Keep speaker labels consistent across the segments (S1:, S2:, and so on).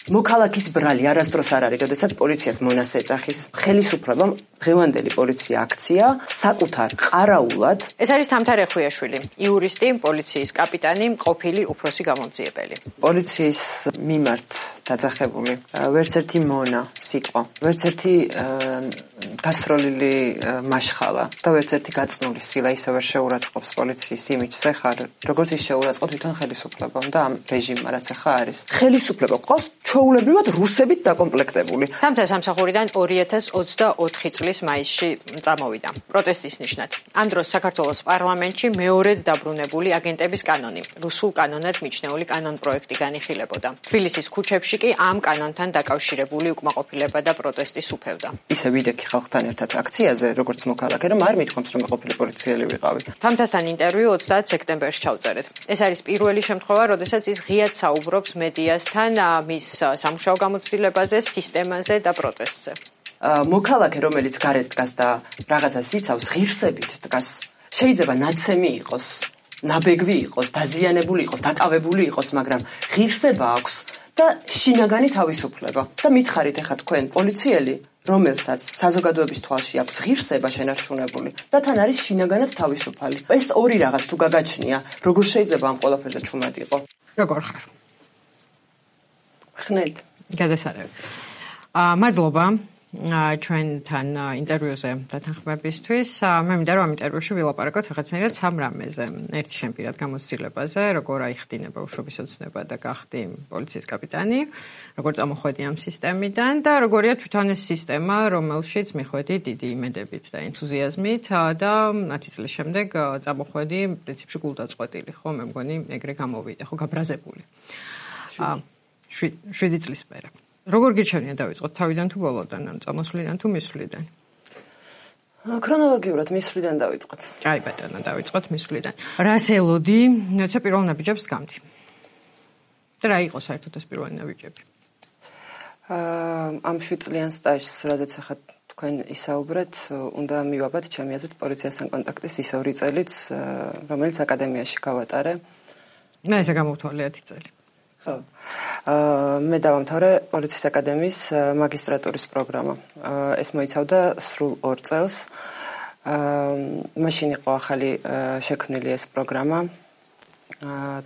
S1: მოქალაქის ბრალი არასდროს არ არის, როდესაც პოლიციას მონას ეძახის. ხელისუფლებამ დღევანდელი პოლიცია აქცია საკუთარ ყარაულად.
S2: ეს არის თამთა რეხვიაშვილი, იურისტი, პოლიციის კაპიტანი, ყოფილი უფროსი გამომძიებელი.
S1: პოლიციის მიმართ დაძახებული ვერც ერთი მონა სიტყვა, ვერც ერთი გასროლილი მაშხალა და ვერც ერთი გაწნული სილა ისე ვერ შეურაცხყოფს პოლიციის იმიჯს ახლა, როგორც ის შეურაცხყოფ თვითონ ხელისუფლებამ და ამ რეჟიმმა, რაც ახლა არის. ხელისუფლება ყავს ჩვეულებრივად რუსებით დაკომპლექტებული.
S2: თამთა სამსახურიდან 2024 წლის მაისში წამოვიდა. პროტესტის ნიშნად. ამ დროს საქართველოს პარლამენტში მეორედ დაბრუნებული აგენტების კანონი, რუსულ კანონად მიჩნეული კანონპროექტი განიხილებოდა. თბილისის ქუჩებში კი ამ კანონთან დაკავშირებული უკმაყოფილება და პროტესტი სუფევდა.
S1: ისე ვიდექი ხალხთან ერთად აქციაზე, როგორც მოქალაქე, რომ არ მithქვამს, რომ ყოფილი პოლიციელი ვიყავი.
S2: თამთასთან ინტერვიუ 30 სექტემბერში ჩავწერეთ. ეს არის პირველი შემთხვევა, როდესაც ის ღიად საუბრობს მედიასთან მის სამუშაო გამოცდილებაზე, სისტემაზე და პროტესტზე.
S1: მოქალაქე, რომელიც გარეთ დგას და რაღაცას იცავს, ღირსებით დგას. შეიძლება ნაცემი იყოს, ნაბეგვი იყოს, დაზიანებული იყოს, დაკავებული იყოს, მაგრამ ღირსება აქვს და შინაგანი თავისუფლება. და მითხარით ახლა თქვენ პოლიციელი, რომელსაც საზოგადოების თვალში აქვს ღირსება შენარჩუნებული და თან არის შინაგანად თავისუფალი. ეს ორი რაღაც თუ გაგაჩნია, როგორ შეიძლება ამ ყველაფერზე ჩუმად იყო?
S2: როგორ ხარ?
S1: ხნედ.
S2: გადასარევი. მადლობა ჩვენთან ინტერვიუზე დათანხმებისთვის. მე მინდა რომ ამ ინტერვიუში ვილაპარაკოთ რაღაცნაირად სამ რამეზე. ერთი შენ პირად გამოცდილებაზე, როგორ აიხდინება უშობის ოცნება და გახდი პოლიციის კაპიტანი, როგორ წამოხვედი ამ სისტემიდან და როგორია თვითონ ეს სისტემა, რომელშიც მიხვედი დიდი იმედებით და ენთუზიაზმით და 10 წლის შემდეგ წამოხვედი პრინციპში გულდაწყვეტილი, ხო, მე მგონი ეგრე გამოვიდა, ხო, გაბრაზებული. 7 წლის მერე. როგორ გიჩვენია დავიწყოთ თავიდან თუ ბოლოდან, ან წამოსვლიდან თუ მისვლიდან?
S1: ქრონოლოგიურად მისვლიდან დავიწყოთ.
S2: აი ბატონო, დავიწყოთ მისვლიდან. რას ელოდი, როცა პირველ ნაბიჯებს გამდი? და რა იყო საერთოდ ეს პირველი ნაბიჯები?
S1: ამ 7 წლიან სტაჟს, რადგან ახლა თქვენ ისაუბრეთ, უნდა მივაბად ჩემი აზრით პოლიციასთან კონტაქტის ის 2 წელიც, რომელიც აკადემიაში გავატარე.
S2: მე ესე გამოვთვალე 10 წელი.
S1: ხო. მე დავამთავრე პოლიციის აკადემიის მაგისტრატურის პროგრამა. ეს მოიცავდა სრულ 2 წელს. მაშინ იყო ახალი შექმნილი ეს პროგრამა.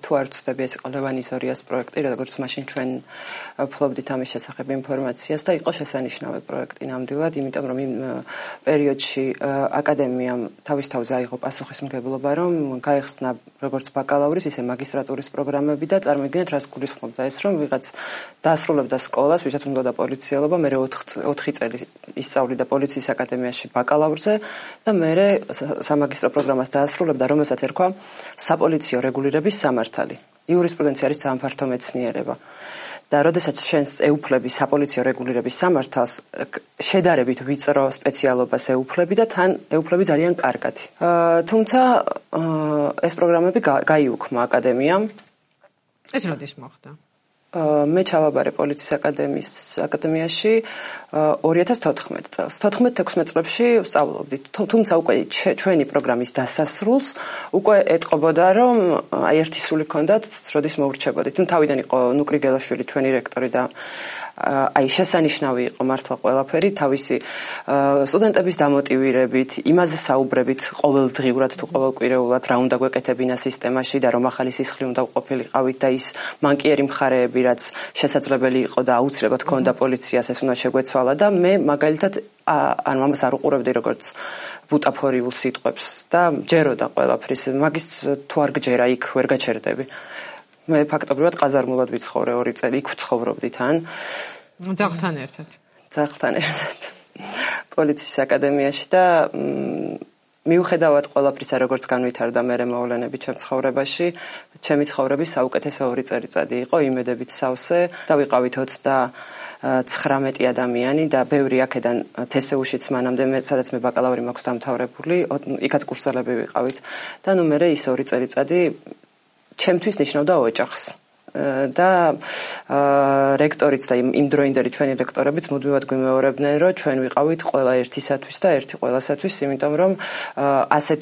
S1: თუ არ ვცდები, ეს იყო ლევან იზორიას პროექტი, როგორც მაშინ ჩვენ ვფლობდით ამის შესახებ ინფორმაციას და იყო შესანიშნავი პროექტი ნამდვილად, იმიტომ რომ იმ პერიოდში აკადემიამ თავის თავზე აიღო პასუხისმგებლობა, რომ გაეხსნა როგორც ბაკალავრის, ისე მაგისტრატურის პროგრამები და წარმოიდგინეთ, რას გულისხმობდა ეს, რომ ვიღაც დაასრულებდა სკოლას, ვისაც უნდა პოლიციელობა, მე 4 წელი ისწავლიდა პოლიციის აკადემიაში ბაკალავრზე და მე სამაგისტრო პროგრამას დაასრულებდა, რომელსაც ერქვა საპოლიციო რეგულირების სამართალი. იურისპრუდენცია არის ძალიან ფართო მეცნიერება. და როდესაც შენს ეუფლები საპოლიციო რეგულირების სამართალს, შედარებით ვიწრო სპეციალობას ეუფლები და თან ეუფლები ძალიან კარგად. თუმცა ეს პროგრამები გაიუქმა აკადემიამ.
S2: ეს როდის მოხდა?
S1: მე ჩავაბარე პოლიციის აკადემიაში 2014 წელს. 14-16 წლებში ვსწავლობდით. თუმცა უკვე ჩვენი პროგრამის დასასრულს უკვე ეტყობოდა, რომ აი ერთი სული ჰქონდათ, როდის მოურჩებოდით. თავიდან იყო ნუკრი გელაშვილი ჩვენი რექტორი და აი შესანიშნავი იყო მართლა ყველაფერი, თავისი სტუდენტების დამოტივირებით, იმაზე საუბრებით ყოველდღიურად თუ ყოველკვირეულად რა უნდა გვეკეთებინა სისტემაში და რომ ახალი სისხლი უნდა ყოფილიყავით და ის მანკიერი მხარეები, რაც შესაძლებელი იყო და აუცილებლად ჰქონდა პოლიციას, ეს უნდა შეგვეცვალა და მე მაგალითად ანუ ამას არ უყურებდი როგორც ბუტაფორიულ სიტყვებს და ჯეროდა ყველაფრის, მაგის თუ არ გჯერა იქ ვერ გაჩერდები. მე ფაქტობრივად ყაზარმულად ვიცხოვრე 2 წელი, იქ ვცხოვრობდი თან.
S2: ძაღლთან ერთად.
S1: ძაღლთან ერთად. პოლიციის აკადემიაში და მიუხედავად ყველაფრისა, როგორც განვითარდა მე მოვლენები ჩემ ცხოვრებაში, ჩემი ცხოვრების საუკეთესო 2 წელიწადი იყო, იმედებით სავსე და ვიყავით 29 ადამიანი და ბევრი აქედან თესეუშიც მანამდე სადაც მე ბაკალავრი მაქვს დამთავრებული, იქაც კურსელები ვიყავით და ნუ მე ის 2 წელიწადი ჩემთვის ნიშნავდა ოჯახს და რექტორიც და იმ დროინდელი ჩვენი რექტორებიც მუდმივად გვიმეორებდნენ, რომ ჩვენ ვიყავით ყველა ერთისათვის და ერთი ყველასათვის, იმიტომ რომ ასეთ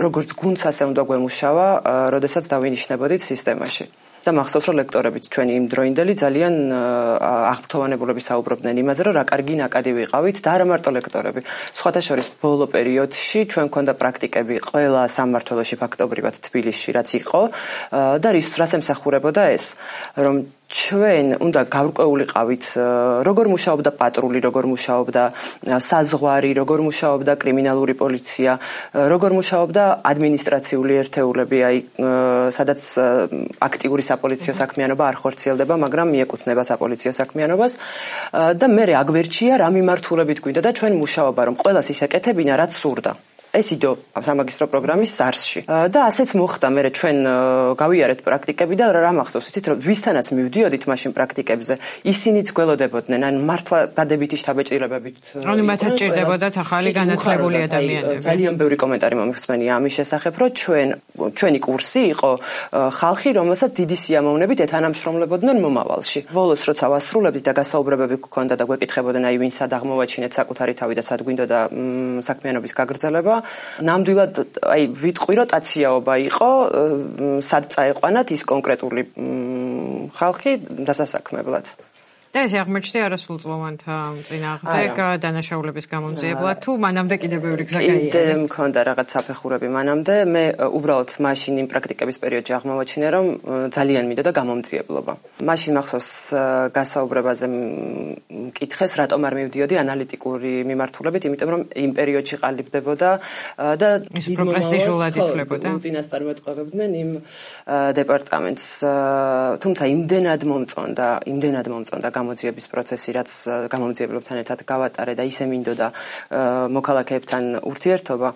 S1: როგორც გუნდს ასე უნდა გვემუშავა, როდესაც დავინიშნებოდით სისტემაში. და მახსოვს რომ ლექტორებიც ჩვენი იმ დროინდელი ძალიან აღფრთოვანებულები საუბრობდნენ იმაზე რომ რა კარგი ნაკადი ვიყავით და არა მარტო ლექტორები. სხვათა შორის ბოლო პერიოდში ჩვენ გვქონდა პრაქტიკები ყველა სამმართველოში ფაქტობრივად თბილისში რაც იყო და რასაც ემსახურებოდა ეს რომ ჩვენ უნდა გავრკვეულიყავით როგორ მუშაობდა პატრული, როგორ მუშაობდა საზღვარი, როგორ მუშაობდა კრიმინალური პოლიცია, როგორ მუშაობდა ადმინისტრაციული ერთეულები, აი სადაც აქტიური საპოლიციო საქმიანობა არ ხორციელდება, მაგრამ მიეკუთვნება საპოლიციო საქმიანობას და მე აგვერჩია რა მიმართულებით გვინდა და ჩვენ მუშაობა რომ ყველას ისეკეთებინა რაც სურდა. ეს იდო სამაგისტრო პროგრამის SARS-ში. და ასეც მოხდა, მე ჩვენ გავიარეთ პრაქტიკები და რა მახსოვს, იცით რომ ვისთანაც მივდიოდით მაშინ პრაქტიკებზე, ისინიც გველოდებოდნენ, ან მართლა დადებითი შთაბეჭდილებებით.
S2: ანუ მათაც ჭირდებოდათ ახალი განათლებული ადამიანები.
S1: ძალიან ბევრი კომენტარი მომიხსენია ამის შესახებ, რომ ჩვენი კურსი იყო ხალხი, რომელსაც დიდი სიამოვნებით ეთანამშრომლებოდნენ მომავალში. ბოლოს როცა ვასრულებდით და გასაუბრებები გქონდა და გვეკითხებოდნენ, აი ვინ სად აღმოვაჩინეთ საკუთარი თავი და სად გვინდოდა საქმიანობის გაგრძელება. ნამდვილად აი ვიტყვი რომ ტაციაობა იყო სად წაეყვანათ ის კონკრეტული ხალხი დასასაქმებლად.
S2: და ეს აღმოჩნდა არასრულწლოვანთა წინააღმდეგ დანაშაულების გამომძიებლად თუ მანამდე კიდევ ბევრი გზა გაიარა.
S1: კიდე მქონდა რაღაც საფეხურები მანამდე, მე უბრალოდ მაშინ იმ პრაქტიკების პერიოდში აღმოვაჩინე რომ ძალიან მინდოდა გამომძიებლობა. მაშინ მახსოვს გასაუბრებაზე მკითხეს რატომ არ მივდიოდი ანალიტიკური მიმართულებით, იმიტომ რომ იმ პერიოდში ყალიბდებოდა და
S2: უფრო პრესტიჟულად ითვლებოდა.
S1: წინასწარმეტყველებდნენ იმ დეპარტამენტს. თუმცა იმდენად მომწონდა გამოძიების პროცესი, რაც გამომძიებლებთან ერთად გავატარე და ისე მინდოდა მოქალაქეებთან ურთიერთობა,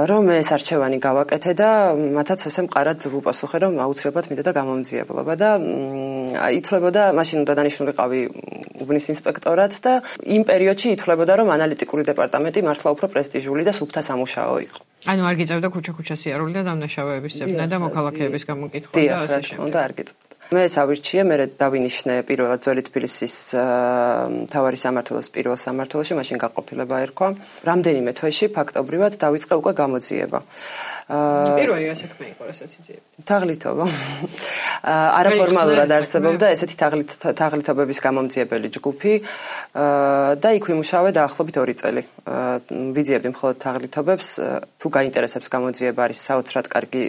S1: რომ ეს არჩევანი გავაკეთე და მათაც ესე მყარად ვუპასუხე, რომ აუცილებლად მინდოდა გამომძიებლობა და ითვლებოდა, მაშინ უნდა დანიშნულიყავი უბნის ინსპექტორად და იმ პერიოდში ითვლებოდა, რომ ანალიტიკური დეპარტამენტი მართლა უფრო პრესტიჟული და სუფთა სამუშაო იყო.
S2: ანუ არ გიწევდა ქუჩა-ქუჩა სიარული და დამნაშავეების ძებნა და მოქალაქეების გამოკითხვა და ასე შემდეგ.
S1: და არ გიწევდა. მე ავირჩიე, მე დავინიშნე პირველად ძველი თბილისის მთავარი სამმართველოს პირველ სამმართველოში, მაშინ გაყოფილება ერქვა. რამდენიმე თვეში ფაქტობრივად დავიწყე უკვე გამოძიება.
S2: პირველი რა საქმე იყო, რასაც იძლევა?
S1: თაღლითობა. არაფორმალურად არსებობდა ესეთი თაღლითობების გამომძიებელი ჯგუფი და იქ ვიმუშავე დაახლოებით 2 წელი. ვიძიებდი მხოლოდ თაღლითობებს, თუ გაინტერესებს გამოძიება არის საოცრად კარგი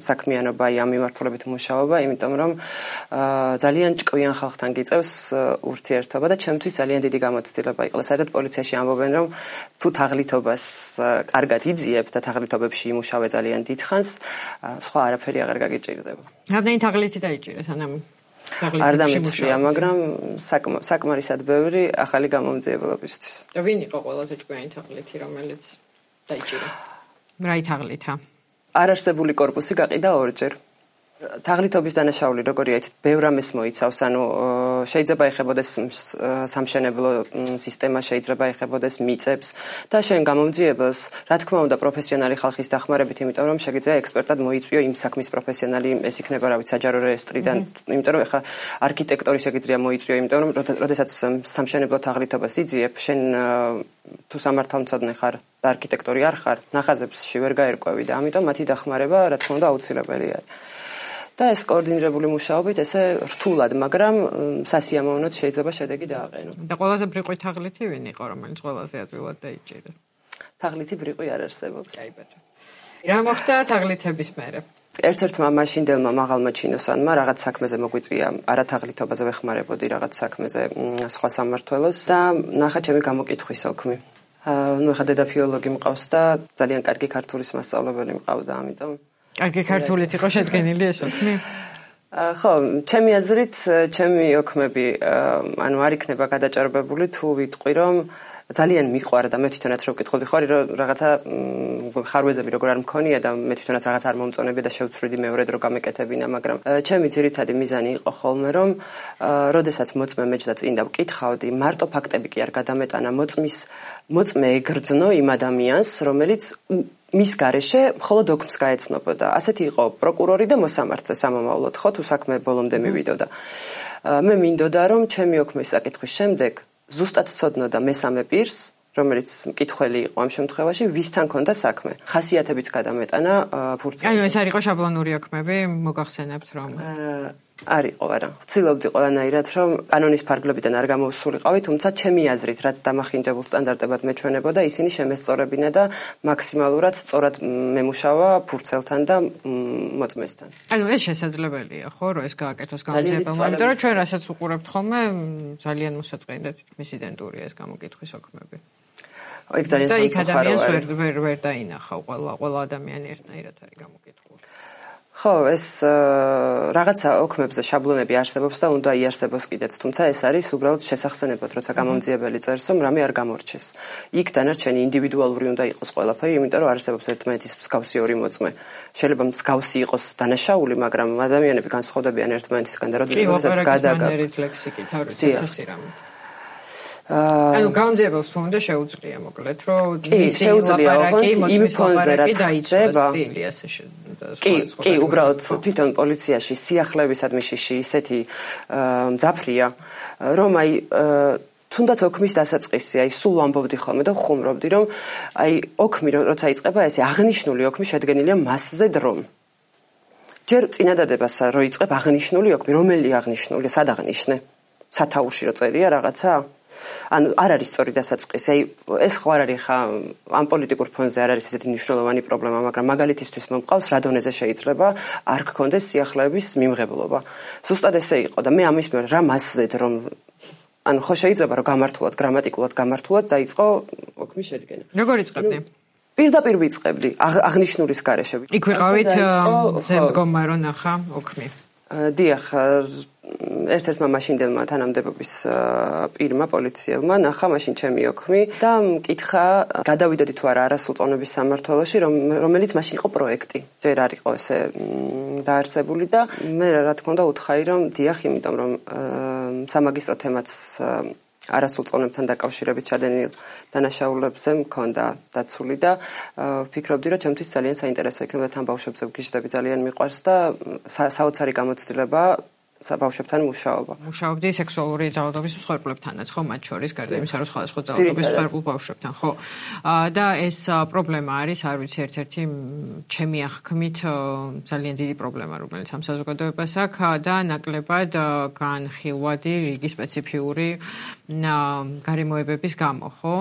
S1: საქმიანობა, ამ მიმართულებით მუშაობა, იმიტომ რომ ძალიან ჭკვიან ხალხთან გიწევს ურთიერთობა და ჩემთვის ძალიან დიდი გამოცდილება იყო. საერთოდ პოლიციაში ამბობენ, რომ თუ თაღლითობას კარგად იძიებ და თაღლითობებში იმუშავე ძალიან დიდხანს, სხვა არაფერი აღარ გაგიჭირდება.
S2: რამდენი თაღლითი დაიჭირე სანამ
S1: არ დამეწია, მაგრამ საკმარისად ბევრი ახალი გამომძიებლობისთვის.
S2: და ვინ იყო ყველაზე ჭკვიანი თაღლითი, რომელიც დაიჭირა? რა თაღლითა?
S1: არარსებული корпуსი გაყიდა 2 ჯერ. თაღლითობის დანაშაული როგორია, ბევრ ამას მოიცავს, ანუ შეიძლება ეხებოდეს სამშენებლო სისტემა, შეიძლება ეხებოდეს მიწებს და შენ გამომძიებელს, რა თქმა უნდა, პროფესიონალი ხალხის დახმარებით, იმიტომ რომ შეგიძლია ექსპერტად მოიწვიო იმ საქმის პროფესიონალი, ეს იქნება რა ვიცი, საჯარო რეესტრიდან, იმიტომ რომ ეხა არქიტექტორი შეგიძლია მოიწვიო, იმიტომ რომ როდესაც სამშენებლო თაღლითობას იძიებ, შენ თუ სამართალმცოდნე ხარ და არქიტექტორი არ ხარ, ნახაზებში ვერ გაერკვევი და ამიტომ მათი დახმარება, რა თქმა უნდა, აუცილებელი არის. და ეს კოორდინირებული მუშაობით ესე რთულად, მაგრამ სასიამოვნოდ შეიძლება შედეგი დააყენო.
S2: და ყველაზე ბრიყვი თაღლითი ვინ იყო, რომელიც ყველაზე ადვილად დაიჭირა?
S1: თაღლითი ბრიყვი არ არსებობს.
S2: კაიბაჭო. რა მოხდა თაღლითების მერე?
S1: ერთ-ერთმა მაშინდელმა მაღალმა ჩინოსანმა რაღაც საქმეზე მოგვიწია, არათაღლითობაზე ვეხმარებოდი რაღაც საქმეზე სხვა სამმართველოს და ნახა ჩემი გამოკითხვის ოქმი. ნუ ეხა დედაფილოლოგი მყავს და ძალიან კარგი ქართულის მასწავლებელი მყავდა, ამიტომ
S2: კარგი ქართულით იყო შედგენილი ეს ოქმი?
S1: ხო, ჩემი აზრით, ჩემი ოქმები ანუ არ იქნება გადაჭარბებული თუ ვიტყვი რომ ძალიან მიყვარა და მე თვითონაც რო ვკითხავდი ხარ რაღაცა ხარვეზები როგორ არ მქონია და მე თვითონაც რაღაც არ მომწონებია და შევცვლიდი მეორედ რო გამეკეთებინა, მაგრამ ჩემი ძირითადი მიზანი იყო ხოლმე რომ როდესაც მოწმე მეჯდა წინ და ვკითხავდი, მარტო ფაქტები კი არ გადამეტანა, მოწმე ეგრძნო იმ ადამიანს, რომელიც მის გარეშე მხოლოდ ოქმს გაეცნობოდა. ასეთი იყო პროკურორი და მოსამართლე სამომავლოდ, ხო, თუ საქმე ბოლომდე მივიდოდა. მე მინდოდა რომ ჩემი ოქმის საკითხვის შემდეგ ზუსტად ცოდნოდა მესამე პირს, რომელიც მკითხველი იყო ამ შემთხვევაში, ვისთან ქონდა საქმე. ხასიათებიც გადამეტანა ფურცელზე.
S2: ანუ ეს არ იყო შაბლონური ოქმები, მოგახსენებთ რომ
S1: არ იყო, არა. ვცდილობდი ყველანაირად, რომ კანონის ფარგლებიდან არ გამოვსულიყავი, თუმცა ჩემი აზრით, რაც დამახინჯებულ სტანდარტებად მეჩვენებოდა, ისინი შემესწორებინა და მაქსიმალურად სწორად მემუშავა ფურცელთან და მოწმესთან.
S2: ანუ ეს შესაძლებელია, ხო, რომ ეს გააკეთოს გამომძიებელმა, იმიტომ რომ ჩვენ რასაც უყურებთ ხოლმე, ძალიან მოსაწყენია თითქმის იდენტურია ეს გამოკითხვის ოქმები.
S1: ეგ ძალიან
S2: სამწუხაროა. და იქ ადამიანს ვერ დაინახავ, ყველა ადამიანი ერთნაირად არის გამოკითხული.
S1: ხო, ეს რაღაცა ოქმებზე შაბლონები არსებობს და უნდა იარსებოს კიდეც, თუმცა ეს არის უბრალოდ შესახსენებლად, როცა გამომძიებელი წერს, რომ რამე არ გამორჩეს. იქ დანარჩენი ინდივიდუალური უნდა იყოს ყველაფერი, იმიტომ რომ არსებობს ერთმანეთის მსგავსი ორი მოწმე. შეიძლება მსგავსი იყოს დანაშაული, მაგრამ ადამიანები განსხვავდებიან ერთმანეთისგან და როდესაც
S2: გადაგაგ ლექსიკით არის ეს რამე. ანუ გამომძიებელს თუ უნდა შეუძლია მოკლედ, რომ მისი ლაპარაკი მოწმის ლაპარაკი დაიწყოს სტილი ასე
S1: კი, უბრალოდ თვითონ პოლიციაში სიახლეებისად მიშიში ისეთი მძაფრია, რომ აი თუნდაც ოქმის დასაწყისი, აი სულ ვამბობდი ხოლმე და ხუმრობდი, რომ აი ოქმი როცა იწყება, ესე აღნიშნული ოქმი შედგენილია მასზე დრომ. ჯერ წინადადებას რო იწყებ აღნიშნული ოქმი, რომელი აღნიშნული, სად აღნიშნე? სათაურში რო წერია რაღაცა? ანუ არ არის სწორი დასაწყისი. აი ეს ხო არ არის ხა ამ პოლიტიკურ ფონზე არ არის ესეთი მნიშვნელოვანი პრობლემა, მაგრამ მაგალითისთვის მომყავს რა დონეზე შეიძლება არ გქონდეს სიახლეების მიმღებლობა. ზუსტად ესე იყო და მე ამის მიერ რა მასზედ რომ ანუ ხო შეიძლება რომ გამართულად, გრამატიკულად გამართულად დაიწყო ოქმის შედგენა.
S2: როგორ იწყებდი?
S1: პირდაპირ ვიწყებდი აღნიშნულის გარეშე.
S2: იქ ვიყავით ზემდგომა რო ნახა ოქმი.
S1: დიახ, ერთ-ერთმა მაშინდელმა თანამდებობის პირმა პოლიციელმა ნახა მაშინ ჩემი ოქმი და მკითხა გადავიდოდი თუ არა არასრულწლოვნების სამმართველოში, რომელიც მაშინ იყო პროექტი. ჯერ არ იყო ესე დაარსებული და მე რა თქმა უნდა უთხარი რომ დიახ, იმიტომ რომ სამაგისტრო თემაც არასრულწლოვნებთან დაკავშირებით ჩადენილ დანაშაულებებზე მქონდა დაცული და ვფიქრობდი რომ ჩემთვის ძალიან საინტერესო იქნება თან ბავშვებზე ვგიჟდები, ძალიან მიყვარს და საოცარი გამოცდილება საბავშვებთან მუშაობა.
S2: მუშაობდი სექსუალური ძალადობის მსხვერპლებთანაც, ხო, მათ შორის გარდა იმისა, რომ სხვადასხვა ძალადობის მსხვერპლ ბავშვებთან, ხო. და ეს პრობლემა არის, არ ვიცი, ერთ-ერთი ჩემი აღქმით ძალიან დიდი პრობლემა, რომელიც ამ საზოგადოებას აქვს და ნაკლებად განხილვადი რიგი სპეციფიური გარემოებების გამო, ხო?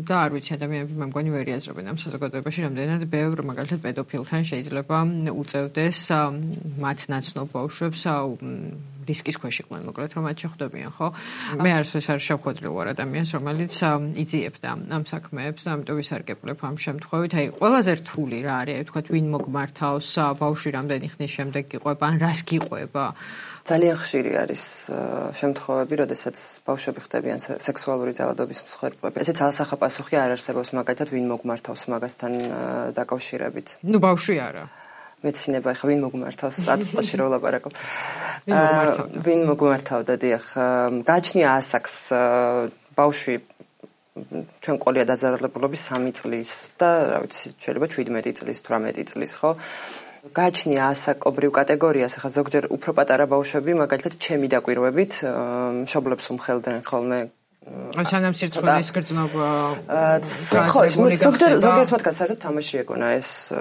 S2: და არ ვიცი, ადამიანები მე მგონი ვერ იაზრებენ ამ საზოგადოებაში, რამდენად ბევრ მაგალითად პედოფილთან შეიძლება უწევდეს მათ ნაცნობ ბავშვებს რისკის ქვეშ იყვნენ, მოკლედ რომ მათ შეხვდებიან, ხო? მე ეს არის შეხვედრილი ვარ ადამიანს, რომელიც იძიებდა ამ საქმეებს და ამიტომ ვისარგებლებ ამ შემთხვევით. აი, ყველაზე რთული რა არის, აი ვთქვათ, ვინ მოგმართავს, ბავშვი რამდენი ხნის შემდეგ გიყვება, ან რას გიყვება?
S1: ძალიან ხშირი არის შემთხვევები, როდესაც ბავშვები ხდებიან სექსუალური ძალადობის მსხვერპლები. ესეც ალსახა პასუხი არ არსებობს, მაგალითად, ვინ მოგმართავს მაგასთან დაკავშირებით.
S2: ნუ ბავშვი არა.
S1: მეცინება ხა ვინ მოგმართავს აწყოში რო ვლაპარაკობ. ვინ მოგმართავდა, დიახ, გააჩნია ასაკს ბავშვი ჩვენ ყოლია დაზარალებულობის 3 წლის და რა ვიცი, შეიძლება 17 წლის, 18 წლის, ხო? გააჩნია ასაკობრივ კატეგორიას, ახლა ზოგჯერ უფრო პატარა ბავშვები, მაგალითად, ჩემი დაკვირვებით, მშობლებს უმხელდნენ ხოლმე
S2: სანამ სირცხვილის გრძნობა
S1: ხო, ზოგიერთ მათგანს საერთოდ თამაში ეგონა ეს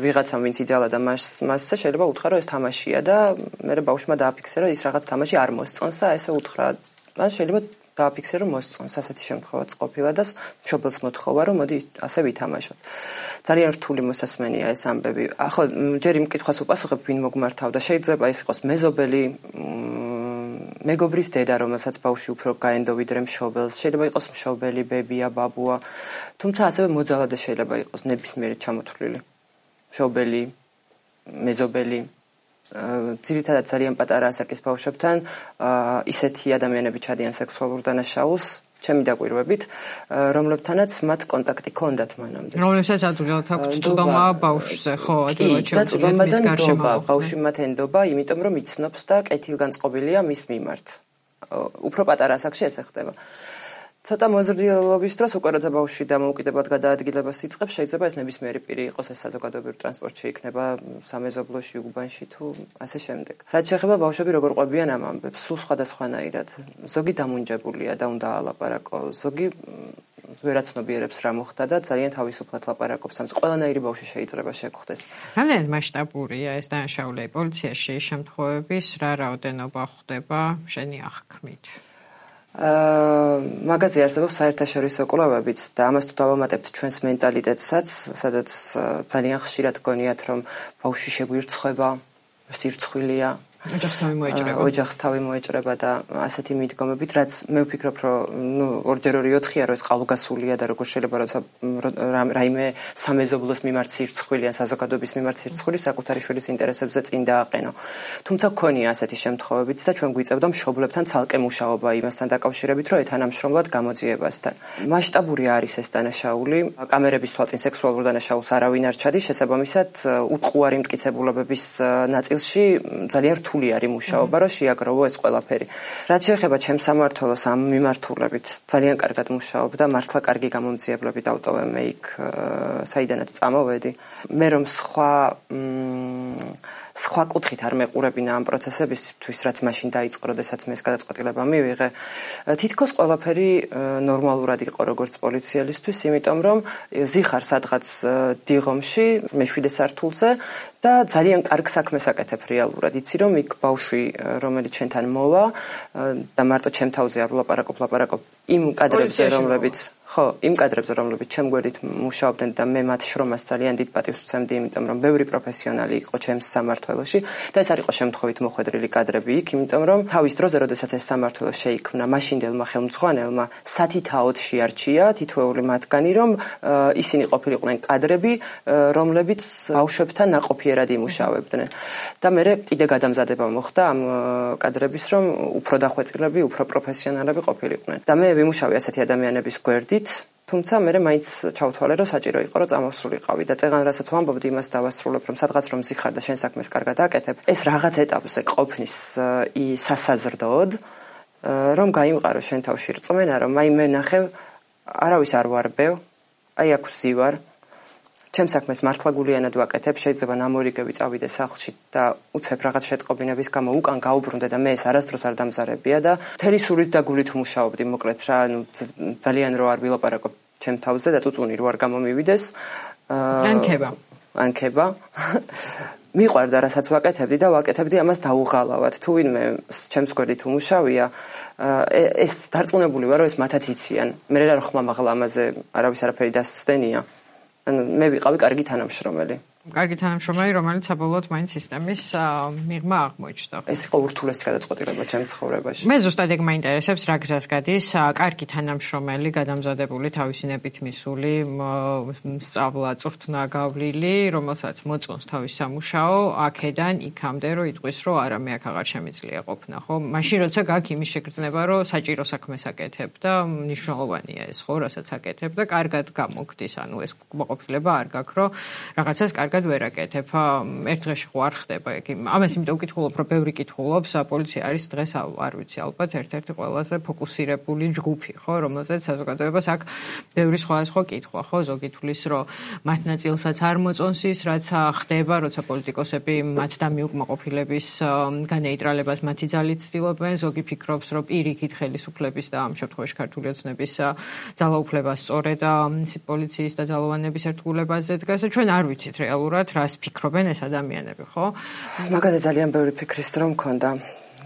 S1: ვიღაცამ ვინც იძალა და მასზე შეიძლება უთხრა რომ ეს თამაშია და მე ბავშვმა დააფიქსირა ის რაღაც თამაში არ მოსწონს და ესე უთხრა ან შეიძლება დააფიქსირა რომ მოსწონს ასეთი შემთხვევაც ყოფილა და მშობელს მოთხოვა რომ მოდი ასე ვითამაშოთ. ძალიან რთული მოსასმენია ეს ამბები. ხო, ჯერ იმ კითხვას უპასუხებ ვინ მოგმართავდა, შეიძლება ის იყოს მეზობელი მეგობრის დედა, რომელსაც ბავშვი უფრო გაენდო ვიდრე მშობელს, შეიძლება იყოს მშობელი, ბებია, ბაბუა, თუმცა ასევე მოძალადე შეიძლება იყოს ნებისმიერი ჩამოთვლილი. მშობელი, მეზობელი, ძირითადად ძალიან პატარა ასაკის ბავშვებთან ისეთი ადამიანები ჩადიან სექსუალურ დანაშაულს, ჩემი დაკვირვებით, რომლებთანაც მათ კონტაქტი ჰქონდათ მანამდე.
S2: რომლებსაც ადვილად აქვთ წვდომა ბავშვზე, ხო, ადვილად შეუძლიათ მის გარშემო.
S1: ბავშვი მათ ენდობა, იმიტომ რომ იცნობს და კეთილგანწყობილია მის მიმართ. უფრო პატარა ასაკში ესე ხდება. ცოტა მოზრდილობის დროს უკვე როცა ბავშვი დამოუკიდებლად გადაადგილებას იწყებს, შეიძლება ეს ნებისმიერი პირი იყოს, ეს საზოგადოებრივ ტრანსპორტში იქნება, სამეზობლოში, უბანში თუ ასე შემდეგ. რაც შეეხება ბავშვები როგორ ყვებიან ამ ამბებს, სულ სხვადასხვანაირად. ზოგი დამუნჯებულია და უნდა ალაპარაკო, ზოგი ვერაცნობიერებს რა მოხდა და ძალიან თავისუფლად ლაპარაკობს ამის. ყველანაირი ბავშვი შეიძლება შეგხვდეს.
S2: რამდენად მასშტაბურია ეს დანაშაულები პოლიციაში შემთხვევების, რა რაოდენობა ხდება შენი აღქმით?
S1: მაგაზე არსებობს საერთაშორისო კვლევებიც და ამას თუ დავამატებთ ჩვენს მენტალიტეტსაც, სადაც ძალიან ხშირად გონიათ, რომ ბავშვი შეგვირცხება, სირცხვილია, ოჯახს თავი მოეჭრება და ასეთი მიდგომებით, რაც მე ვფიქრობ, რომ ორჯერ 2-4-ია, რომ ეს ყალბგასულია და როგორ შეიძლება როცა რაიმე სამეზობლოს მიმართ სირცხვილი ან საზოგადოების მიმართ სირცხვილი საკუთარი შვილის ინტერესებზე წინ დააყენო. თუმცა გქონია ასეთი შემთხვევებიც და ჩვენ გვიწევდა მშობლებთან ცალკე მუშაობა იმასთან დაკავშირებით, რომ ეთანამშრომლად გამოძიებასთან. მასშტაბური არის ეს დანაშაული, კამერების თვალწინ სექსუალურ დანაშაულს არავინ არ ჩადის, შესაბამისად უტყუარი მტკიცებულებების ნაწილში ძალიან რთული არის მუშაობა, რომ შეაგროვო ეს ყველაფერი. რაც შეეხება ჩემს სამმართველოს ამ მიმართულებით, ძალიან კარგად მუშაობდა, მართლა კარგი გამომძიებლები დავტოვე მე იქ, საიდანაც წამოვედი. მე რომ სხვა კუთხით არ მეყურებინა ამ პროცესებისთვის, რაც მაშინ დაიწყო, როდესაც მე ეს გადაწყვეტილება მივიღე. თითქოს ყველაფერი ნორმალურად იყო როგორც პოლიციელისთვის, იმიტომ რომ ზიხარ სადღაც დიღომში, მე-7 სართულზე და ძალიან კარგ საქმეს აკეთებ რეალურად. იცი რომ იქ ბავშვი, რომელიც ჩვენთან მოვა და მარტო ჩემ თავზე არ ვლაპარაკობ იმ კადრებზე, რომლებიც ჩემ გვერდით მუშაობდნენ და მე მათ შრომას ძალიან დიდ პატივს ვცემდი, იმიტომ რომ ბევრი პროფესიონალი იყო ჩემს სამმართველოში და ეს არ იყო შემთხვევით მოხვედრილი კადრები იქ, იმიტომ რომ თავის დროზე, როდესაც ეს სამმართველო შეიქმნა, მაშინდელმა ხელმძღვანელმა სათითაოდ შეარჩია თითოეული მათგანი, რომ ისინი ყოფილიყვნენ კადრები, რომლებიც ბავშვებთან ნაყოფიერად იმუშავებდნენ. და მე კიდე გადამზადება მოხდა ამ კადრების, რომ უფრო დახვეწილები, უფრო პროფესიონალები ყოფილიყვნენ. და მე ვიმუშავე ასეთი ადამიანების გვერდით, თუმცა მე მაინც ჩავთვალე, რომ საჭირო იყო, რომ წამოსულიყავი და წეგან რასაც ვამბობდი, იმას დავასრულებ, რომ სადღაც რომ ზიხარ და შენ საქმეს კარგად აკეთებ, ეს რაღაც ეტაპზე ყოფნის სასაზრდოდ, რომ გაიმყარო შენ თავში რწმენა, რომ აი მე ნახევ არავის არ ვარბევ, აი აქ ვსივარ, ჩემს საქმეს მართლა გულიანად ვაკეთებ, შეიძლება ნამორიგები წავიდე სახლში და უცებ რაღაც შეტყობინების გამო უკან გაუბრუნდე და მე ეს არასდროს არ დამზარებია და მთელი სულით და გულით მუშაობდი, მოკლედ რა, ძალიან რო არ ვილაპარაკობ ჩემ თავზე და წუწუნი რო არ გამომივიდეს. ანქება. მიყვარდა რასაც ვაკეთებდი და ვაკეთებდი ამას დაუღალავად. თუ ვინმე ჩემს გვერდით უმუშავია, ეს დარწმუნებული ვარ, რომ ეს მათაც იციან. მე რა ხმამაღლა ამაზე არავის არაფერი დასცდენია. მე ვიყავი კარგი თანამშრომელი.
S2: კარგი თანამშრომელი, რომელიც საბოლოოდ მაინც სისტემის მიღმა აღმოჩნდა.
S1: ეს იყო ურთულესი გადაწყვეტილება ჩემს ცხოვრებაში.
S2: მე ზუსტად ეგ მაინტერესებს, რა გზას გადის კარგი თანამშრომელი, გადამზადებული, თავისინებით მისული, სწავლა წვრთნა გავლილი, რომელსაც მოწონს თავის სამუშაო, აქედან იქამდე, რომ იტყვის, რომ არა, მე აქ აღარ შემიძლია ყოფნა, ხო? მაშინ როცა გაქვს იმის შეგრძნება, რომ საჭირო საქმეს აკეთებ და მნიშვნელოვანია ეს, ხო, რასაც აკეთებ და კარგად გამოგდის, ანუ ეს მოყოფილება არ გაქვს, რომ რაღაცას კარგად ვერ აკეთებ. ერთ დღეში ხო არ ხდება ეგ. ამას იმიტომ ვკითხულობ, რომ ბევრი კითხულობს, პოლიცია არის დღეს არ ვიცი, ალბათ ერთ-ერთი ყველაზე ფოკუსირებული ჯგუფი, ხო, რომელზეც საზოგადოებას აქვს ბევრი სხვადასხვა კითხვა, ხო, ზოგი თulis, რომ მათ ნაწილსაც არ მოწონს ის, რაც ხდება, როცა პოლიტიკოსები მათ დამიუკმაყოფილების განეიტრალებას მათი ძალით ცდილობენ, ზოგი ფიქრობს, რომ პირიქით ხელისუფლების და ამ შემთხვევაში ქართული ოცნების ძალაუფლებას სწორედ პოლიციის და ძალოვანების ერთგულებაზე დგას. ჩვენ არ ვიცით რეალურად რას ფიქრობენ ეს ადამიანები, ხო?
S1: მაგაზე ძალიან ბევრი ფიქრის დრო მქონდა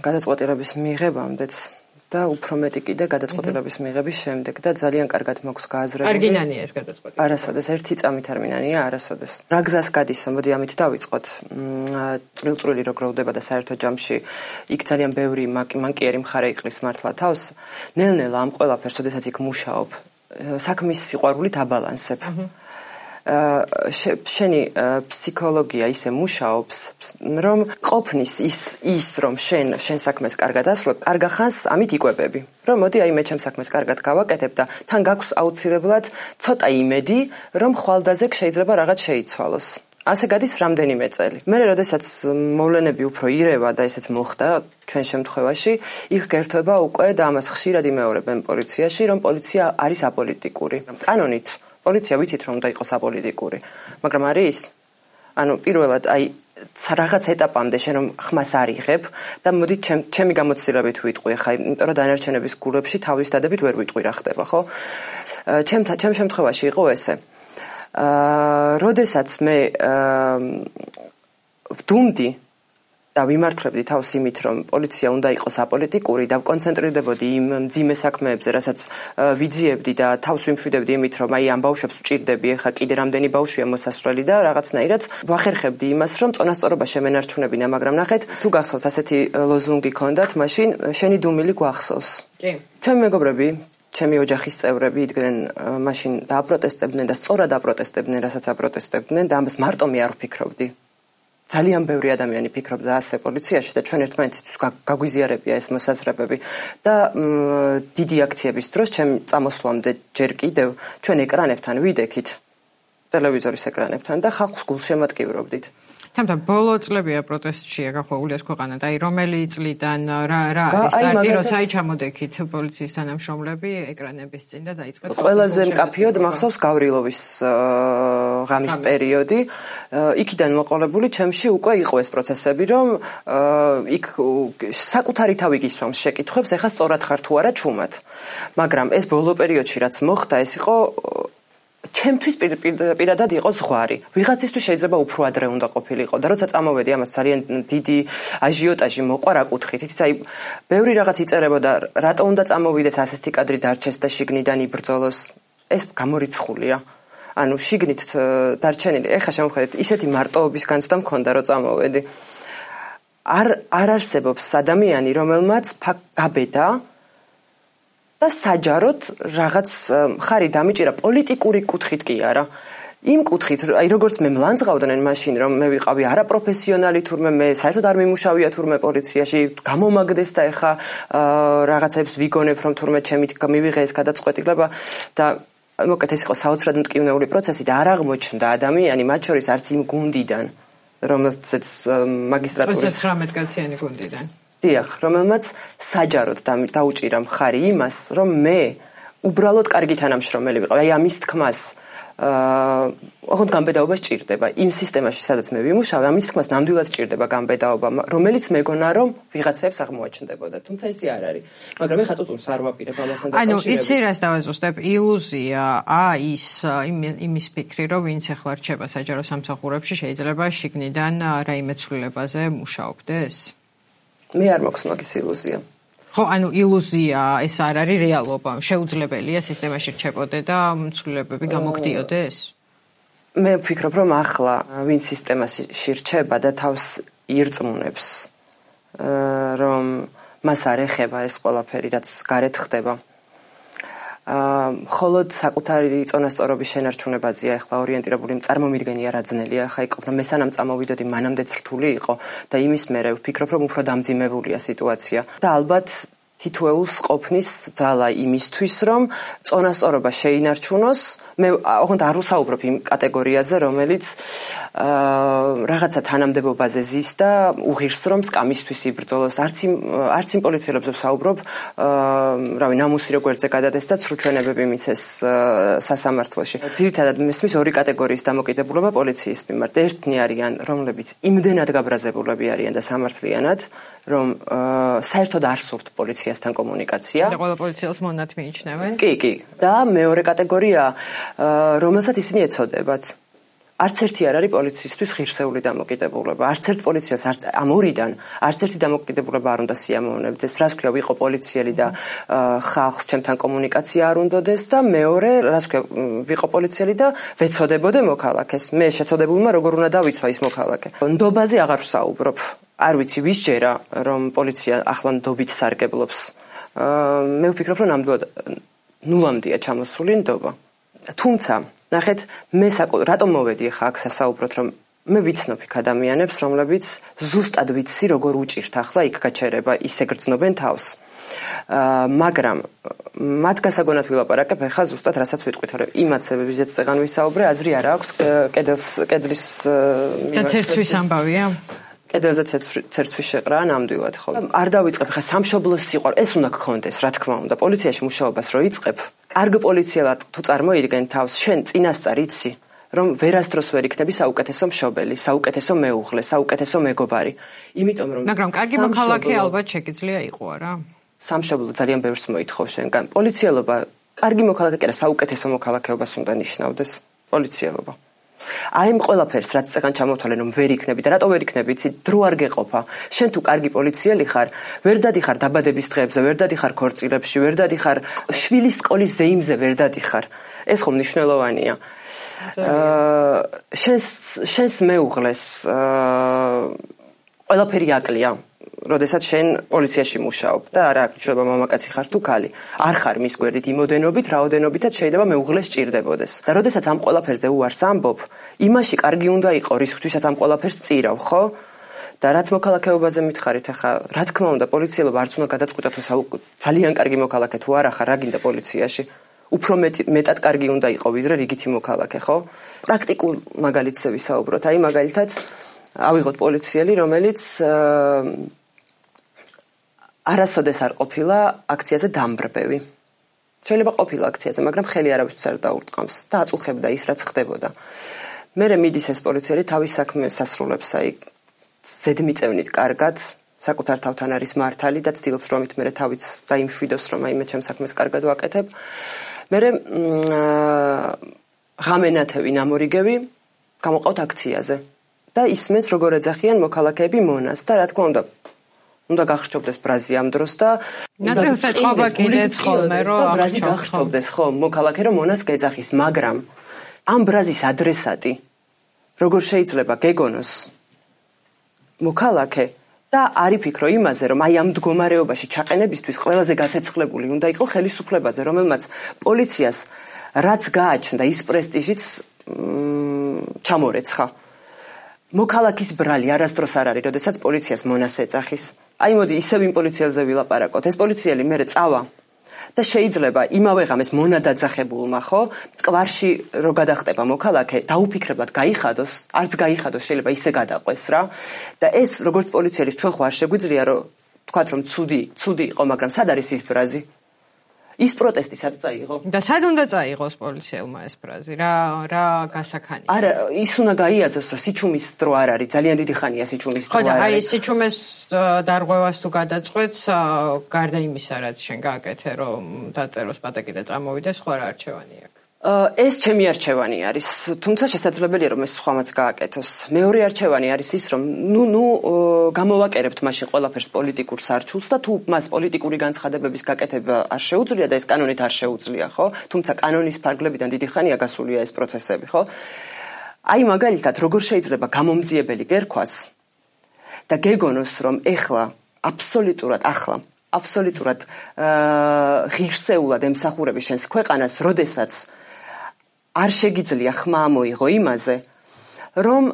S1: გადაწყვეტილების მიღებამდეც და უფრო მეტი კიდე გადაწყვეტილების მიღების შემდეგ და ძალიან კარგად მაქვს გააზრებული.
S2: არგინანია ეს გადაწყვეტილება.
S1: არასოდეს ერთი წამით არ მინანია, არასოდეს. რა გზას გადისო, მოდი ამით დავიწყოთ. წვრილ-წვრილი რო გროვდება და საერთო ჯამში იქ ძალიან ბევრი მანკიერი მხარე იყრის მართლა თავს. ნელ-ნელა ამ ყველაფერს, როდესაც იქ მუშაობ, საქმის სიყვარულით აბალანსებ. შენი ფსიქოლოგია ისე მუშაობს, რომ ყოფნის ის რომ შენ საქმეს კარგად ასრულებ, კარგა ხანს ამით იკვებები. რომ მოდი აი მე ჩემს საქმეს კარგად გავაკეთებ და თან გაქვს აუცილებლად ცოტა იმედი, რომ ხვალდაზე შეიძლება რაღაც შეიცვალოს. ასე გადის რამდენიმე წელი. მე როდესაც მოვლენები უფრო ირევა და ესეც მოხდა ჩვენ შემთხვევაში, იქ გერთვება უკვე და ამას ხშირად იმეორებენ პოლიციაში, რომ პოლიცია არის აპოლიტიკური. კანონით პოლიცია ვიცით რომ უნდა იყოს აპოლიტიკური, მაგრამ არის? ანუ პირველად აი რაღაც ეტაპამდე შენ რომ ხმას არ იღებ და მოდი ჩემი გამოცდილებით ვიტყვი ხა, იმიტომ რომ დანარჩენების გულებში თავის დადებით ვერ ვიტყვი რა ხდება, ხო? ჩემ შემთხვევაში იყო ესე. როდესაც მე ვდუმდი და ვიმართლებდი თავს იმით, რომ პოლიცია უნდა იყოს აპოლიტიკური და ვკონცენტრირდებოდი იმ მძიმე საქმეებზე, რასაც ვიძიებდი და თავს ვიმშვიდებდი იმით, რომ აი ამ ბავშვებს ვჭირდები, ეხა კიდე რამდენი ბავშვია მოსასვლელი და რაღაცნაირად ვახერხებდი იმას, რომ წონასწორობა შემენარჩუნებინა, მაგრამ ნახეთ, თუ გახსოვთ ასეთი ლოზუნგი ქონდათ, მაშინ შენი დუმილი გვახსოვს. კი. ჩემი მეგობრები, ჩემი ოჯახის წევრები იდგნენ მაშინ დააპროტესტებდნენ და სწორად აპროტესტებდნენ, რასაც აპროტესტებდნენ და ამას მარტო მე არ ვფიქრობდი. ძალიან ბევრი ადამიანი ფიქრობდა ასე პოლიციაში და ჩვენ ერთმანეთისთვის გაგვიზიარებია ეს მოსაზრებები და დიდი აქციების დროს ჩემ წამოსვლამდე ჯერ კიდევ ჩვენ ეკრანებთან ვიდექით ტელევიზორის ეკრანებთან და ხალხს გულშემატკივრობდით.
S2: თუმცა ბოლო წლებია პროტესტშია გახვეულიას ქვეყანა და აი რომელი წლიდან რა სტარტი როცა ჩამოდექით პოლიციის თანამშრომლები ეკრანების წინ და დაიწყეთ
S1: ყველაზე მკაფიოდ მახსოვს გავრილოვის ღამის პერიოდი იქიდან მოყოლებული ჩემში უკვე იყო ეს პროცესები რომ იქ საკუთარი თავი გისვამს შეკითხვებს ეხა სწორად ხარ თუ არა ჩუმად მაგრამ ეს ბოლო პერიოდში რაც მოხდა ეს იყო ჩემთვის პირადად იყო ზღვარი. ვიღაცისთვის შეიძლება უფრო ადრე უნდა ყოფილიყო და როცა წამოვედი ამას ძალიან დიდი აჟიოტაჟი მოყვა რა კუთხით. იცით აი ბევრი რაღაც იწერებოდა რატო უნდა წამოვიდეს ასეთი კადრი დარჩეს და შიგნიდან იბრძოლოს. ეს გამორიცხულია. ანუ შიგნით დარჩენილი. ეხლა შემოხედეთ ისეთი მარტოობის განცდა მქონდა რომ წამოვედი. არ არსებობს ადამიანი რომელმაც გაბედა და საჯაროდ რაღაც ხარი დამიჭირა პოლიტიკური კუთხით კი არა. იმ კუთხით, აი როგორც მე მლანძღავდნენ მაშინ, რომ მე ვიყავი არაპროფესიონალი თურმე მე საერთოდ არ მიმუშავია თურმე პოლიციაში, გამომაგდეს და ეხა რაღაცებს ვიგონებ, რომ თურმე ჩემი მივიღე ეს გადაწყვეტილება და მოკლედ ეს იყო საოცრად მტკივნეული პროცესი და არ აღმოჩნდა ადამიანი, მათ შორის არც იმ გუნდიდან, რომელზეც მაგისტრატურის
S2: 19 კაციანი გუნდიდან.
S1: დიახ, რომელმაც საჯაროდ დაუჭირა მხარი იმას, რომ მე უბრალოდ კარგი თანამშრომელი ვიყავ. აი ამის თქმას ოღონდ გამბედაობა სჭირდება. იმ სისტემაში, სადაც მე ვიმუშავე, ამის თქმას ნამდვილად სჭირდება გამბედაობა, რომელიც მეგონა რომ ვიღაცებს აღმოაჩნდებოდა. თუმცა ისე არ არის. მაგრამ ეხლა წუწურს არ ვაპირებ ამასთან
S2: დაკავშირებით. ანუ იცი რას დავაზუსტებ? ილუზია, ის იმის ფიქრი, რომ ვინც ახლა რჩება საჯარო სამსახურებში, შეიძლება შიგნიდან რაიმე ცვლილებაზე მუშაობდეს?
S1: მე არ მაქვს მაგის ილუზია.
S2: ხო, ანუ ილუზია, ეს არ არის რეალობა. შეუძლებელია სისტემაში რჩებოდე და ცვლილებები გამოგდიოდეს?
S1: მე ვფიქრობ, რომ ახლა ვინ სისტემაში რჩება და თავს ირწმუნებს, რომ მას არ ეხება ეს ყველაფერი, რაც გარეთ ხდება. მხოლოდ საკუთარი წონასწორობის შენარჩუნებაზეა ახლა ორიენტირებული, წარმომიდგენია რა ძნელია, ახლა იყოფნა მე სანამ წამოვიდოდი, მანამდეც რთული იყო და იმის მერე ვფიქრობ, რომ უფრო დამძიმებულია სიტუაცია და ალბათ თითოეულს ყოფნის ძალა იმისთვის, რომ წონასწორობა შეინარჩუნოს. მე ოღონდ არ ვსაუბრობ იმ კატეგორიაზე, რომელიც რაღაცა თანამდებობაზე ზის და უღირსრომს კამისთვის იბრძოლოს. არც იმ პოლიციელებზე ვსაუბრობ, რავი, ნამუსი როგერზე გადადეს და ცრუჩვენებები მიცეს სასამართლოში. ძირითადად მესმის ორი კატეგორიის დამოკიდებულება პოლიციის მიმართ. ერთნი არიან, რომლებიც იმდენად გაბრაზებულები არიან და სამართლიანად, რომ საერთოდ არ სურთ პოლიციასთან კომუნიკაცია.
S2: და ყველა პოლიციელს მონად მიიჩნევენ?
S1: კი. და მეორე კატეგორია, რომელსაც ისინი ეცოდებათ. არც ერთი არ არის პოლიციისთვის ღირსეული დამოკიდებულება. არც ერთ პოლიციას ამ ორიდან არც ერთი დამოკიდებულება არ უნდა სიამოვნებდეს. რას ქვია, ვიყო პოლიციელი და ხალხს ჩემთან კომუნიკაცია არ უნდადეს და მეორე, რას ქვია, ვიყო პოლიციელი და ვეცოდებოდე მოქალაქეს. მე შეცოდებულმა როგორ უნდა დავიცვა ის მოქალაქე. ნდობაზე აღარ ვსაუბრობ. არ ვიცი ვის ჯერა, რომ პოლიცია ახლა ნდობით სარგებლობს. მე ვფიქრობ, რომ ნამდვილად ნულამდეა ჩამოსული ნდობა. თუმცა ნახეთ, მე რატომ მოვედი ახლა აქ სასაუბროთ, რომ მე ვიცნობ იქ ადამიანებს, რომლებიც ზუსტად ვიცი როგორ უჭირთ ახლა იქ გაჩერება, ისე გრძნობენ თავს. მაგრამ მათ გასაგონად ვილაპარაკებ ახლა ზუსტად რასაც ვიტყვით, რომ იმაცებებიზეც წეგან ვისაუბრე, აზრი არ აქვს კედლის
S2: და ცერცვის ამბავია?
S1: კედელზე ცერცვის შეყრა ნამდვილად, ხო. არ დავიწყებ ხა სამშობლოს სიყვარული, ეს უნდა გქონდეს, რა თქმა უნდა. პოლიციაში მუშაობას რო იწყებ, კარგ პოლიციელად თუ წარმოიდგენ თავს, შენ წინასწარ იცი, რომ ვერასდროს ვერ იქნები საუკეთესო მშობელი, საუკეთესო მეუღლე, საუკეთესო მეგობარი. იმიტომ რომ
S2: მაგრამ კარგი მოქალაქე ალბათ შეგიძლია იყო არა?
S1: სამშობლო ძალიან ბევრს მოითხოვს შენგან. პოლიციელობა კარგი მოქალაქე კი არა, საუკეთესო მოქალაქეობას უნდა ნიშნავდეს პოლიციელობა. აი იმ ყველაფერს რაც წეგან ჩამოთვალე რომ ვერ იქნები და რატო ვერ იქნები იცი დრო არ გეყოფა შენ თუ კარგი პოლიციელი ხარ ვერ დადიხარ დაბადების დღეებზე ვერ დადიხარ ქორწილებში ვერ დადიხარ შვილის სკოლის ზეიმზე ვერ დადიხარ ეს ხომ მნიშვნელოვანია შენს მეუღლეს ყველაფერი აკლია როდესაც შენ პოლიციაში მუშაობ და არა შეიძლება მამაკაცი ხარ თუ ქალი არ ხარ მის გვერდით იმოდენობით რაოდენობითაც შეიძლება მეუღლე სჭირდებოდეს და როდესაც ამ ყველაფერზე უარს ამბობ იმაში კარგი უნდა იყო რისკთვისაც ამ ყველაფერს წირავ ხო და რაც მოქალაქეობაზე მითხარით ახლა რა თქმა უნდა პოლიციელობა არც უნდა გადაწყვიტოს ძალიან კარგი მოქალაქე თუ არა ხარ რა გინდა პოლიციაში უფრო მეტად კარგი უნდა იყო ვიდრე რიგითი მოქალაქე ხო პრაქტიკულ მაგალითზე ვისაუბროთ აი მაგალითად ავიღოთ პოლიციელი რომელიც არასოდეს არ ყოფილა აქციაზე დამბრბევი. შეიძლება ყოფილა აქციაზე, მაგრამ ხელი არავისთვის არ დაურტყამს და აწუხებდა ის რაც ხდებოდა. მერე მიდის ეს პოლიციელი თავის საქმეს ასრულებს, აი ზედმიწევნით კარგად, საკუთარ თავთან არის მართალი და ცდილობს რომ მით მერე თავიც დაიმშვიდოს რომ აი მე ჩემს საქმეს კარგად ვაკეთებ. მერე ღამენათევი ნამორიგევი გამოყავთ აქციაზე და ისმენს როგორ ეძახიან მოქალაქეები მონას და რა თქმა უნდა გახრჩობდეს ბრაზი ამ დროს და
S2: ნაცელს ეთყობა კიდეც ხოლმე რომ
S1: ბრაზი გახრჩობდეს ხო მოქალაქე რომ მონას გეძახის მაგრამ ამ ბრაზის ადრესატი როგორ შეიძლება გეგონოს მოქალაქე და არ იფიქრო იმაზე რომ აი ამ მდგომარეობაში ჩაყენებისთვის ყველაზე გაცეცხლებული უნდა იყო ხელისუფლებაზე რომელმაც პოლიციას რაც გააჩნდა ის პრესტიჟიც ჩამორეცხა მოქალაქის ბრალი არასდროს არ არის, როდესაც პოლიციას მონას ეძახის. აი მოდი ისევ იმ პოლიციელზე ვილაპარაკოთ. ეს პოლიციელი მერე წავა და შეიძლება იმავე ღამეს მონა დაძახებულმა, ხო? მტკვარში რო გადახტება მოქალაქე, დაუფიქრებლად გაიხადოს, არც გაიხადოს, შეიძლება ისე გადაყვეს რა. და ეს როგორც პოლიცielis ჩვენ ხო არ შეგვიძლია რომ თქვათ რომ ცუდი იყო, მაგრამ სად არის ის ბრაზი? ის პროტესტი სად წაიღო?
S2: და სად უნდა წაიღოს პოლიციელმა ეს ბრაზი? რა გასახანი?
S1: არა, ის უნდა გაიაზროს, რომ სიჩუმის დრო არ არის, ძალიან დიდი ხანია სიჩუმის დრო არ არის.
S2: ხო, და აი სიჩუმეს დარღვევას თუ გადაწყვეტს, გარდა იმისა, რაც შენ გააკეთე, რომ დაწეროს პატაკი და წამოვიდეს, სხვა რა არჩევანი აქვს?
S1: ეს ჩემი არჩევანი არის, თუმცა შესაძლებელია რომ ეს სხვამაც გააკეთოს. მეორე არჩევანი არის ის, რომ გამოვაკერებთ მაშინ ყველაფერს პოლიტიკურ სარჩულს და თუ მას პოლიტიკური განცხადებების გაკეთება არ შეუძლია და ეს კანონით არ შეუძლია, ხო? თუმცა კანონის ფარგლებიდან დიდი ხანია გასულია ეს პროცესები, ხო? აი მაგალითად, როგორ შეიძლება გამომძიებელი გერქვას და გეგონოს, რომ ეხლა აბსოლუტურად ღირსეულად ემსახურები შენს ქვეყანას, როდესაც არ შეგიძლია ხმა ამოიღო იმაზე, რომ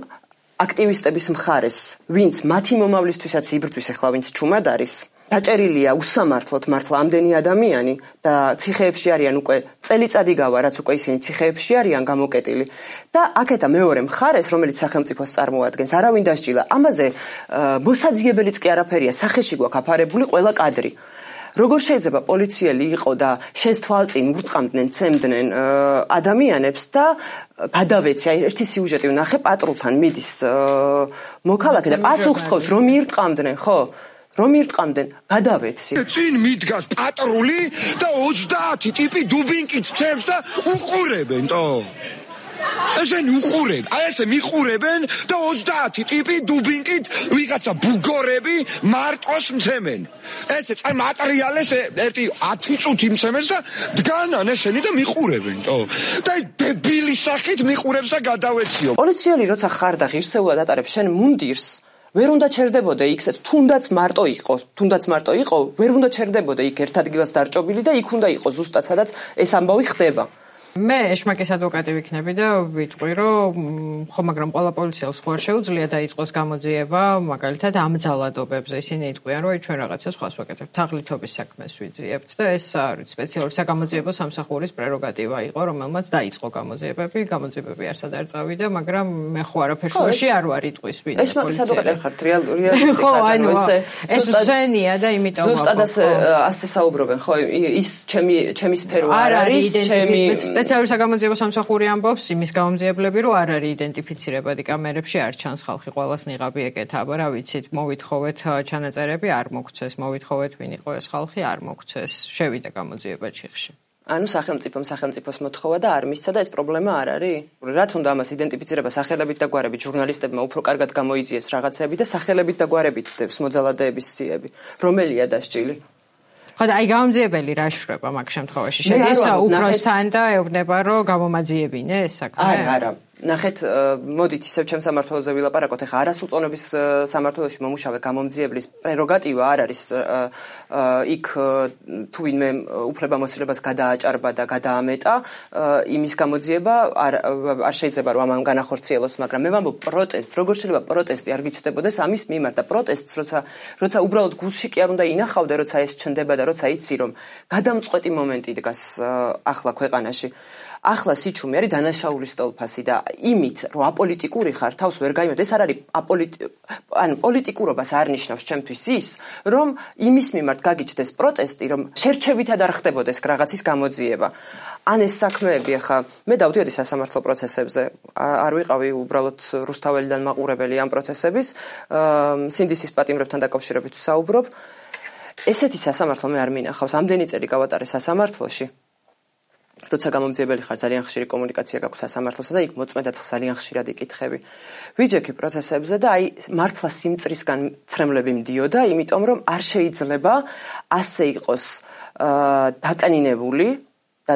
S1: აქტივისტების მხარეს, ვინც მათი მომავლისთვისაც იბრძვის ახლა ვინც ჩუმად არის, დაჭერილია უსამართლოდ მართლა ამდენი ადამიანი და ციხეებში არიან უკვე წელიწადი გავა, რაც უკვე ისინი ციხეებში არიან გამოკეტილი და აქეთა მეორე მხარეს, რომელიც სახელმწიფოს წარმოადგენს, არავინ დასჯილა. ამაზე მოსაძიებელიც კი არაფერია, სახეში გვაქვს აფარებული ყველა კადრი. როგორ შეიძლება პოლიციელი იყო და შენს თვალწინ ურტყამდნენ, ცემდნენ ადამიანებს და გადავეცი, აი ერთი სიუჟეტი ვნახე, პატრულთან მიდის მოქალაქე და პასუხს თხოვს, რომ ირტყამდნენ, ხო? რომ ირტყამდნენ, გადავეცი.
S3: წინ მიდგას პატრული და 30 ტიპი დუბინკით ცემს და უყურებენ, თო. ესენი უყურებენ, აი ესე მიყურებენ და 30 ტიპი დუბინკით ვიღაცა ბუგორები მარტოს მცემენ. ესე წარ მატერიალეს ერთი 10 წუთი მცემეს და დგანან ესენი და მიყურებენ, თო. და ეს დებილის სახით მიყურებს და გადავეციო.
S1: პოლიციელი როცა ხარ და ღირსეულად ატარებს შენ მუნდირს ვერ უნდა ჩერდებოდა იქაც, თუნდაც მარტო იყო, ვერ უნდა ჩერდებოდა იქ ერთ ადგილას დარჭობილი და იქ უნდა იყოს ზუსტად სადაც ეს ამბავი ხდება.
S2: მე ეშმაკის ადვოკატი ვიქნები და ვიტყვი, რომ ხო, მაგრამ ყველა პოლიციელს ხო არ შეუძლია დაიწყოს გამოძიება, მაგალითად ამ ძალადობებზე. ისინი იტყვიან, რომ ჩვენ რაღაცა სხვას ვაკეთებთ, თაღლითობის საქმეს ვიძიებთ და ეს არის სპეციალური საგამოძიებო სამსახურის პრეროგატივა იყო, რომელმაც დაიწყო გამოძიებები, გამოძიებები არსად არ წავიდა, მაგრამ მე ხო არაფერში არ ვარ იტყვის ვინ.
S1: ეშმაკის ადვოკატი ხართ, რეალურია.
S2: ხო, ანუ ეს ზენია და იმიტომ
S1: ზუსტად ასე საუბრობენ, ხო, ის ჩემი სფერო არ არის, ჩემი
S2: სპეციალური საგამოძიებო სამსახური ამბობს იმის გამომძიებლები, რომ არ არის იდენტიფიცირებადი კამერებში, არ ჩანს ხალხი ყველას ნიღაბი ეკეთა, აბა რა ვიცით, მოვითხოვეთ ჩანაწერები, არ მოგცეს, მოვითხოვეთ ვინ იყო ეს ხალხი, არ მოგცეს, შევიდა გამოძიება ჩიხში.
S1: ანუ სახელმწიფოს მოთხოვა და არ მისცა და ეს პრობლემა არ არის? რაც უნდა ამას იდენტიფიცირება სახელებით და გვარებით, ჟურნალისტებმა უფრო კარგად გამოიძიეს რაღაცები და სახელებით და გვარებით დევს მოძალადეების სიები. რომელია დასჭილი?
S2: ხო და აი გამომძიებელი რა შრება მაგ შემთხვევაში? შედის უფროსთან და ეუბნება რომ გამომაძიებინე ეს საქმე?
S1: არა. ნახეთ, მოდით ისევ ჩემ სამართლოზე ვილაპარაკოთ. ეხლა არასრულწლოვნების სამართლოში მომუშავე გამომძიებლის პრეროგატივა არ არის იქ თუ ვინმე უფლებამოსილებას გადააჭარბა და გადაამეტა, იმის გამოძიება არ შეიძლება რომ ამან განახორციელოს, მაგრამ მე ვამბობ პროტესტს, როგორ შეიძლება პროტესტი არ გიჩნდებოდეს ამის მიმართ და პროტესტს როცა უბრალოდ გულში კი არ უნდა ინახავდე, როცა ეს ჩნდება და როცა იცი რომ გადამწყვეტი მომენტი დგას ახლა ქვეყანაში. ახლა სიჩუმე არის დანაშაულის სტოლფასი და იმით რომ აპოლიტიკური ხარ თავს ვერ გაიმედ ეს არ არის პოლიტიკურობას არ ნიშნავს ჩემთვის ის რომ იმის მიმართ გაგიჩნდეს პროტესტი რომ შერჩევითად არ ხდებოდეს რაღაცის გამოძიება ან ეს საქმეები ახლა მე დავდიოდი სასამართლო პროცესებზე არ ვიყავი უბრალოდ რუსთაველიდან მაყურებელი ამ პროცესების სინდისის პატიმრებთან დაკავშირებით საუბრობ ესეთი სასამართლო მე არ მინახავს ამდენი წელი გავატარე სასამართლოში როცა გამომძიებელი ხარ ძალიან ხშირი კომუნიკაცია გაქვს სასამართლოსთან და იქ მოწმედაც ძალიან ხშირად იკითხები. ვიჯექი პროცესებზე და აი მართლა სიმწრისგან ცრემლები მდიოდა, იმიტომ რომ არ შეიძლება ასე იყოს დაკნინებული და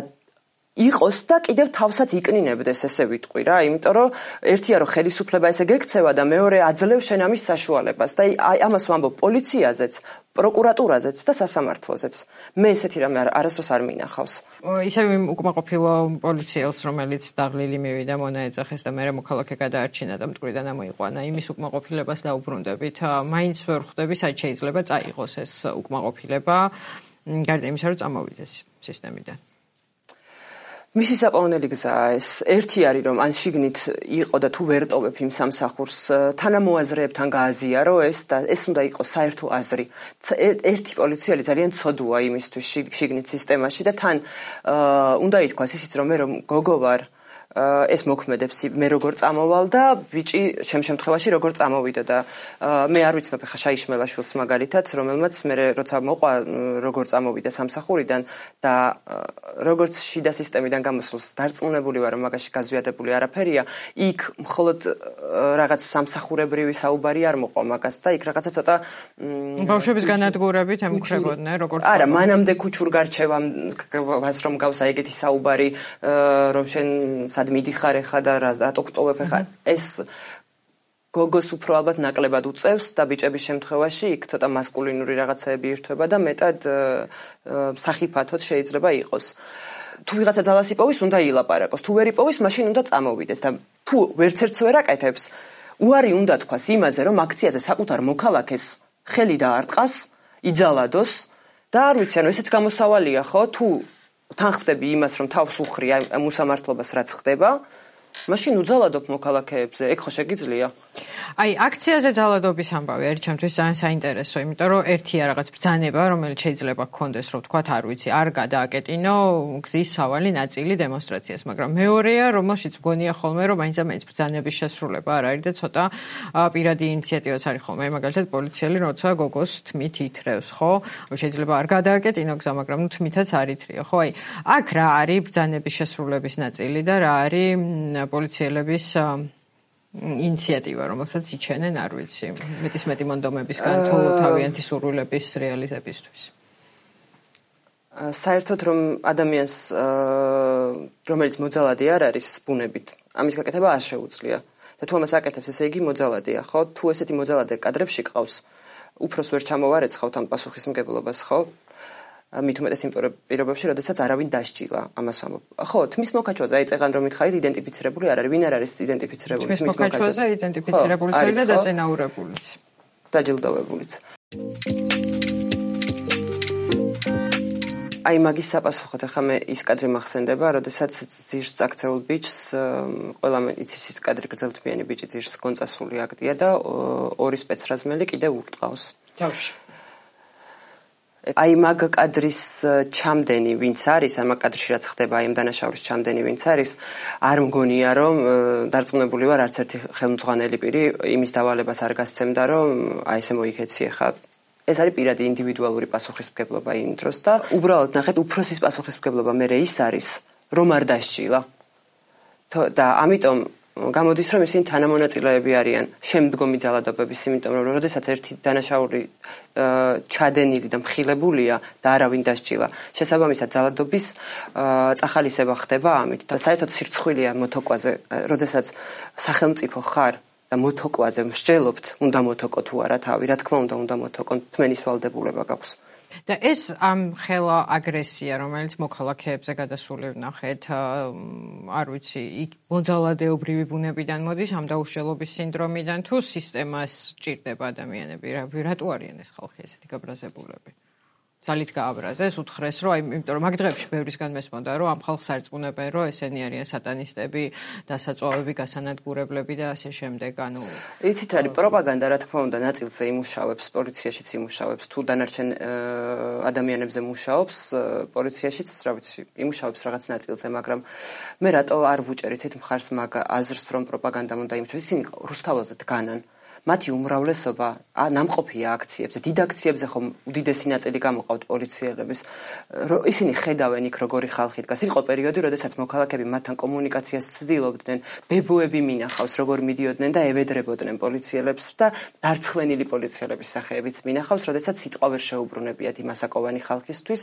S1: იყოს და კიდევ თავსაც იკნინებდეს ესე ვიტყვი რა, იმიტომ რომ ერთია რომ ხელისუფლება ესე გექცევა და მეორე აძლევს შენ ამის საშუალებას და აი ამას ვამბობ პოლიციაზეც, პროკურატურაზეც და სასამართლოზეც. მე ესეთი რამე არასდროს არ მინახავს.
S2: ისევ იმ უკმაყოფილო პოლიციელს, რომელიც დაღლილი მივიდა, მონა ეძახეს და მერე მოქალაქე გადაარჩინა და მტკვრიდან ამოიყვანა. იმის უკმაყოფილებას დაუბრუნდებით. მაინც ვერ ხვდები, საით შეიძლება წაიღოს ეს უკმაყოფილება, გარდა იმისა, რომ წამოვიდეს სისტემიდან. მისი საპოვნელი გზაა ეს. ერთი არის რომ ან შიგნით იყო და თუ ვერ ტოვებ იმ სამსახურს, თანამოაზრეებთან გააზიარო ეს და ეს უნდა იყოს საერთო აზრი. ერთი პოლიციელი ძალიან ცოდუა იმისთვის შიგნით სისტემაში და თან უნდა ითქვას ისიც რომ მე რომ გოგო ვარ ეს მოქმედებს მე როგორ წამოვალ და ბიჭი ჩემ შემთხვევაში როგორ წამოვიდა და მე არ ვიცნობ ხა შაიშმელაშვილს მაგალითად რომელმაც მე როცა მოყვა როგორ წამოვიდა სამსახურიდან და როგორც შიდა სისტემიდან გამოსულს დარწმუნებული ვარ რომ მაგაში გაზვიადებული არაფერია იქ მხოლოდ რაღაც სამსახურებრივი საუბარი არ მოყვა მაგას და იქ რაღაცა ცოტა ბავშვების განადგურებით ემუქრებოდნენ როგორც
S1: არა მანამდე ქუჩურ გარჩევას რომ გავსა ეგეთი საუბარი რომ შენ სად მიდიხარ ეხა და რატო გტოვებ ეხა ეს გოგოს უფრო ალბათ ნაკლებად უწევს და ბიჭების შემთხვევაში იქ ცოტა მასკულინური რაღაცაები ირთვება და მეტად სახიფათოდ შეიძლება იყოს. თუ ვიღაცა ძალას იპოვის, უნდა ილაპარაკოს. თუ ვერ იპოვის, მაშინ უნდა წამოვიდეს და თუ ვერცერთს ვერ აკეთებს, უარი უნდა თქვას იმაზე, რომ აქციაზე საკუთარ მოქალაქეს ხელი დაარტყას, იძალადოს და არ ვიცი, ანუ ესეც გამოსავალია, ხო? თუ თან ხდები იმას, რომ თავს უხრი ამ უსამართლობას რაც ხდება, მაშინ უძალადობ მოქალაქეებზე, ეგ ხო შეგიძლია?
S2: აი, აქციაზე ძალადობის ამბავი არის ჩემთვის ძალიან საინტერესო, იმიტომ რომ ერთია რაღაც ბრძანება, რომელიც შეიძლება გქონდეს, რომ თქვათ, არ ვიცი, არ გადააკეტინო გზის სავალი ნაწილი დემონსტრაციას, მაგრამ მეორეა, რომელშიც მგონია ხოლმე, რომ მაინც ბრძანების შესრულება არ არის და ცოტა პირადი ინიციატივაც არის ხოლმე. მაგალითად, პოლიციელი როცა გოგოს თმით ითრევს, ხო? შეიძლება არ გადააკეტინო გზა, მაგრამ ნუ თმითაც არ ითრიო, ხო? აი, აქ რა არის ბრძანების შესრულების ნაწილი და რა არის პოლიციელების ინიციატივა, რომელსაც იჩენენ, არ ვიცი, მეტისმეტი მონდომებისგან თუ თავიანთი სურვილების რეალიზებისთვის.
S1: საერთოდ რომ ადამიანს რომელიც მოძალადი არ არის ბუნებით, ამის გაკეთება არ შეუძლია. და თუ ამას აკეთებს, ესე იგი მოძალადია, ხო? თუ ესეთი მოძალადე კადრებში ყავს, უფროს ვერ ჩამოვარეცხავთ ამ პასუხისმგებლობას, ხო? მით უმეტეს იმ პირობებში, როდესაც არავინ დასჯილა ამას ვამბობ. ხო, თმის მოკაჩვაზე აი წეგან რომ მითხარით იდენტიფიცირებული არ არის, ვინ არ არის იდენტიფიცირებული
S2: თმის მოკაჩვაზე იდენტიფიცირებული არის და დაწინაურებულიც.
S1: დაჯილდოვებულიც. აი მაგის საპასუხოდ ახლა მე ის კადრი მახსენდება, როდესაც ძირს წაქცეულ ბიჭს ყველა იცის ის კადრი გრძელთბიანი ბიჭი ძირს გონწასული აქტია და ორი სპეცრაზმელი კიდე ურტყავს.
S2: თავში
S1: აი მაგ კადრის ჩამდენი ვინც არის, ამ კადრში რაც ხდება, აი ამ დანაშაულის ჩამდენი ვინც არის, არ მგონია რომ დარწმუნებული ვარ არც ერთი ხელმძღვანელი პირი იმის დავალებას არ გასცემდა, რომ აი ესე მოიქეცი ხა. ეს არის პირადი ინდივიდუალური პასუხისმგებლობა იმ დროს და უბრალოდ ნახეთ უფროსის პასუხისმგებლობა მე ის არის, რომ არ დასჭილა. და ამიტომ გამოდის რომ ისინი თანამონაწილეები არიან შემდგომი ძალადობების, იმიტომ რომ როდესაც ერთი დანაშაული ჩადენილი და მხილებულია და არავინ დასჭილა, შესაბამისად ძალადობის წახალისება ხდება ამით. და საერთოდ სირცხვილია მოთოკვაზე, როდესაც სახელმწიფო ხარ და მოთოკვაზე მსჯელობთ, უნდა მოთოკო თუ არა თავი, რა თქმა უნდა მოთოკო, თმენის ვალდებულება გაქვს.
S2: და ეს ამ ხელა აგრესია, რომელიც მოქალაქეებზე გადასული ვნახეთ, არ ვიცი, იქ მოძალადეობრივი ბუნებიდან მოდის, ამ დაუშლელობის სინდრომიდან თუ სისტემას ჭირდება ადამიანები, რატო არიან ეს ხალხი ესეთი გაბრაზებულები? ძალით გააბრაზეს, უთხრეს, რომ აი, იმიტომ რომ მაგ დღეებში ბევრისგან მესმოდა, რომ ამ ხალხს არწმუნებენ, რომ ესენი არიან სატანისტები, დასაწვავები, გასანადგურებლები და ასე შემდეგ, ანუ
S1: იცით რა არის პროპაგანდა, რა თქმა უნდა, ნაწილზე იმუშავებს, პოლიციაშიც იმუშავებს, თუ დანარჩენ ადამიანებზე მუშაობს, პოლიციაშიც, რა ვიცი, იმუშავებს რაღაც ნაწილზე, მაგრამ მე რატო არ ვუჭერით მხარს მაგ აზრს, რომ პროპაგანდამ უნდა იმუშავოს, ისინი რუსთაველზე დგანან. მათი უმრავლესობა ნამყოფია აქციებზე, დიდ აქციებზე ხომ უდიდესი ნაწილი გამოყავთ პოლიციელების. ისინი ხედავენ იქ როგორი ხალხი დგას. იყო პერიოდი, როდესაც მოქალაქეები მათთან კომუნიკაციას ცდილობდნენ, ბებოები მინახავს, როგორ მიდიოდნენ და ევედრებოდნენ პოლიციელებს და დარცხვენილი პოლიციელების სახეებიც მინახავს, როდესაც სიტყვა ვერ შეუბრუნებიათ იმასაკოვანი ხალხისთვის,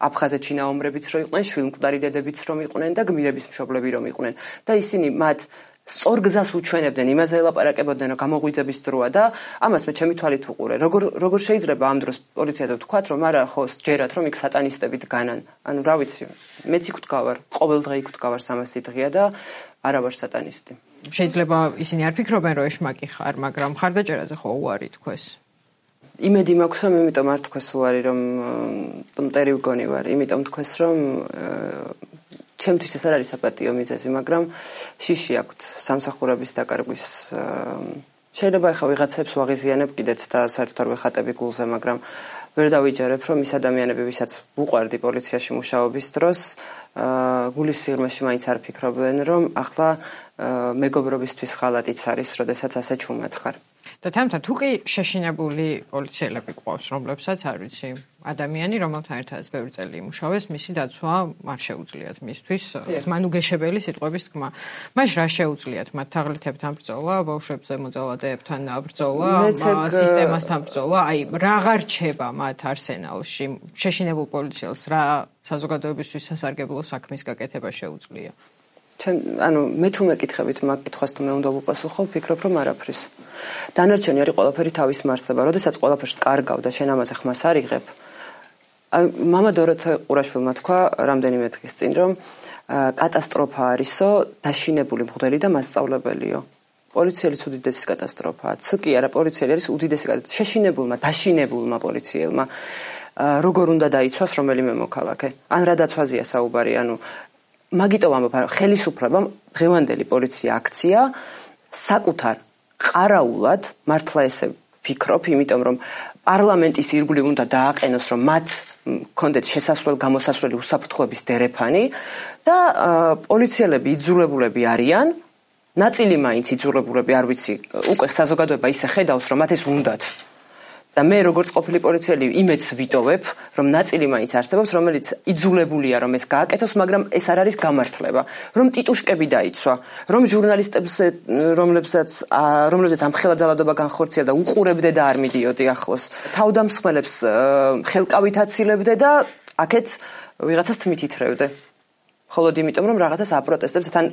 S1: აფხაზეთში ნაომრებიც რო იყვნენ, შვილმკვდარი დედებიც რომ იყვნენ და გმირების მშობლები რომ იყვნენ. და ისინი მათ სწორ გზას უჩვენებდნენ, იმაზე ელაპარაკებოდნენ, რომ გამოღვიძების დროა და ამას მე ჩემი თვალით ვუყურე. როგორ შეიძლება ამ დროს პოლიციაზე ვთქვათ, რომ არა, ხო, ჯერათ, რომ იქ სატანისტები დგანან. ანუ რა ვიცი, მეც იქ ვდგავარ, ყოველ დღე იქ ვდგავარ 300 დღეა და არა ვარ სატანისტი.
S2: შეიძლება ისინი არ ფიქრობენ, რომ ეშმაკი ხარ, მაგრამ ხარდაჭერაზე ხო უარი თქვეს.
S1: იმედი მაქვს, რომ იმიტომ არ თქვეს უარი, რომ მტერი ვგონი ვარ, იმიტომ თქვეს, რომ ჩემთვის ეს არ არის საპატიო მიზეზი, მაგრამ შიში აქვთ სამსახურების დაკარგვის. შეიძლება ახლა ვიღაცებს ვაღიზიანებ კიდეც და საერთოდ არ ვეხატები გულზე, მაგრამ ვერ დავიჯერებ, რომ ის ადამიანები, ვისაც ვუყვარდი პოლიციაში მუშაობის დროს, გულის სიღრმეში მაინც არ ფიქრობენ, რომ ახლა მეგობრობისთვის ხალატიც არის, როდესაც ასე ჩუმად ხარ.
S2: და თამთა თუ კი შეშინებული პოლიციელები გვყავს, რომლებსაც არ ვიცი, ადამიანი, რომელთან ერთადაც ბევრი წელი იმუშავეს, მისი დაცვა არ შეუძლიათ მისთვის, მანუგეშებელი სიტყვების თქმა. მაშინ რა შეუძლიათ მათ თაღლითებთან ბრძოლა, ბავშვებზე მოძალადეებთან ბრძოლა, სისტემასთან ბრძოლა, აი რაღა რჩება მათ არსენალში, შეშინებულ პოლიციელს რა საზოგადოებისთვის სასარგებლო საქმის გაკეთება შეუძლია.
S1: ანუ მე თუ მეკითხებით მაგ კითხვას თუ მე უნდა ვუპასუხო, ვფიქრობ რომ არაფრის. დანარჩენი არის ყველაფერი თავის მარცხება, როდესაც ყველაფერს კარგავ და შენ ამაზე ხმას არ იღებ. მამა დოროთე ყურაშვილმა თქვა რამდენიმე დღის წინ, რომ კატასტროფა არისო, დაშინებული მღვდელი და მასწავლებელიო. პოლიციელიც უდიდესი კატასტროფაა. კი არა, პოლიციელი არის უდიდესი კატასტროფა. შეშინებულმა, დაშინებულმა პოლიციელმა როგორ უნდა დაიცვას რომელიმე მოქალაქე? ან რა დაცვაზეა საუბარი, ანუ მაგიტო ვამბობ, ხელისუფლებამ დღევანდელი პოლიცია აქცია საკუთარ ყარაულად, მართლა ესე ვფიქრობ, იმიტომ რომ პარლამენტის ირგვლივ უნდა დააყენოს, რომ მათ კონდეთ შესასვლელ-გამოსასვლელი უსაფრთხოების დერეფანი და პოლიციელები იძულებულები არიან, ნაწილი მაინც იძულებულები, არ ვიცი, უკვე საზოგადოება ისე ხედავს, რომ მათ ეს უნდათ. და მე როგორც ყოფილი პოლიციელი იმედს ვიტოვებ, რომ ნაწილი მაინც არსებობს, რომელიც იძულებულია რომ ეს გააკეთოს, მაგრამ ეს არ არის გამართლება, რომ ტიტუშკები დაიცვა, რომ ჟურნალისტებს რომლებსაც ამ ხელა ძალადობა განხორციელა და უყურებდე და არ მიდიოდი ახლოს, თავდამსხმელებს ხელკავით აცილებდე და აქეთ ვიღაცას თმით ითრევდე. მხოლოდ იმიტომ რომ რაღაცას აპროტესტებს, თან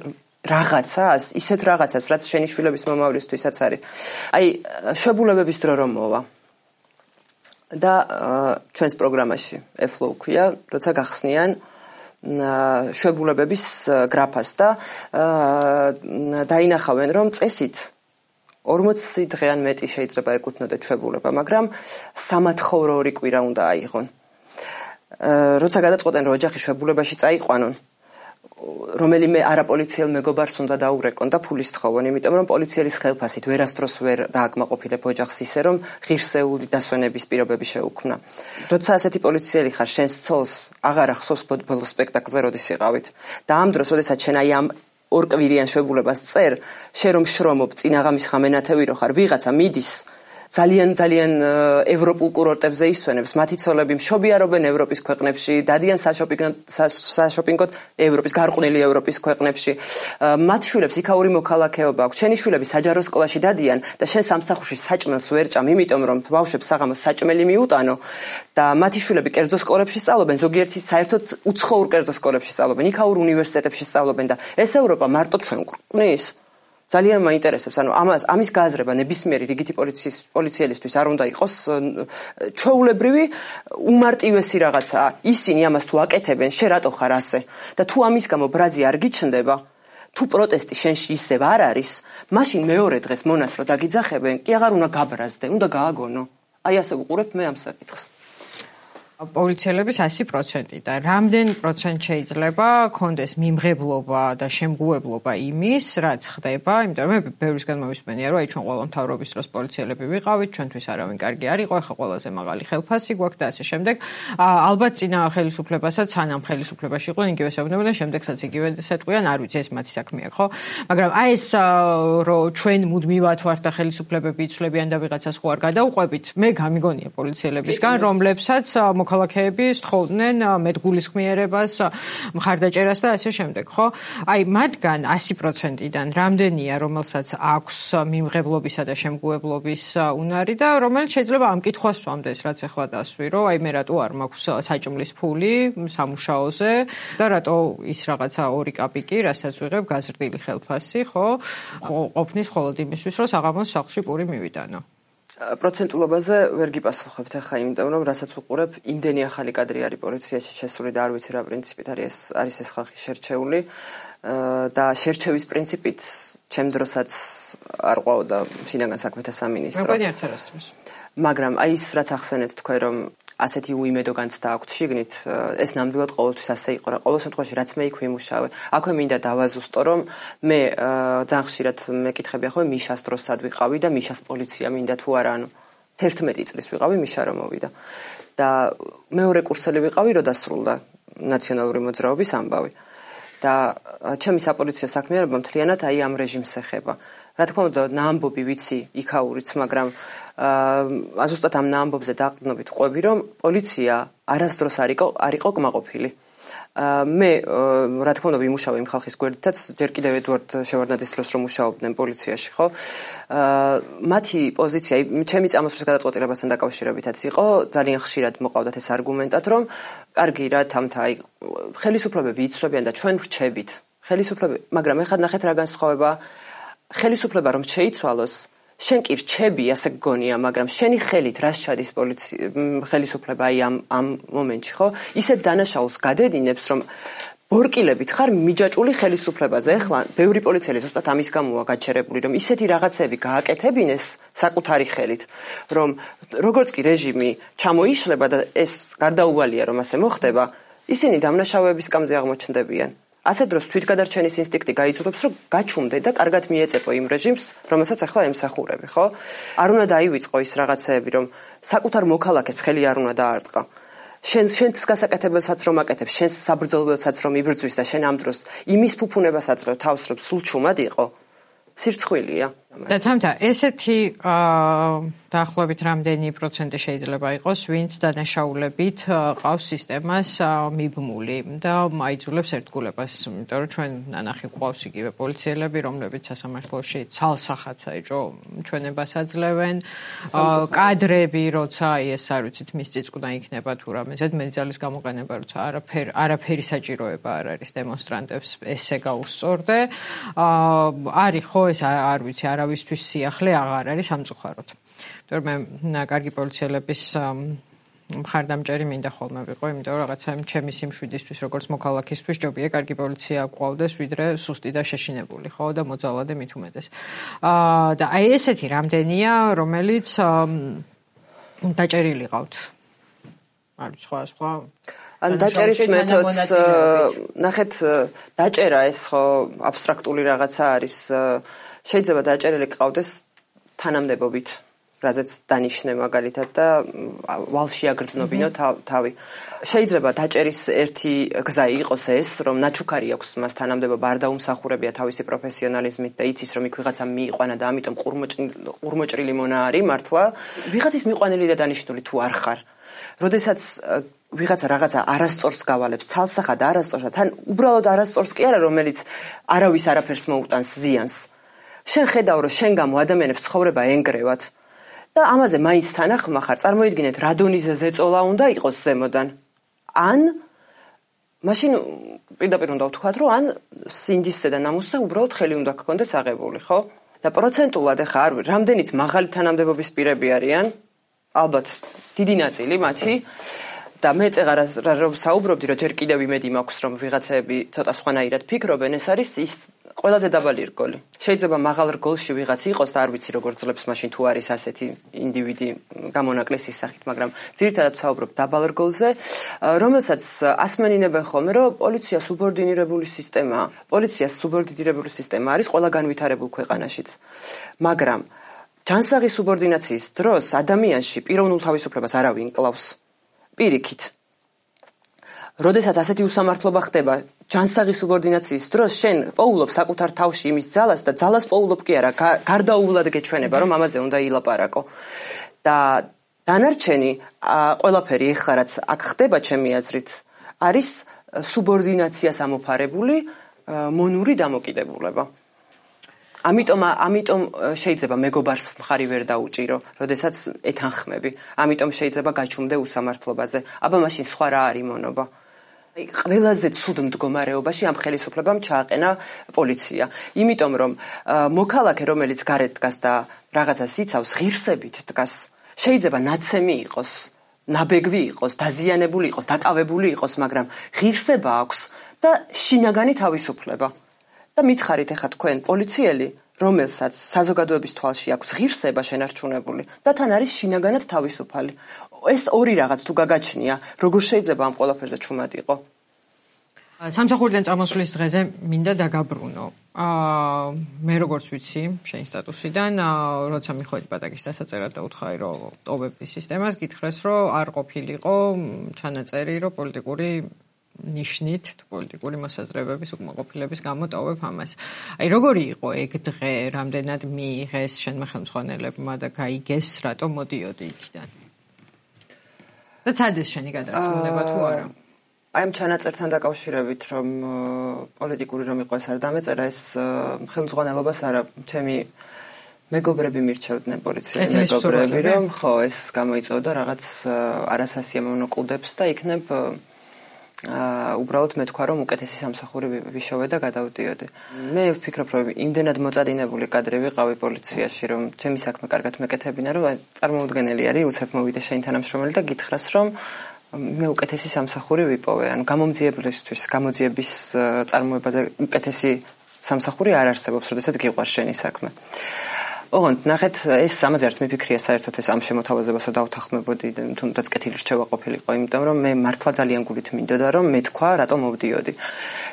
S1: რაღაცას, ისეთ რაღაცას, რაც შენი შვილების მომავლისთვისაც არის. აი, შვებულებების დრო რომ მოვა. და ჩვენს პროგრამაში EFLOW ქვია, როცა გახსნიან შვებულებების გრაფას და დაინახავენ, რომ წესით 40 დღე ან მეტი შეიძლება ეკუთვნოდეთ შვებულება, მაგრამ სამათხოვრო 2 კვირა უნდა აიღონ. როცა გადაწყვეტენ, რომ ოჯახი შვებულებაში წაიყვანონ, რომელიმე არაპოლიციელ მეგობარს უნდა დაურეკონ და ფულის თხოვონ, იმიტომ რომ პოლიციელის ხელფასით ვერასდროს ვერ დააკმაყოფილებ ოჯახს ისე რომ ღირსეული დასვენების პირობები შეუქმნა. როცა ასეთი პოლიციელი ხარ, შენს ცოლს აღარ ახსოვს ბოლო სპექტაკლზე როდის იყავით. და ამ დროს, როდესაც შენ აი ამ ორკვირიან შვებულებას წერ, შენ რომ შრომობ, წინაღამის ხამენათევი რო ხარ, ვიღაცა მიდის ძალიან ევროპულ კურორტებზე ისვენებს, მათი ცოლები მშობიარობენ ევროპის ქვეყნებში, დადიან საშოპინგოდ ევროპის, გარყვნილი ევროპის ქვეყნებში. მათ შვილებს იქაური მოქალაქეობა აქვს. შენი შვილები საჯარო სკოლაში დადიან და შენ სამსახურში საჭმელს ვერ ჭამ, იმიტომ რომ ბავშვებს საღამოს საჭმელი მიუტანო და მათი შვილები კერძო სკოლებში სწავლობენ, ზოგიერთი საერთოდ უცხოურ კერძო სკოლებში სწავლობენ, იქაურ უნივერსიტეტებში სწავლობენ და ეს ევროპა მარტო ჩვენ გვყნის. ძალიან მაინტერესებს, ანუ ამის გააზრება ნებისმიერი რიგითი პოლიციელისთვის არ უნდა იყოს ჩვეულებრივი უმარტივესი რაღაცაა. ისინი ამას თუ აკეთებენ, შენ რატო ხარ ასე? და თუ ამის გამო ბრაზი არ გიჩნდება, თუ პროტესტი შენში ისევ არ არის, მაშინ მეორე დღეს მონას რო დაგიძახებენ, კი აღარ უნდა გაბრაზდე, უნდა გააგონო. აი ასე ვუყურებ მე ამ საკითხს.
S2: პოლიციელების 100% და რამდენ პროცენტ შეიძლება კონდეს მიმღებლობა და შემგუებლობა იმის, რაც ხდება, იმიტომ რომ მე ბევრისგან მოვისმენია, რომ აი ჩვენ ყველა მთავრობის დროს პოლიციელები ვიყავით, ჩვენთვის არავინ კარგი არ იყო, ახლა ყველაზე მაღალი ხელფასი გვაქვს და ასე შემდეგ. ალბათ წინა ხელისუფლებასაც, სანამ ხელისუფლებაში იყვნენ, იგივე საუბნებოდნენ, შემდეგსაც იგივე სეტყვიან, არ ვიცი, ეს მათი საქმეა, ხო? მაგრამ აი ეს რომ ჩვენ მუდმივად ვართ და ხელისუფლებები იცვლებიან და ვიღაცას ხო არ გადაუყვებით, მე გამიგონია პოლიციელებისგან, რომლებსაც მოქალაქეები სთხოვდნენ მეტგულისხმიერებას, მხარდაჭერას და ასე შემდეგ, ხო? აი, მათგან 100%-დან რამდენია, რომელსაც აქვს მიმღებლობისა და შემგუებლობის უნარი და რომელიც შეიძლება ამ კითხვას სვამდეს, რაც ახლა დასვი, რომ აი მე რატო არ მაქვს საჭმლის ფული სამუშაოზე და რატო ის რაღაცა 2 კაპიკი, რასაც ვიღებ გაზრდილი ხელფასი, ხო? ყოფნის მხოლოდ იმისთვის, რომ საღამოს სახლში პური მივიტანო.
S1: პროცენტულობაზე ვერ გიპასუხებთ ახლა, იმიტომ რომ რასაც ვუყურებ, იმდენი ახალი კადრი არის პოლიციაში შესული და არ ვიცი რა პრინციპით არის ეს ხალხი შერჩეული და შერჩევის პრინციპით ჩემ დროსაც არ ყვაოდა შინაგან საქმეთა სამინისტრო. მაგრამ აი ის რაც ახსენეთ თქვენ რომ ასეთი უიმედო განცდა აქვთ შიგნით, ეს ნამდვილად ყოველთვის ასე იყო რა. ყოველ შემთხვევაში რაც მე იქ ვიმუშავე, აქვე მინდა დავაზუსტო, რომ მე ძალიან ხშირად მეკითხები ახლა მიშას დროს სად ვიყავი და მიშას პოლიცია მინდა თუ არა, ანუ 11 წლის ვიყავი მიშა რომ მოვიდა. და მეორე კურსელი ვიყავი, რო დასრულდა ნაციონალური მოძრაობის ამბავი. და ჩემი საპოლიციო საქმიანობა მთლიანად აი ამ რეჟიმს ეხება. რა თქმა უნდა, ნაამბობი ვიცი იქაურიც, მაგრამ ზუსტად ამ ნაამბობზე დაყრდნობით ყვები, რომ პოლიცია არასდროს არ იყო კმაყოფილი. მე რა თქმა უნდა ვიმუშავე იმ ხალხის გვერდითაც, ჯერ კიდევ ედვარდ შევარდნაძის დროს რომ მუშაობდნენ პოლიციაში, ხო? მათი პოზიცია, ჩემი წამოსვლის გადაწყვეტილებასთან დაკავშირებითაც იყო, ძალიან ხშირად მოყავდათ ეს არგუმენტად, რომ კარგი რა თამთა, აი ხელისუფლებები იცვლებიან და ჩვენ ვრჩებით. მაგრამ ეხლა ნახეთ რა განსხვავება, ხელისუფლება რომ შეიცვალოს, შენ კი რჩები, ასე გგონია, მაგრამ შენი ხელით რას ჩადის ხელისუფლება აი ამ მომენტში, ხო? ისეთ დანაშაულს გადედინებს, რომ ბორკილებით ხარ მიჯაჭული ხელისუფლებაზე. ეხლა ბევრი პოლიციელი ზუსტად ამის გამოა გაჩერებული, რომ ისეთი რაღაცები გააკეთებინეს საკუთარი ხელით, რომ როგორც კი რეჟიმი ჩამოიშლება და ეს გარდაუვალია რომ ასე მოხდება, ისინი დამნაშავეების სკამზე აღმოჩნდებიან. ასე დროს თვითგადარჩენის ინსტინქტი გაიძულებს, რომ გაჩუმდე და კარგად მიეწეპო იმ რეჟიმს, რომელსაც ახლა ემსახურები, ხო? არ უნდა დაივიწყო ის რაღაცეები, რომ საკუთარ მოქალაქეს ხელი არ უნდა დაარტყა. შენს გასაკეთებელსაც რომ აკეთებ, შენს საბრძოლველსაც რომ იბრძვის და შენ ამ დროს იმის ფუფუნებას აძლევ თავს, რომ სულ ჩუმად იყო. სირცხვილია.
S2: და თამთა, ესეთი დაახლოებით რამდენი პროცენტი შეიძლება იყოს, ვინც დანაშაულებით ყავს სისტემას მიბმული და მაიძულებს ერთგულებას, იმიტომ რომ ჩვენ ნანახი გვყავს იგივე პოლიციელები, რომლებიც სასამართლოში ცალსახაც აიჭო ჩვენებას აძლევენ, კადრები, როცა ეს არ ვიცით, მის წიწკნა იქნება თუ რამე ზედმეტძალის გამოყენება, როცა არაფერი საჭიროება არ არის დემონსტრანტებს ესე გაუსწორდე. არის ხო ეს არ ვიცი, არავისთვის სიახლე აღარ არის სამწუხაროდ. მე კარგი პოლიციელების მხარდამჭერი მინდა ხოლმე ვიყო, იმიტომ რომ რაღაცა ჩემი სიმშვიდისთვის, როგორც მოქალაქისთვის, ჯობია კარგი პოლიცია გვყავდეს, ვიდრე სუსტი და შეშინებული, ხო, და მოძალადე მით უმეტეს. და აი ესეთი რამდენია, რომელიც დაჭერილი ყავთ. არის სხვა.
S1: ან დაჭერის მეთოდს ნახეთ დაჭერა ეს ხო აბსტრაქტული რაღაცა არის შეიძლება დაჭერილი ყავდეს თანამდებობით რაზეც დანიშნე მაგალითად და ვალში აგრძნობინო თავი შეიძლება დაჭერის ერთი გზა იყოს ეს რომ ნაჩუქარი აქვს მას თანამდებობა არ დაუმსახურებია თავისი პროფესიონალიზმით და იცის რომ იქ ვიღაცა მიიყვანა და ამიტომ ყურმოჭრილი მონა არის მართლა ვიღაცის მიყვანილი და დანიშნული თუ არ ხარ როდესაც ვიღაცა რაღაცა არასწორს გავალებს ცალსახად არასწორსა თან უბრალოდ არასწორს კი არა რომელიც არავის არაფერს მოუტანს ზიანს შენ ხედავ რომ შენ გამო ადამიანებს ცხოვრება ენგრევათ და ამაზე მაინც თანახმა ხარ წარმოიდგინეთ რა დონის ზეწოლა უნდა იყოს ზემოდან ან მაშინ პირდაპირ უნდა ვთქვათ რომ ან სინდისზე და ნამუსზე უბრალოდ ხელი უნდა გქონდეს აღებული ხო და პროცენტულად ახლა არ რამდენიც მაღალი თანამდებობის პირები არიან ალბათ დიდი ნაწილი მათი და მე წეღარ რომ საუბრობდი რომ ჯერ კიდევ იმედი მაქვს რომ ვიღაცები ცოტა სხვანაირად ფიქრობენ ეს არის ის ყველაზე დაბალი რგოლი შეიძლება მაღალ რგოლში ვიღაც იყოს და არ ვიცი როგორ ძლებს მაშინ თუ არის ასეთი ინდივიდი გამონაკლისის სახით მაგრამ ძირითადად საუბრობ დაბალ რგოლზე რომელსაც ასმენინებენ ხოლმე რომ პოლიცია სუბორდინირებული სისტემაა პოლიცია სუბორდინირებული სისტემა არის ყველა განვითარებულ ქვეყანაშიც მაგრამ ჯანსაღი სუბორდინაციის დროს ადამიანში პიროვნულ თავისუფლებას არავინ კლავს პირიქით როდესაც ასეთი უსამართლობა ხდება ჯანსაღი სუბორდინაციის დროს შენ პოულობ საკუთარ თავში იმის ძალას და ძალას პოულობ კი არა გარდაუვლად გეჩვენება რომ ამაზე უნდა ილაპარაკო და დანარჩენი ყველაფერი ეხლა რაც აქ ხდება ჩემი აზრით არის სუბორდინაციას ამოფარებული მონური დამოკიდებულება ამიტომ შეიძლება მეგობარს მხარი ვერ დაუჭირო, როდესაც ეთანხმები. ამიტომ შეიძლება გაჩუმდე უსამართლობაზე. აბა მაშინ სხვა რა არის მონობა? ყველაზე ცუდ მდგომარეობაში ამ ხელისუფლებამ ჩააყენა პოლიცია. იმიტომ რომ მოქალაქე რომელიც გარეთ დგას და რაღაცას იცავს, ღირსებით დგას. შეიძლება ნაცემი იყოს, ნაბეგვი იყოს, დაზიანებული იყოს, დაკავებული იყოს, მაგრამ ღირსება აქვს და შინაგანი თავისუფლება. და მითხარით ახლა თქვენ პოლიციელი, რომელსაც საზოგადოების თვალში აქვს ღირსება შენარჩუნებული და თან არის შინაგანად თავისუფალი. ეს ორი რაღაც თუ გაგაჩნია, როგორ შეიძლება ამ ყველაფერზე ჩუმად იყო?
S2: სამსახურიდან წამოსვლის დღეზე მინდა დაგაბრუნო. მე როგორც ვიცი, შენი სტატუსიდან, როცა მიხვედი პატაკის დასაწერად და უთხარი, რომ ტოვებდი სისტემას, გითხრეს, რომ არ ყოფილიყო ჩანაწერი, რომ პოლიტიკური ნიშნით თუ პოლიტიკური მოსაზრებების უკმაყოფილების გამო ტოვებ ამას. აი როგორი იყო ეგ დღე, რამდენად მიიღეს შენმა ხელმძღვანელებმა და გაიგეს, რატომ მოდიოდი იქიდან? და ცადეს შენი გადაწყვეტილება თუ არა?
S1: აი ამ ჩანაწერთან დაკავშირებით, რომ პოლიტიკური რომ იყო ეს არ დამეწერა, ეს ხელმძღვანელობას არა, ჩემი მეგობრები მირჩევდნენ პოლიციის მეგობრები, რომ ხო ეს გამოიწვევდა რაღაც არასასიამოვნო კლდებს და იქნებ უბრალოდ მე თქვა რომ უკეთესი სამსახური ვიშოვე და გადავდიოდი. მე ვფიქრობ რომ იმდენად მოწადინებული კადრი ვიყავი პოლიციაში რომ ჩემი საქმე კარგად მეკეთებინა რომ წარმოუდგენელი არის უცებ მოვიდე შენ თანამშრომელი და გითხრას რომ მე უკეთესი სამსახური ვიპოვე. ანუ გამოძიების წარმოებაზე უკეთესი სამსახური არ არსებობს, როდესაც გიყვარს შენი საქმე. ოღონდ ნახეთ ეს ამაზე არც მიფიქრია საერთოდ ეს ამ შემოთავაზებასო დავთანხმებოდი თუნდაც კეთილი რჩევა ყოფილიყო იმიტომ რომ მე მართლა ძალიან გულით მინდოდა რომ მე თქვა რატომ მოვდიოდი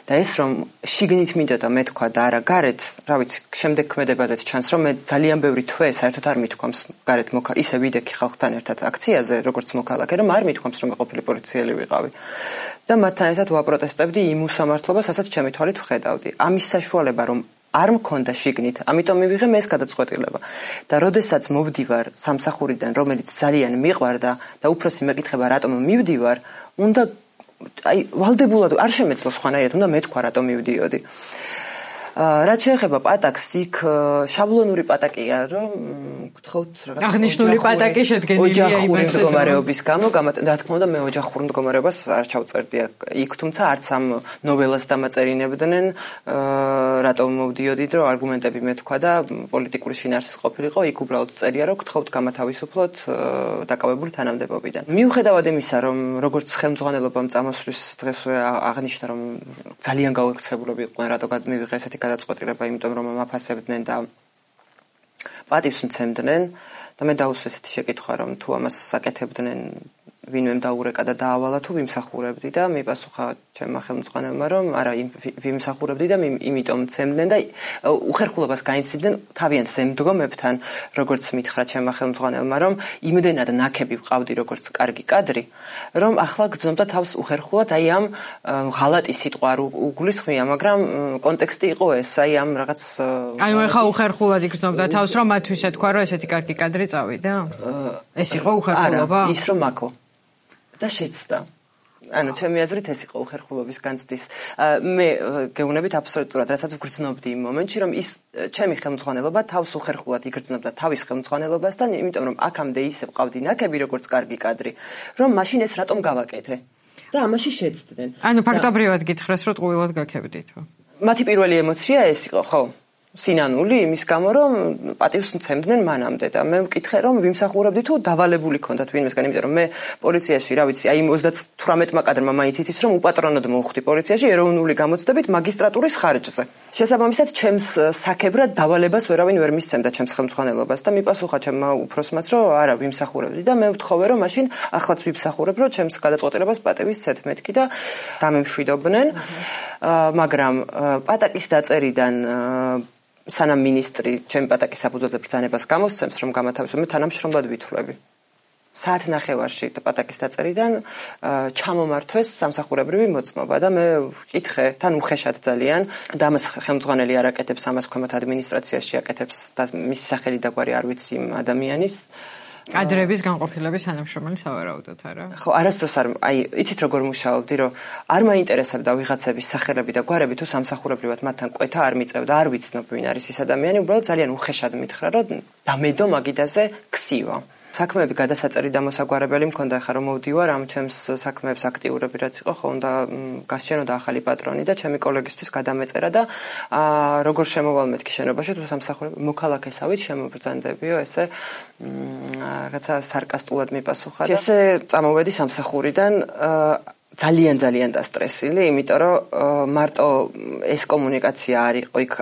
S1: და ეს რომ შიგნით მინდოდა მე თქვა და არა გარეთ რა ვიცი შემდეგ ქმედებაზეც ჩანს რომ მე ძალიან ბევრი თვე საერთოდ არ მithქვამს გარეთ ისე ვიდექი ხალხთან ერთად აქციაზე როგორც მოქალაქე რომ არ მithქვამს რომ მე ყოფილი პოლიციელი ვიყავი და მათთან ერთად ვაპროტესტებდი იმ უსამართლობას რასაც ჩემი თვალით ვხედავდი ამის საშუალება რომ არ მქონდა შიგნით, ამიტომ მივიღე მე ეს გადაწყვეტილება. და როდესაც მოვდივარ სამსახურიდან, რომელიც ძალიან მიყვარდა და უფროსი მეკითხება რატომ მივდივარ, უნდა ვალდებულად არ შემეძლო სხვანაირად, უნდა მეთქვა რატომ მივდიოდი. რაც შეეხება პატაკს, იქ შაბლონური პატაკია, რომ გთხოვთ რაღაც
S2: აღნიშნული პატაკი შედგენილია
S1: ოჯახური მდგომარეობის გამო, რა თქმა უნდა, მე ოჯახურ მდგომარეობას არ ჩავწერდი იქ, თუმცა არც ამ ნოველას დამაწერინებდნენ, რატომ მოვდიოდი, რომ არგუმენტები მეთქვა და პოლიტიკური შინაარსის ყოფილიყო, იქ უბრალოდ წერია, რომ გთხოვთ გამათავისუფლოთ დაკავებული თანამდებობიდან. მიუხედავად იმისა, რომ როგორც ხელმძღვანელობამ წამოსვლის დღესვე აღნიშნა, რომ ძალიან გაუხსებულები იყვნენ, რატო მივიღე ესეთი გადაწყვეტილება, იმიტომ რომ მაფასებდნენ და პატივს მცემდნენ და მე დაუსვე ესეთი შეკითხვა, რომ თუ ამას აკეთებდნენ ვინმე დაურეკა და დაავალა თუ ვიმსახურებდი და მიპასუხა ჩემმა ხელმძღვანელმა რომ არა ვიმსახურებდი და იმიტომ ცემდნენ და უხერხულობას გაინცდიდნენ თავიანთ ზემდგომებთან როგორც მითხრა ჩემმა ხელმძღვანელმა რომ იმდენად ნაკები ვყავდი როგორც კარგი კადრი რომ ახლა გძნობდა თავს უხერხულად აი ამ ღალატი სიტყვა არ უგულისხმია მაგრამ კონტექსტი იყო ეს აი ამ რაღაც
S2: აი ხა უხერხულად იგრძნობდა თავს რომ მათთვის ეთქვა რომ ესეთი კარგი კადრი წავიდა ეს იყო უხერხულობა
S1: ის რომ მაქო და შეცდა. ანუ ჩემი აზრით ეს იყო უხერხულობის განცდის. მე გეუბნებით აბსოლუტურად, რასაც ვგრძნობდი იმ მომენტში, რომ ის ჩემი ხელმძღვანელობა თავს უხერხულად იგრძნობდა თავის ხელმძღვანელობასთან, იმიტომ რომ აქამდე ისე ვყავდი ნაკები როგორც კარგი კადრი, რომ მაშინ ეს რატომ გავაკეთე? და ამაში შეცდნენ.
S2: ანუ ფაქტობრივად გითხრეს, რომ ტყუილად გაქებდითო.
S1: მათი პირველი ემოცია ეს იყო, ხო? სინანული იმის გამო რომ პატივს მცემდნენ მანამდე და მე ვკითხე რომ ვიმსახურებდი თუ დავალებული ქონდათ ვინმესგან იმიტომ რომ მე პოლიციაში რა ვიცი აი 38 კადრმა მაინც იცის რომ უპატრონოდ მოვხდი პოლიციაში ეროვნული გამოცდებით მაგისტრატურის ხარჯზე შესაბამისად ჩემს საქებრად დავალებას ვერავინ ვერ მისცემდა ჩემს ხელმძღვანელობას და მიპასუხა ჩემმა უფროსმაც რომ არა ვიმსახურებდი და მე ვთხოვე რომ მაშინ ახლაც ვიმსახურებ რომ ჩემს გადაწყვეტილებას პატევის ცეთ მეთქი და დამემშვიდობდნენ მაგრამ პატაკის დაწერიდან სანამ მინისტრი ჩემი პატაკის საფუძველზე ბრძანებას გამოსცემს რომ გამათავისუფლო მე თანამშრომლად ვითვლები. საათნახევარში პატაკის დაწერიდან ჩამომართვეს სამსახურებრივი მოწმობა და მე ვკითხე თან უხეშად ძალიან და ამას ხელმძღვანელი არ აკეთებს ამას ქვემოთ ადმინისტრაციაში აკეთებს და მისი სახელი და გვარი არ ვიცი იმ ადამიანის
S2: კადრების განყოფილების თანამშრომელი სავარაუდოდ არა?
S1: ხო, არასდროს არ აი იცით როგორ მუშაობდი რომ არ მაინტერესებდა ვიღაცების სახელები და გვარები თუ სამსახურებრივად მათთან კვეთა არ მიწევდა არ ვიცნობ ვინ არის ეს ადამიანი უბრალოდ ძალიან უხეშად მითხრა რომ დამედო მაგიდაზე ქსივა საქმეები გადასაწერი და მოსაგვარებელი მქონდა ხა რომ მოვდივარ ამ ჩემს საქმეებს აქტიურები რაც იყო ხო უნდა გასჩენოდა ახალი პატრონი და ჩემი კოლეგისთვის გადამეწერა და როგორ შემოვალ მეთქი შენობაში თუ სამსახურები მოქალაქესავით შემობრძანდებიო ესე რაღაცა სარკასტულად მიპასუხა და ესე წამოვედი სამსახურიდან ძალიან დასტრესილი იმიტომ რომ მარტო ეს კომუნიკაცია არ იყო იქ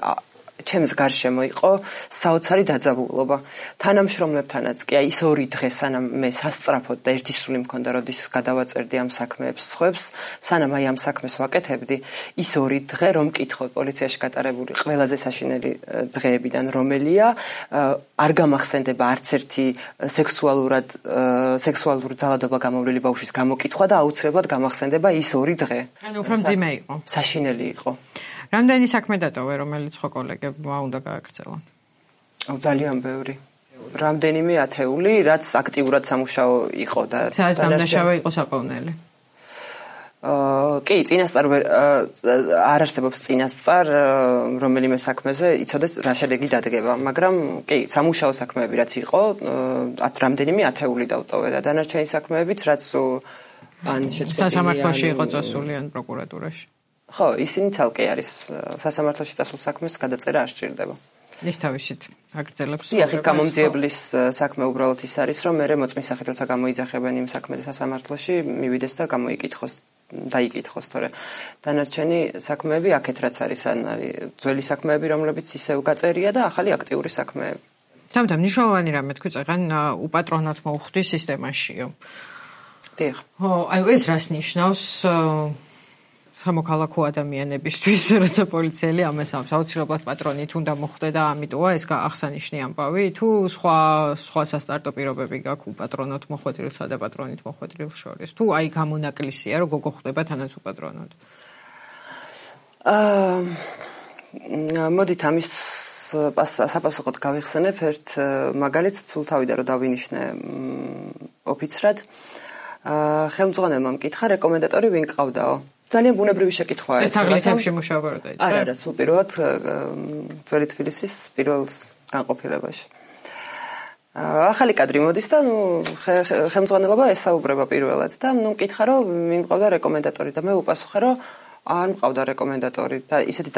S1: ჩემს გარშემო იყო საოცარი დაძაბულობა. თანამშრომლებთანაც კი აი ის 2 დღე სანამ მე სასწრაფოდ და ერთი სული მქონდა როდის გადავაწერდი ამ საქმეებს სხვებს, სანამ აი ამ საქმეს ვაკეთებდი, ის 2 დღე რომ მკითხოთ პოლიციაში გატარებული ყველაზე საშინელი დღეებიდან რომელია, არ გამახსენდება არც ერთი სექსუალური ძალადობა გამოვლილი ბავშვის გამოკითხვა და აუცილებლად გამახსენდება ის 2 დღე.
S2: ანუ უფრო მძიმე იყო.
S1: საშინელი იყო.
S2: რამდენი საქმე დატოვე, რომელიც ხო კოლეგებმა უნდა გააგრძელა?
S1: ძალიან ბევრი. რამდენიმე ათეული, რაც აქტიურად სამუშაო იყო და
S2: სამუშაო იყო საყოვნელი.
S1: კი, წინასწარ არ არსებობს წინასწარ რომელიმე საქმეზე იცოდეთ რა შედეგი დადგება, მაგრამ კი, სამუშაო საქმეები რაც იყო, რამდენიმე ათეული დავტოვე და დანარჩენი საქმეებიც რაც ან შეწყვეტილია.
S2: სასამართლოში იყო წასული ან პროკურატურაში.
S1: ხო, ისინი ცალკე არის სასამართლოში წასულ საქმეს გადაწერა არ სჭირდება.
S2: ის თავისით აგრძელებს.
S1: დიახ, გამომძიებლის საქმე უბრალოდ ის არის, რომ მე მოწმის სახით როცა გამოიძახებენ იმ საქმეზე სასამართლოში, მივიდეს და დაიკითხოს, თორე დანარჩენი საქმეები აქეთ რაც არის, ან არის ძველი საქმეები, რომლებიც ისევ გაწერია და ახალი აქტიური საქმეები.
S2: თამთა მნიშვნელოვანი რამე თქვი წეგან უპატრონად მოვხვდი სისტემაშიო.
S1: დიახ.
S2: ხო, აი ეს რას ნიშნავს სამოქალაქო ადამიანებისთვის, როცა პოლიციელი ამას ამბობს, აუცილებლად პატრონით უნდა მოხვდე და ამიტომა ეს აღსანიშნი ამბავი, თუ სხვა სასტარტო პირობები გაქვს უპატრონოდ მოხვედრილსა და პატრონით მოხვედრილს შორის, თუ აი გამონაკლისია, რომ გოგო ხდება თანაც უპატრონოდ. მოდით ამის საპასუხოდ გავიხსენებ ერთ მაგალითს სულთავიდან რომ დავინიშნე ოფიცრად. ხელმძღვანელმა მკითხა რეკომენდატორი ვინ ყავდაო? ძალიან ბუნებრივი შეკითხვაა ეს. აგლეთებში მუშაობა რა დაიწყე?
S1: არა, სულ პირველად ძველი თბილისის პირველ განყოფილებაში. ახალი კადრი მოდის და ხელმძღვანელობა ესაუბრება პირველად და მკითხა რომ ვინ ყავდა რეკომენდატორი და მე უპასუხე რომ არ მყავდა რეკომენდატორი და ისეთი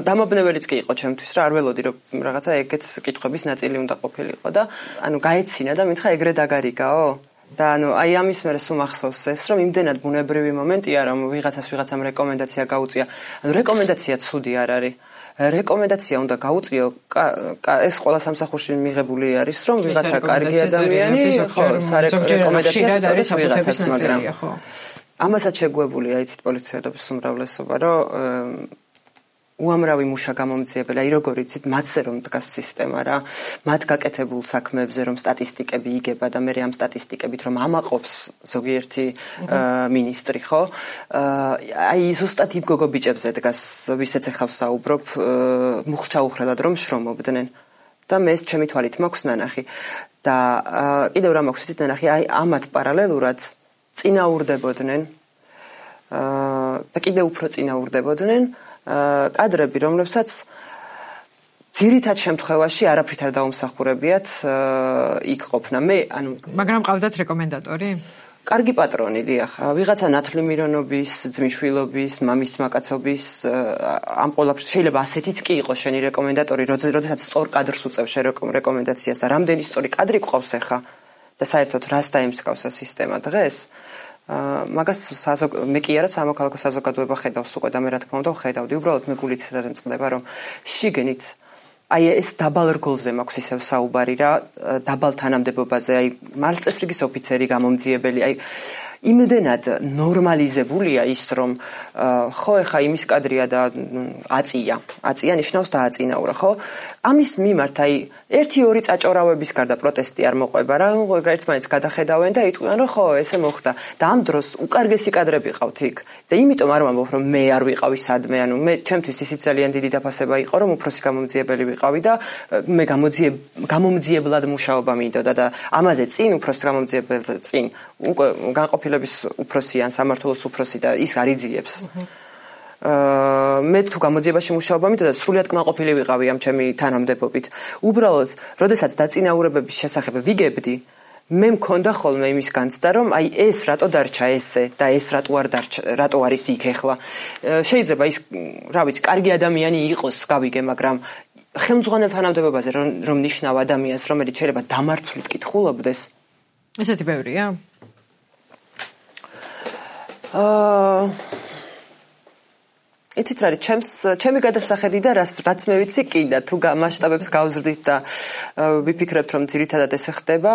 S1: დამაბნეველიც კი იყო ჩემთვის რა არ ველოდი რომ რაღაცა ეგეც კითხვების ნაწილი უნდა ყოფილიყო და ანუ გაეცინა და მითხრა ეგრე დაგარიგაო და ანუ აი ამის მერე სულ მახსოვს ეს რომ იმდენად ბუნებრივი მომენტია რომ ვიღაცამ რეკომენდაცია გაუწია ანუ რეკომენდაცია ცუდი არ არის რეკომენდაცია უნდა გაუწიო ეს ყველა სამსახურში მიღებული არის რომ ვიღაცა კარგი ადამიანი ხო რეკომენდაციას არის ვიღაცას მაგრამ ამასაც შეგვებულია იცით პოლიციელების უმრავლესობა რომ უამრავი მუშა გამომძიებელი, აი როგორ იცით, მათზე რომ დგას სისტემა რა, მათ გაკეთებულ საქმეებზე რომ სტატისტიკები იგება და მე ამ სტატისტიკებით რომ ამაყობს ზოგიერთი მინისტრი, ხო? აი ზუსტად იმ გოგო ბიჭებზე დგას, ვისაც ახლა ვსაუბრობ, მუხჩაუხრელად რომ შრომობდნენ. და მე ეს ჩემი თვალით მაქვს ნანახი. და კიდევ რა მაქვს იცით ნანახი, აი ამათ პარალელურად წინაურდებოდნენ და კიდევ უფრო წინაურდებოდნენ კადრები, რომლებსაც ძირითად შემთხვევაში არაფრით არ დაუმსახურებიათ იქ ყოფნა.
S2: მაგრამ ყავდათ რეკომენდატორი?
S1: კარგი პატრონი, დიახ. ვიღაცა ნათლი მირონობის, ძმისშვილობის, მამის მაკაცობის ამ ყველაფერს შეიძლება ასეთიც კი იყოს შენი რეკომენდატორი, როდესაც სწორ კადრს უწევს რეკომენდაციას და რამდენი სწორი კადრი გყავს ახლა და საერთოდ რას დაემსგავს სისტემა დღეს. მაგას მე კი არა სამოქალაქო საზოგადოება ხედავს უკვე და მე რა თქმა უნდა ვხედავდი უბრალოდ მე გულით წდება რომ შიგნით აი ეს დაბალ რგოლზე მაქვს ისევ საუბარი რა დაბალ თანამდებობაზე აი მართლწესრიგის ოფიცერი გამომძიებელი აი იმდენად ნორმალიზებულია ის რომ ხო ეხა იმის კადრია და აწია ნიშნავს დააწინაურა ხო ამის მიმართ აი 1-2 წაჭორავების გარდა პროტესტი არ მოყვება რა ერთმანეთს გადახედავენ და იტყვიან რომ ხო ესე მოხდა და ამ დროს უკარგესი კადრები ყავთ იქ და იმიტომ არ ვამბობ რომ მე არ ვიყავი სადმე ანუ მე ჩემთვის ისიც ძალიან დიდი დაფასება იყო რომ უფროსი გამომძიებელი ვიყავი და მე გამომძიებლად მუშაობა მინდოდა და ამაზე წინ უფროს გამომძიებელზე წინ უკვე განყოფილების უფროსი ან სამართლოს უფროსი და ის არ იძიებს მე თუ გამოძიებაში მუშაობა მინდოდა სრულიად კმაყოფილი ვიყავი ამ ჩემი თანამდებობით. უბრალოდ, როდესაც დაწინაურებების შესახებ ვიგებდი, მე მქონდა ხოლმე იმის განცდა, რომ აი ეს რატო დარჩა ესე და ეს რატო არის იქ ახლა. შეიძლება ის, რა ვიცი, კარგი ადამიანი იყოს, გავიგე, მაგრამ ხელმძღვანელ თანამდებობაზე რომ ნიშნავ ადამიანს, რომელიც შეიძლება დამარცვლით კითხულობდეს.
S2: ესეთი ბევრია?
S1: იცით რა არის ჩემი გადასახედი და რაც მე ვიცი კი და თუ მასშტაბებს გავზრდით და ვიფიქრებთ რომ ძირითადად ესე ხდება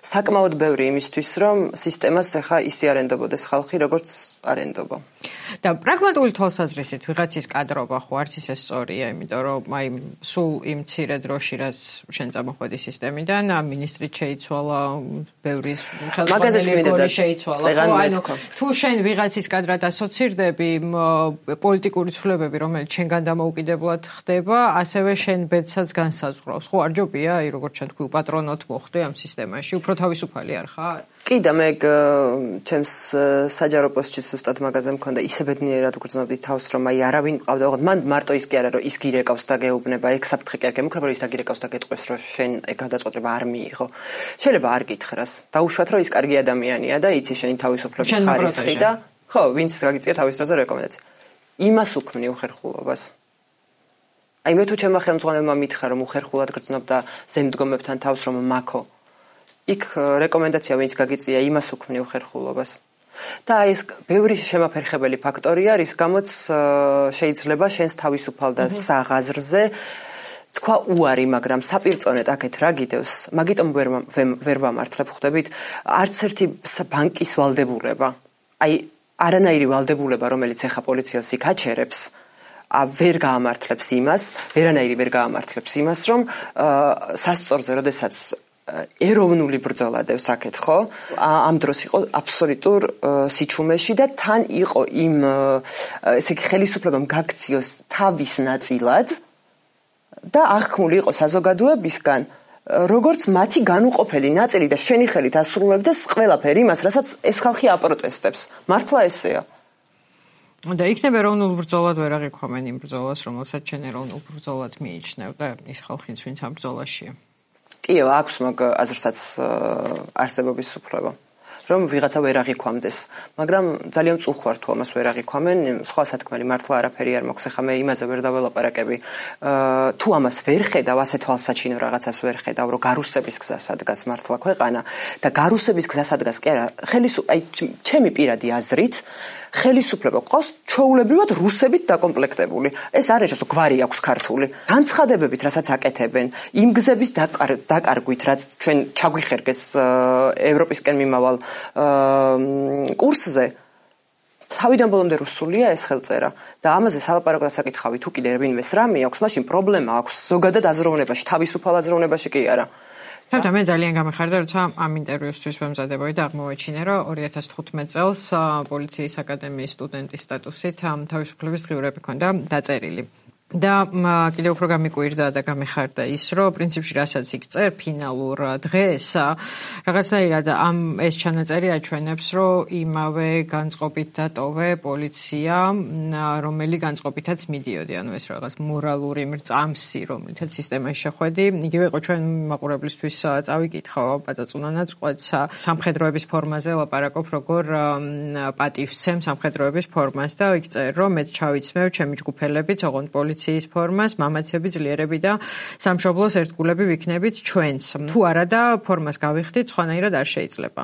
S1: საკმაოდ ბევრი იმისთვის რომ სისტემას ახლა ისე არ ენდობოდეს ხალხი როგორც არ ენდობა
S2: და პრაგმატული თვალსაზრისით ვიღაცის კადრობა ხო არც ისე სწორია იმიტომ რომ აი სულ იმ მცირე დროში რაც შენ წამოხვედი სისტემიდან მინისტრით შეიცვალა ბევრი ხელმძღვანელი შეიცვალა ანუ თუ შენ ვიღაცის კადრად ასოცირდები პოლიტიკური ცვლილებები რომელიც შენგან დამოუკიდებლად ხდება ასევე შენ ბედსაც განსაზღვრავს ხო არ ჯობია აი როგორც შენ თქვი პატრონოთ მოხდე ამ სისტემაში უფრო თავისუფალი არ ხარ
S1: კი და მე ჩემს საჯარო პოსტში ზუსტად მაგაზე მქონდა ისე ბედნიერად გრძნობდი თავს რომ აი არავინ მყავდა ოღონდ მან მარტო ის კი არა რომ ის გირეკავს და გეუბნება ეგ საფრთხე კი არ გემუქრება რომ ის დაგირეკავს და გეტყვის რომ შენ ეგ გადაწყვეტილება არ მიიღო შეიძლება არ გითხრას დაუშვათ რომ ის კარგი ადამიანია და იცი შენი თავისუფლების ხარისხი და ხო ვინც გაგიწია თავის დროზე რეკომენდაცია იმას უქმნი უხერხულობას აი მე თუ ჩემმა ხელმძღვანელმა მითხრა რომ უხერხულად გრძნობ და ზემდგომებთან თავს რომ მაქო იქ რეკომენდაცია ვინც გაგიწია იმას უქმნი უხერხულობას და ეს ბევრი შემაფერხებელი ფაქტორია რის გამოც შეიძლება შენს თავისუფალ და საღაზრზე თქვა უარი მაგრამ საპირწონედ აქეთ რა გიდევს მაგიტომ ვერ ვამართლებ ხვდებით არც ერთი ბანკის ვალდებულება აი არანაირი ვალდებულება რომელიც ეხა პოლიციას იქ აჩერებს ვერ გაამართლებს იმას ვერანაირი ვერ გაამართლებს იმას რომ სასწორზე როდესაც ეროვნული ბრძოლა დევს აქეთ ხო ამ დროს იყო აბსოლუტურ სიჩუმეში და თან იყო იმ ესე იგი ხელისუფლებამ გაქციოს თავის ნაწილად და აღქმული იყო საზოგადოებისგან როგორც მათი განუყოფელი ნაწილი და შენი ხელით ასრულებდეს ყველაფერი იმას რასაც ეს ხალხი აპროტესტებს მართლა ესეა
S2: და იქნება ეროვნულ ბრძოლად ვერ აღიქვამენ იმ ბრძოლას რომელსაც შენ ეროვნულ ბრძოლად მიიჩნევ და ის ხალხიც ვინც ამ ბრძოლაშია
S1: კი აქვს მაგ აზრსაც არსებობის უფლება რომ ვიღაცა ვერ აღიქვამდეს. მაგრამ ძალიან წუხვარ თუ ამას ვერ აღიქვამენ, სხვა სათქმელი მართლა არაფერი არ მაქვს, ახლა მე იმაზე ვერ დაველაპარაკები. თუ ამას ვერ ხედავ, ასე თვალსაჩინო რაღაცას ვერ ხედავ, რომ გარუსების გზას ადგას მართლა ქვეყანა და გარუსების გზას ადგას კი არა, ჩემი პირადი აზრით ხელისუფლება ყავს ჩვეულებრივად რუსებით დაკომპლექტებული. ეს არის რომ გვარი აქვს ქართული. განცხადებებით, რასაც აკეთებენ, იმ გზების დაკარგვით, რაც ჩვენ ჩაგვიხერგეს ევროპისკენ მიმავალ კურსზე, თავიდან ბოლომდე რუსულია ეს ხელწერა და ამაზე სალაპარაკო დასაკითხავი თუ კიდე ვინმეს რამე აქვს, მაშინ პრობლემა აქვს ზოგადად აზროვნებაში, თავისუფალ აზროვნებაში კი არა.
S2: და მე ძალიან გამეხარდა, როცა ამ ინტერვიუსთვის ვემზადებოდი და აღმოვაჩინე, რომ 2015 წელს პოლიციის აკადემიის სტუდენტის სტატუსით თავისუფლების დღიურები ჰქონდა დაწერილი. და კიდევ უფრო გამიკვირდა და გამეხარდა ის, რომ პრინციპში რასაც იქ წერ ფინალურ დღეს რაღაცნაირად ეს ჩანაწერი აჩვენებს, რომ იმავე განწყობით დატოვე პოლიცია, რომელი განწყობითაც მიდიოდი, ანუ ეს რაღაც მორალური მრწამსი, რომლითაც სისტემაში შეხვედი, იგივე იყო ჩვენ მაყურებლისთვის წავიკითხო პაწაწუნანაც ყვეთს სამხედროების ფორმაზე ლაპარაკობ, როგორ პატივცემ სამხედროების ფორმას და იქ წერ, რომ მეც ჩავიცმევ ჩემი ჯგუფელებით, ოღონდ პოლიციის ფორმას, მამაცები, ძლიერები და სამშობლოს ერთგულები ვიქნებით ჩვენც. თუ არა და ფორმას გავიხდით, სხვანაირად არ შეიძლება.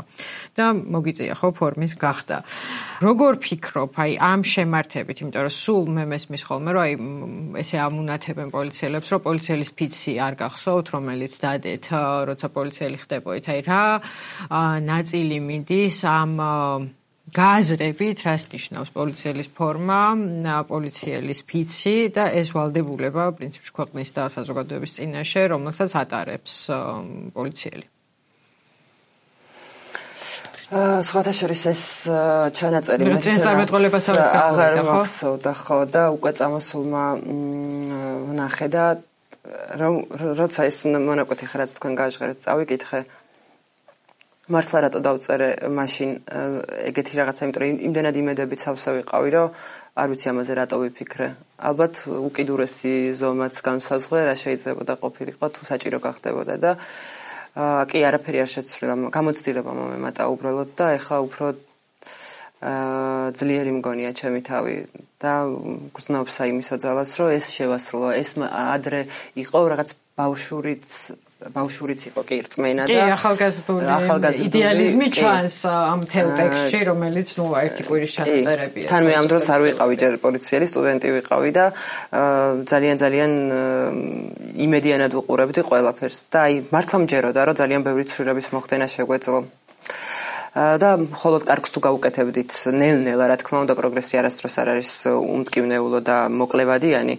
S2: და მოგიწია ხო ფორმის გახდა. როგორ ფიქრობ, ამ შემართებით, იმიტომ რომ სულ მე მესმის ხოლმე, რომ ესე ამუნათებენ პოლიციელებს, რომ პოლიციელის ფიცი არ გახსოვთ, რომელიც დადეთ, როცა პოლიციელი ხდებოით. რა ნაწილი მიდის ამ გააზრებით, რას ნიშნავს პოლიციელის ფორმა, პოლიციელის ფიცი და ეს ვალდებულება პრინციპში ქვეყნის და საზოგადოების წინაშე, რომელსაც ატარებს პოლიციელი.
S1: სხვათა შორის ეს ჩანაწერი
S2: წინასწარმეტყველებასავით
S1: აღარ მახსოვდა ხო და უკვე წამოსულმა ვნახე და როცა ეს მონაკვეთი ხარ რაც თქვენ გაჟღერეთ წავიკითხე მართლა რატო დავწერე მაშინ ეგეთი რაღაცა, იმიტომ რომ იმდენად იმედებით სავსე ვიყავი, რომ არ ვიცი ამაზე რატო ვიფიქრე. ალბათ უკიდურესი ზომაც განსაზღვრე რა შეიძლებოდა ყოფილიყო თუ საჭირო გახდებოდა და კი არაფერი არ შეცვლილა, გამოცდილება მომემატა უბრალოდ და ეხლა უფრო ძლიერი მგონია ჩემი თავი და გრძნობს იმის ოძალას, რომ ეს შევასრულო, ეს ადრე იყო რაღაც ბავშვურიც იყო კი რწმენა და
S2: ახალგაზრდული იდეალიზმი ჩანს ამ თელ ტექსტში, რომელიც ნუ ერთი კვირის ჩანაწერებია.
S1: თან მე ამ დროს არ ვიყავი ჯერ პოლიციელი, სტუდენტი ვიყავი და ძალიან იმედიანად ვუყურებდი ყველაფერს და მართლა მჯეროდა, რომ ძალიან ბევრი ცვლილების მოხდენა შეგვეძლო. და მხოლოდ კარგს თუ გაუკეთებდით ნელ-ნელა, რა თქმა უნდა, პროგრესი არასდროს არ არის უმტკივნეულო და მოკლევადიანი,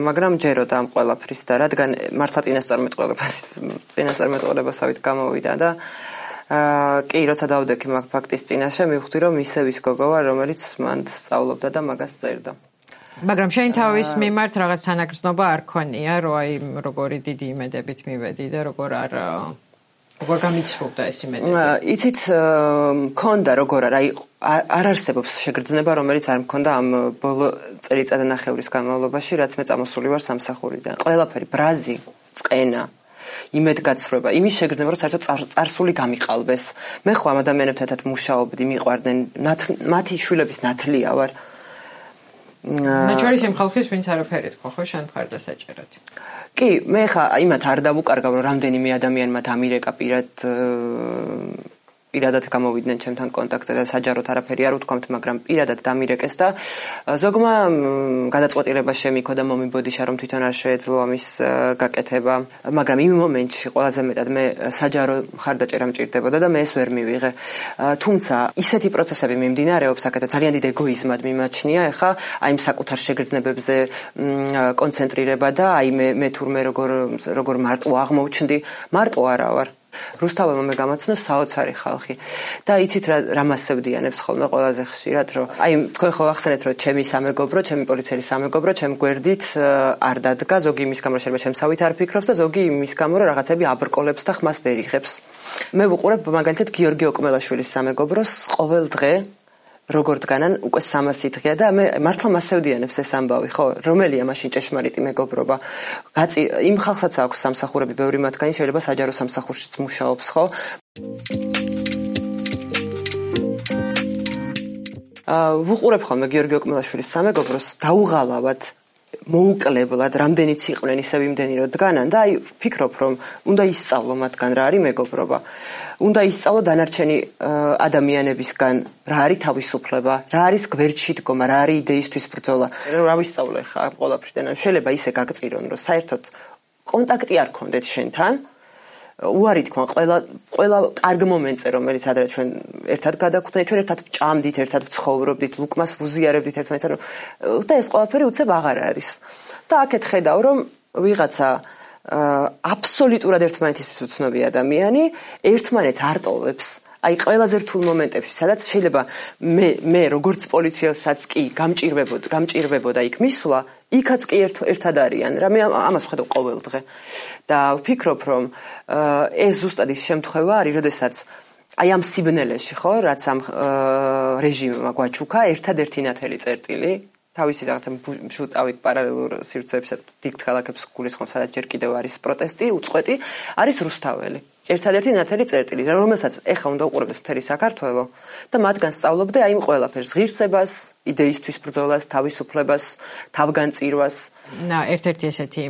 S1: მაგრამ ჯეროდა ამ ყველაფრის და რადგან მართლა წინასწარმეტყველებასავით გამოვიდა და კი, როცა დავდექი მაგ ფაქტის წინაშე, მივხვდი, რომ ისევ ის გოგოა, რომელიც მან სწავლობდა და მაგას წერდა.
S2: მაგრამ შენ თავის მიმართ რაღაც თანაგრძნობა არ ქონია, რომ როგორი დიდი იმედებით მივედი და როგორ გამიცრუდა ეს იმედები?
S1: იცით, მქონდა როგორ არ არსებობს შეგრძნება, რომელიც არ მქონდა ამ ბოლო წელიწადნახევრის განმავლობაში, რაც მე წამოსული ვარ სამსახურიდან. ყველაფერი, ბრაზი, წყენა, იმედგაცრუება, იმის შეგრძნება, რომ საერთოდ წარსული გამიყალბეს. მე ხო ამ ადამიანებთან ერთად მუშაობდი, მიყვარდნენ, მათი შვილების ნათლია ვარ.
S2: მათ შორის იმ ხალხის, ვინც არაფერი თქვა, ხო, შენ მხარდა საჭერად.
S1: კი, მე ხა იმათ არ დავუკარგავ, რომ რამდენიმე ადამიანმა დამირეკა პირადად გამოვიდნენ ჩემთან კონტაქტზე და საჯაროდ არაფერი არ უთქვამთ, მაგრამ პირადად დამირეკეს და ზოგმა გადაწყვეტილება შემიქო და მომიბოდიშა, რომ თვითონ არ შეეძლო ამის გაკეთება, მაგრამ იმ მომენტში ყველაზე მეტად მე საჯარო მხარდაჭერა მჭირდებოდა და მე ეს ვერ მივიღე. თუმცა ისეთი პროცესები მიმდინარეობს, აქეთ ძალიან დიდ ეგოიზმად მიმაჩნია, ეხა აი იმ საკუთარ შეგრძნებებზე კონცენტრირება და აი მე თურმე როგორ მარტო აღმოჩნდი, მარტო არა ვარ. რუსთაველმა მე გამაცნო საოცარი ხალხი და იცით რა მასევდიანებს ხოლმე ყველაზე ხშირად, რომ აი თქვენ ხო ახსენეთ, რომ ჩემი სამეგობრო, ჩემი პოლიციელი სამეგობრო ჩემ გვერდით არ დადგა, ზოგი იმის გამო შეიძლება შემსავით არ ფიქრობს და ზოგი იმის გამო რომ რაღაცები აბრკოლებს და ხმას ვერ იღებს. მე ვუყურებ მაგალითად გიორგი ოკმელაშვილის სამეგობროს ყოველ დღე როგორ დგანან უკვე 300 დღეა და მე მართლა მასევდიანებს ეს ამბავი, ხო, რომელია მაშინ ჭეშმარიტი მეგობრობა. იმ ხალხსაც აქვს სამსახურები, ბევრი მათგანი შეიძლება საჯარო სამსახურშიც მუშაობს, ხო? ვუყურებ ხოლმე გიორგი ოკმელაშვილის სამეგობროს დაუღალავად მოუკლებლად რამდენიც იყვნენ ისევ იმდენი რომ დგანან და აი ვფიქრობ რომ უნდა ისწავლო მათგან რა არის მეგობრობა უნდა ისწავლო დანარჩენი ადამიანებისგან რა არის თავისუფლება რა არის გვერდში დგომა რა არის იდეისთვის ბრძოლა რა ვისწავლო ხა ყველაფრიდან შეიძლება ისე გაგწირონ რომ საერთოდ კონტაქტი არ გქონდეთ შენთან უარი თქვა ყველა კარგ მომენტზე რომელიც ადრე ჩვენ ერთად გადაგვხვდით ჩვენ ერთად ჭამდით ერთად ვცხოვრობდით ლუკმას ვუზიარებდით ერთმანეთთან და ეს ყველაფერი უცებ აღარ არის და აქეთ ხედავ რომ ვიღაცა აბსოლუტურად ერთმანეთისთვის უცნობი ადამიანი ერთმანეთს არ ტოვებს აი ყველაზე რთულ მომენტებში სადაც შეიძლება მე როგორც პოლიციელსაც კი გამჭირვებოდა იქ მისვლა იქაც კი ერთად არიან რა მე ამას ვხედავ ყოველ დღე და ვფიქრობ რომ ეს ზუსტად ის შემთხვევა არის როდესაც აი ამ სიბნელეში ხო რაც ამ რეჟიმმა გვაჩუქა ერთადერთი ნათელი წერტილი თავისი რაღაცა შუტავით პარალელურ სივრცეებსა დიდ ქალაქებს გულისხმობს სადაც ჯერ კიდევ არის პროტესტი უწყვეტი არის რუსთაველი ერთადერთი ნათელი წერტილი რომელსაც ეხლა უნდა უყურებდეს მთელი საქართველო და მათგან სწავლობდე აი იმ ყველაფერს ღირსებას იდეისთვის ბრძოლას თავისუფლებას თავგანწირვას
S2: ერთ-ერთი ესეთი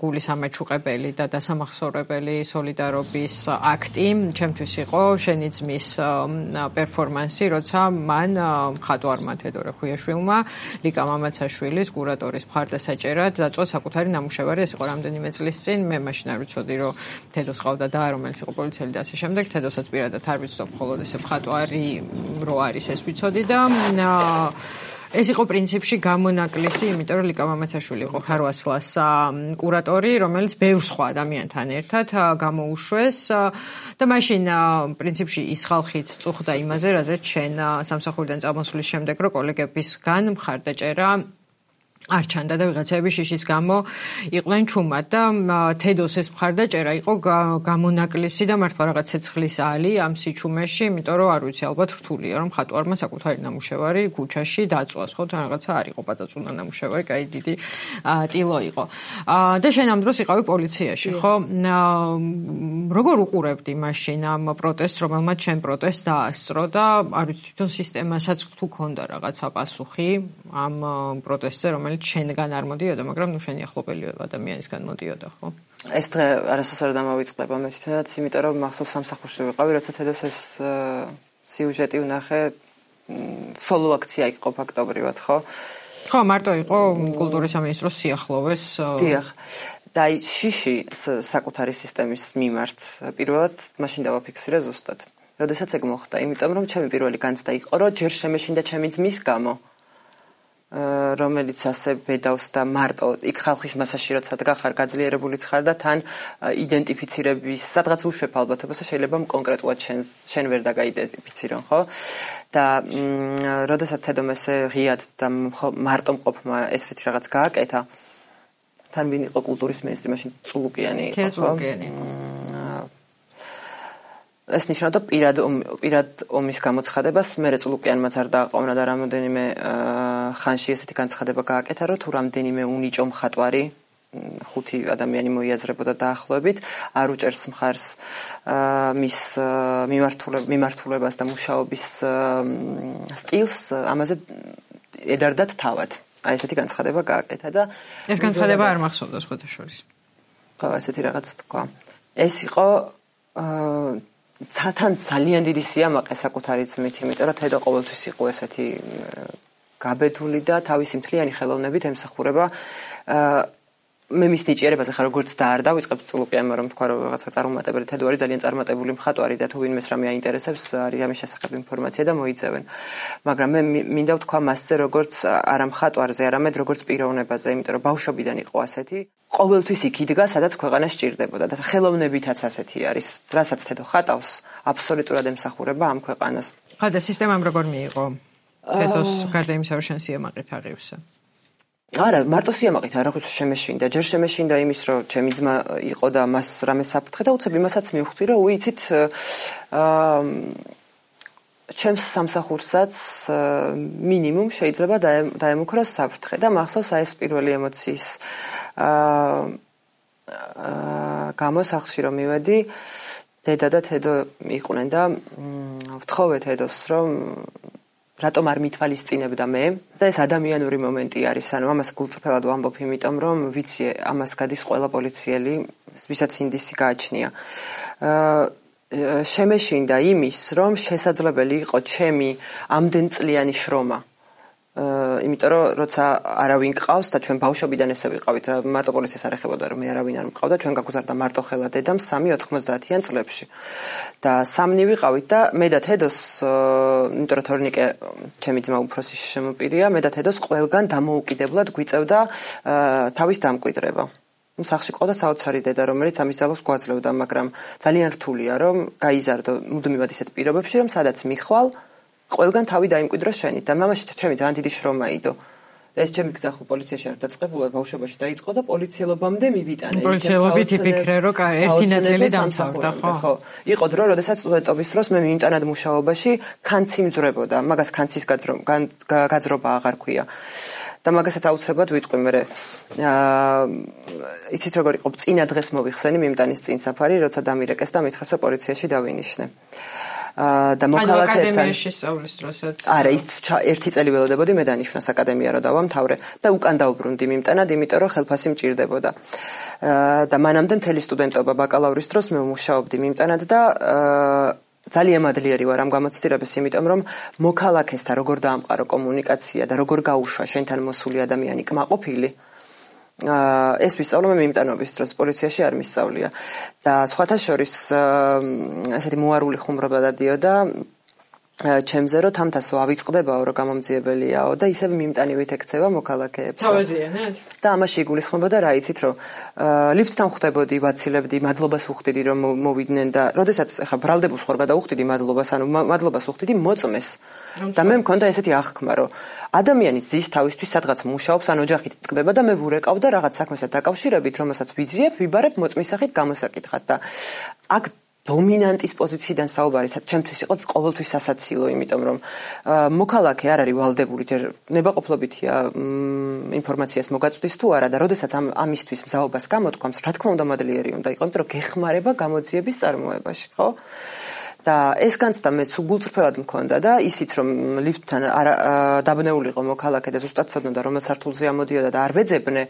S2: გულის ამაჩუყებელი და დასამახსოვრებელი სოლიდარობის აქტი ჩემთვის იყო შენი ძმის პერფორმანსი როცა მან მხატვარმა თედორე ხუიაშვილმა ლიკა მამაცაშვილის კურატორის მხარდასაჭერად დაწვა საკუთარი ნამუშევარი ეს იყო რამდენიმე წლის წინ მე მაშინ არ ვიცოდი რომ თედოს ყავდა და რომელიც იყო პოლიციელი და ასე შემდეგ თედოსაც პირადად არ ვიცნობ მხოლოდ ესე მხატვარი რო არის ეს ვიცოდი და ეს იყო პრინციპში გამონაკლისი, იმიტომ რომ ლიკა მამაცაშვილი იყო ხარვასლას კურატორი, რომელიც ბევრ სხვა ადამიანთან ერთად გამოუშვეს და მაშინ პრინციპში ის ხალხიც წუხდა იმაზე, რაზეც შენ სამსახურიდან წამოსვლის შემდეგ რო კოლეგებისგან მხარდაჭერა არ ჩანდა და ვიღაცები შიშის გამო იყვნენ ჩუმად და თედოს ეს მხარდაჭერა იყო გამონაკლისი და მართლა რაღაც ცეცხლის ალი ამ სიჩუმეში, იმიტომ რომ არ ვიცი ალბათ რთულია რომ მხატვარმა საკუთარი ნამუშევარი ქუჩაში დაწვას, ხო, თან რაღაცა არ იყო პაწაწუნა ნამუშევარი, კაი დიდი ტილო იყო. და შენ ამ დროს იყავი პოლიციაში, ხო? როგორ უყურებდი მაშინ ამ პროტესტს, რომელმაც შენ პროტესტს დაასწრო და არ ვიცი თვითონ სისტემასაც თუ ქონდა რაღაცა პასუხი ამ პროტესტზე, რომელიც შენგან არ მოდიოდა, მაგრამ ნუ შენი ახლობელი ადამიანისგან მოდიოდა, ხო?
S1: ეს დღე არასოდეს არ დამოვიწყდება მე თვითონაც, იმიტომ რომ მახსოვს სამსახურში ვიყავი, როცა თედოს ეს სიუჟეტი ვნახე, სოლო აქცია იყო ფაქტობრივად, ხო?
S2: ხო, მარტო იყო კულტურის სამინისტროს სიახლოვეს.
S1: დიახ. და აი შიში საკუთარი სისტემის მიმართ პირველად მაშინ დავაფიქსირე ზუსტად. როდესაც ეგ მოხდა, იმიტომ რომ ჩემი პირველი განცდა იყო, რომ ჯერ შემეშინდა ჩემი ძმის გამო. რომელიც ასე ბედავს და მარტო იქ ხალხის მასაში როცა დგახარ გაძლიერებული ხარ და თან იდენტიფიცირების სადღაც უშვებ ალბათობას შეიძლება კონკრეტულად შენ ვერ დაგაიდენტიფიცირონ, ხო? და როდესაც თედომ ესე ღიად და მარტო მყოფმა ესეთი რაღაც გააკეთა თან ვინ იყო კულტურის მინისტრი მაშინ წულუკიანი იყო,
S2: ხო?
S1: ეს ნიშნავდა პირად ომის გამოცხადებას, მე წულუკიანმაც არ დააყოვნა და რამოდენიმე ხანში ესეთი განცხადება გააკეთა, რომ თუ რამდენიმე უნიჭო მხატვარი 5 ადამიანი მოიაზრებოდა დაახლოებით, არ უჭერს მხარს მის მიმართულებას და მუშაობის სტილს, ამაზე ედარდათ თავად. აი ესეთი განცხადება გააკეთა და
S2: ეს განცხადება არ მახსოვდა სხვათა შორის.
S1: ხო, ესეთი რაღაც თქვა. ეს იყო თან ძალიან დიდი სიამაყე საკუთარი ძმით, იმიტომ რომ თედო ყოველთვის იყო ესეთი გაბედული და თავისი მთლიანი ხელოვნებით ემსახურება მე მის ნიჭიერებაზე ხარ როგორც დაარ დავიწყებ წულუკიანმა რომ თქვა რომ რაღაცა წარუმატებელი თედო არის ძალიან წარმატებული მხატვარი და თუ ვინმეს რამე აინტერესებს არის ამის შესახებ ინფორმაცია და მოიძევენ. მაგრამ მე მინდა ვთქვა მასზე როგორც არა მხატვარზე, არამედ როგორც პიროვნებაზე, იმიტომ რომ ბავშვობიდან იყო ასეთი. ყოველთვის იქ იდგა, სადაც ქვეყანა სჭირდებოდა და ხელოვნებითაც ასეთი არის. რასაც თედო ხატავს, აბსოლუტურად ემსახურება ამ ქვეყანას.
S2: ხო და სისტემამ როგორ მიიღო? თედოს გარდა იმისა რომ შენ სიამაყით აღივსე.
S1: არა, მარტო სიამაყით არ აღიქვსო შემეშინდა. ჯერ შემეშინდა იმის, რომ ჩემი ძმა იყო და მას რამე საფრთხე და უცებ იმასაც მივხვდი, რომ უიცით ჩემს სამსახურსაც მინიმუმ შეიძლება დაემუქროს საფრთხე და მახსოვს აი ეს პირველი ემოციის გამო სახლში რომ მივედი, დედა და თედო იყვნენ და ვთხოვე თედოს რომ რატომ არ მითვალისწინებდა მე და ეს ადამიანური მომენტი არის, ანუ ამას გულწრფელად ვამბობ, იმიტომ რომ ვიცი ამას გადის ყველა პოლიციელი, ვისაც ინდისი გააჩნია. შემეშინდა იმის, რომ შესაძლებელი იყო ჩემი ამდენწლიანი შრომა. იმიტომ რომ როცა არავინ გყავს და ჩვენ ბავშვობიდან ესე ვიყავით, მარტო პოლიციას არ ეხებოდა რომ მე არავინ არ მყავდა, ჩვენ გაგვზარდა მარტო ხელა დედამ 3-90-იან წლებში. და სამნი ვიყავით და მე და თედოს, იმიტომ რომ თორნიკე ჩემი ძმა უფროსი შემოპირია, მე და თედოს ყველგან დამოუკიდებლად გვიწევდა თავის დამკვიდრება. სახლში ყავდა საოცარი დედა, რომელიც ამის ძალას გვაძლევდა, მაგრამ ძალიან რთულია რომ გაიზარდო მუდმივად ისეთ პირობებში, რომ სადაც მიხვალ ყველგან თავი დაიმკვიდრო შენით და მამაში ჩემი ძალიან დიდი შრომა იდო. ეს ჩემი გზა ხო პოლიციაში არ დაწყებულა, ბავშვობაში დაიწყო და პოლიციელობამდე მივიტანე.
S2: პოლიციელობით იფიქრე, რომ ერთი ნაწილი დამთავრდა, ხო?
S1: იყო დრო, როდესაც სტუდენტობის დროს მე მიმტანად მუშაობაში ქანცი მძვრებოდა, მაგას ქანცის გაძრობა აღარ ქვია. და მაგასაც აუცილებლად ვიტყვი მე. იცით როგორ იყო, წინა დღეს მოვიხსენი მიმტანის წინ საფარი, როცა დამირეკეს და მითხრეს რომ პოლიციაში დავინიშნე. და მოქალაქეებთან
S2: აკადემიაში სწავლის დროსაც.
S1: არა, ის ერთი წელი ველოდებოდი მე დანიშნას აკადემია რომ დავამთავრე და უკან დავბრუნდი მიმტანად, იმიტომ რომ ხელფასი მჭირდებოდა. და მანამდე მთელი სტუდენტობა ბაკალავრის დროს მე ვმუშაობდი მიმტანად და ძალიან მადლიერი ვარ ამ გამოცდილებას, იმიტომ რომ მოქალაქესთან როგორ დაამყარო კომუნიკაცია და როგორ გაუშვა შენთან მოსული ადამიანი კმაყოფილი. ეს ვისწავლე მე მიმტანობის დროს, პოლიციაში არ მისწავლია. და სხვათა შორის ესეთი მოარული ხუმრობა დადიოდა ჩემზე, რომ თამთასო ავიწყდებაო, რომ გამომძიებელიაო და ისევ მიმტანივით ეკცევა მოქალაქეებს.
S2: თავაზიანად?
S1: და ამაში იგულისხმებოდა რა იცით, რომ ლიფტთან ხვდებოდი, ვაცილებდი, მადლობას უხდიდი, რომ მოვიდნენ და როდესაც ეხა ბრალდებულს ხარ გადაუხდიდი მადლობას, ანუ მადლობას უხდიდი მოწმეს. და მე მქონდა ესეთი აღქმა, რომ ადამიანი ზის თავისთვის სადღაც მუშაობს, ან ოჯახით ტკბება და მე ვურეკავ და რაღაც საქმესთან დაკავშირებით, რომელსაც ვიძიებ, ვიბარებ მოწმის სახით გამოსაკითხად და აქ დომინანტის პოზიციიდან საუბარი ჩემთვის იყო ყოველთვის სასაცილო, იმიტომ რომ მოქალაქე არ არის ვალდებული, ჯერ ნებაყოფლობითია ინფორმაციას მოგაწვდის თუ არა და როდესაც ამისთვის მზაობას გამოთქვამს, რა თქმა უნდა მადლიერი უნდა იყო, იმიტომ რომ გეხმარება გამოძიების წარმოებაში, ხო? და ეს განცდა მე სულ მქონდა და ისიც რომ ლიფტთან დაბნეული იყო მოქალაქე და ზუსტად ცოდნოდა რომელ სართულზე ამოდიოდა და არ ვეძებნე,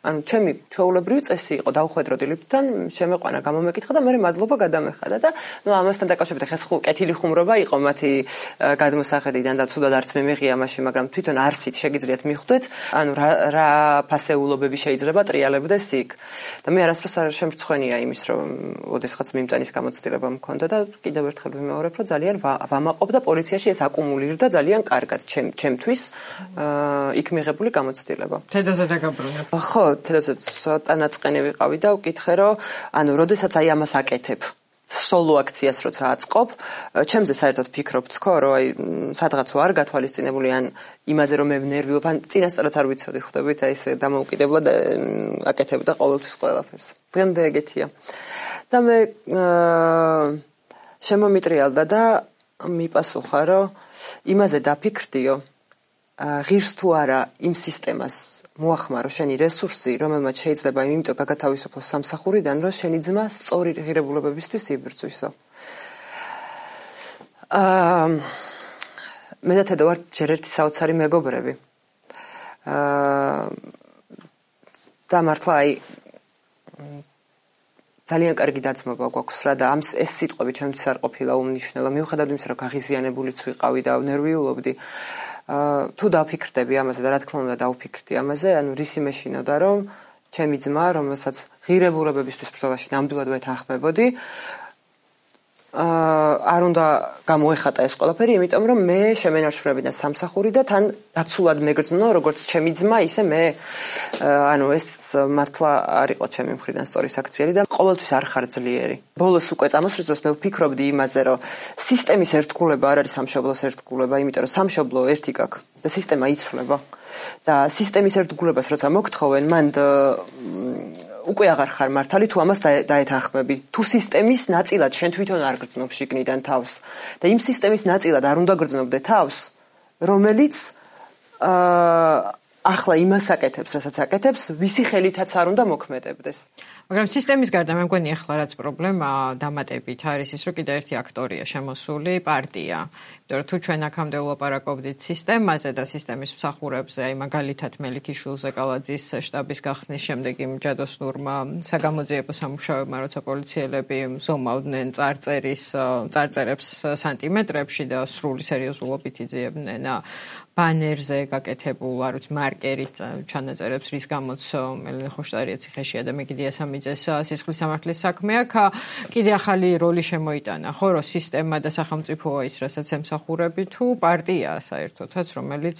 S1: ანუ ჩემი ჩვეულებრივი წესი იყო დავხვედროდი ლიფტთან, შემეყვანა გამომეკითხა და მე მადლობა გადამეხადა და ნუ ამასთან დაკავშირებით ხეს კეთილი ხუმრობა იყო მათი გადმოსახედიდან და ცუდად არც მე მეღია მაშინ, მაგრამ თვითონ არსით შეგიძლიათ მიხვდეთ, ანუ რა ფასეულობები შეიძლება ტრიალებდეს იქ. და მე არასდროს არ შემრცხვენია იმის, რომ ოდესღაც მიმტანის გამოცდილება მქონდა და კიდევ ერთხელ ვიმეორებ, რომ ძალიან ვამაყობ და პოლიციაში ეს აკუმულირდა ძალიან კარგად ჩემთვის იქ მიღებული გამოცდილება.
S2: თედაზე დაგაბრუნებ.
S1: ხო, თედასაც ცოტა ნაწყენი ვიყავი და ვკითხე, რომ ანუ როდესაც აი ამას აკეთებ, სოლო აქციას როცა აწყობ, ჩემზე საერთოდ ფიქრობთ თქო, რომ აი სადღაც ვარ გათვალისწინებული ან იმაზე რომ მე ნერვიობ, ან წინასწარაც არ ვიცოდი, ხვდებით, აი ესე დამოუკიდებლად აკეთებდა ყოველთვის ყველაფერს. დღემდე ეგეთია. და მე შემომიტრიალდა და მიპასუხა, რომ იმაზე დაფიქრდიო, ღირს თუ არა იმ სისტემას მოახმარო შენი რესურსი, რომელმაც შეიძლება იმიტომ გაგათავისუფლო სამსახურიდან, რომ შენი ძმა სწორი ღირებულებებისთვის იბრძვისო. მე და თედო ვართ ჯერ ერთი საოცარი მეგობრები. და მართლა აი ძალიან კარგი დაძმობა გვაქვს რა და ეს სიტყვები ჩემთვის არ ყოფილა უმნიშვნელო, მიუხედავად იმისა, რომ გაღიზიანებულიც ვიყავი და ნერვიულობდი. თუ დავფიქრდები ამაზე და რა თქმა უნდა დავფიქრდი ამაზე, ანუ რისი მეშინოდა, რომ ჩემი ძმა, რომელსაც ღირებულებებისთვის ბრძოლაში ნამდვილად ვეთანხმებოდი, არ უნდა გამოეხატა ეს ყველაფერი, იმიტომ რომ მე შემენარჩუნებინა სამსახური და თან დაცულად მეგრძნო, როგორც ჩემი ძმა, ისე მე. ანუ ეს მართლა არ იყო ჩემი მხრიდან სწორი საქციელი და ყოველთვის არ ხარ ძლიერი. ბოლოს უკვე წამოსვლის დროს მე ვფიქრობდი იმაზე, რომ სისტემის ერთგულება არ არის სამშობლოს ერთგულება, იმიტომ რომ სამშობლო ერთი გაქვს და სისტემა იცვლება. და სისტემის ერთგულებას როცა მოგთხოვენ, მანდ უკვე აღარ ხარ მართალი თუ ამას დაეთანხმები. თუ სისტემის ნაწილად შენ თვითონ არ გრძნობ შიგნიდან თავს და იმ სისტემის ნაწილად არ უნდა გრძნობდე თავს, რომელიც ახლა იმას აკეთებს, რასაც აკეთებს, ვისი ხელითაც არ უნდა მოქმედებდეს.
S2: მაგრამ სისტემის გარდა მე მგონი ახლა რაც პრობლემა დამატებით არის ის, რომ კიდე ერთი აქტორია შემოსული პარტია. იმიტომ რომ თუ ჩვენ აქამდე ვლაპარაკობდით სისტემაზე და სისტემის მსახურებზე, აი მაგალითად მელიქიშვილ ზეკალაძის შტაბის გახსნის შემდეგ იმ ჯადოსნურმა საგამოძიებო სამუშაოებმა, როცა პოლიციელები ზომავდნენ წარწერებს სანტიმეტრებში და სრული სერიოზულობით იძიებდნენ ბანერზე გაკეთებულ, არ ვიცი, მარკერით ჩანაწერებს, რის გამოც ელენე ხოშტარია ციხეშია და მეგიდია სამიძეს სისხლის სამართლის საქმე აქ კიდე ახალი როლი შემოიტანა, ხო, რომ სისტემა და სახელმწიფოა ის, რასაც ემსახურები, თუ პარტიაა საერთოდაც, რომელიც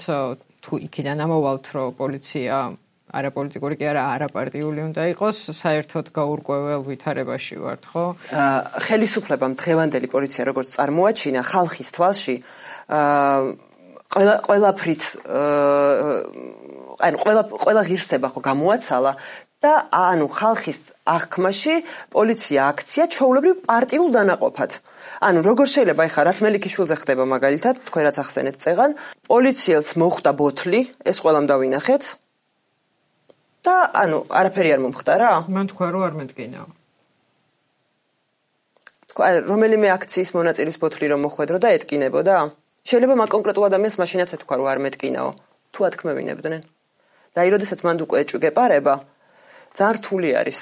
S2: თუ იქიდან ამოვალთ, რომ პოლიცია არაპოლიტიკური კი არა, არაპარტიული უნდა იყოს, საერთოდ გაურკვეველ ვითარებაში ვართ, ხო?
S1: ხელისუფლებამ დღევანდელი პოლიცია როგორც წარმოაჩინა ხალხის თვალში ყველაფრით ყველა ღირსება ხო გამოაცალა და ანუ ხალხის აღქმაში პოლიცია აქცია ჩვეულებრივ პარტიულ დანაყოფად. ანუ როგორ შეიძლება ეხლა რაც მელიქიშვილზე ხდება მაგალითად, თქვენ რაც ახსენეთ წეღან, პოლიციელს მოხვდა ბოთლი, ეს ყველამ დავინახეთ და ანუ არაფერი არ მომხდარა?
S2: მან თქვა რომ არ მეტკინაო.
S1: თქვა რომელიმე აქციის მონაწილის ბოთლი რომ მოხვედრო და ეტკინებოდა? შეიძლება მაგ კონკრეტულ ადამიანს მაშინაც ეთქვა რომ არ მეტკინაო, თუ ათქმევინებდნენ. და აი როდესაც მანდ უკვე ეჭვი გეპარება, ძალიან რთული არის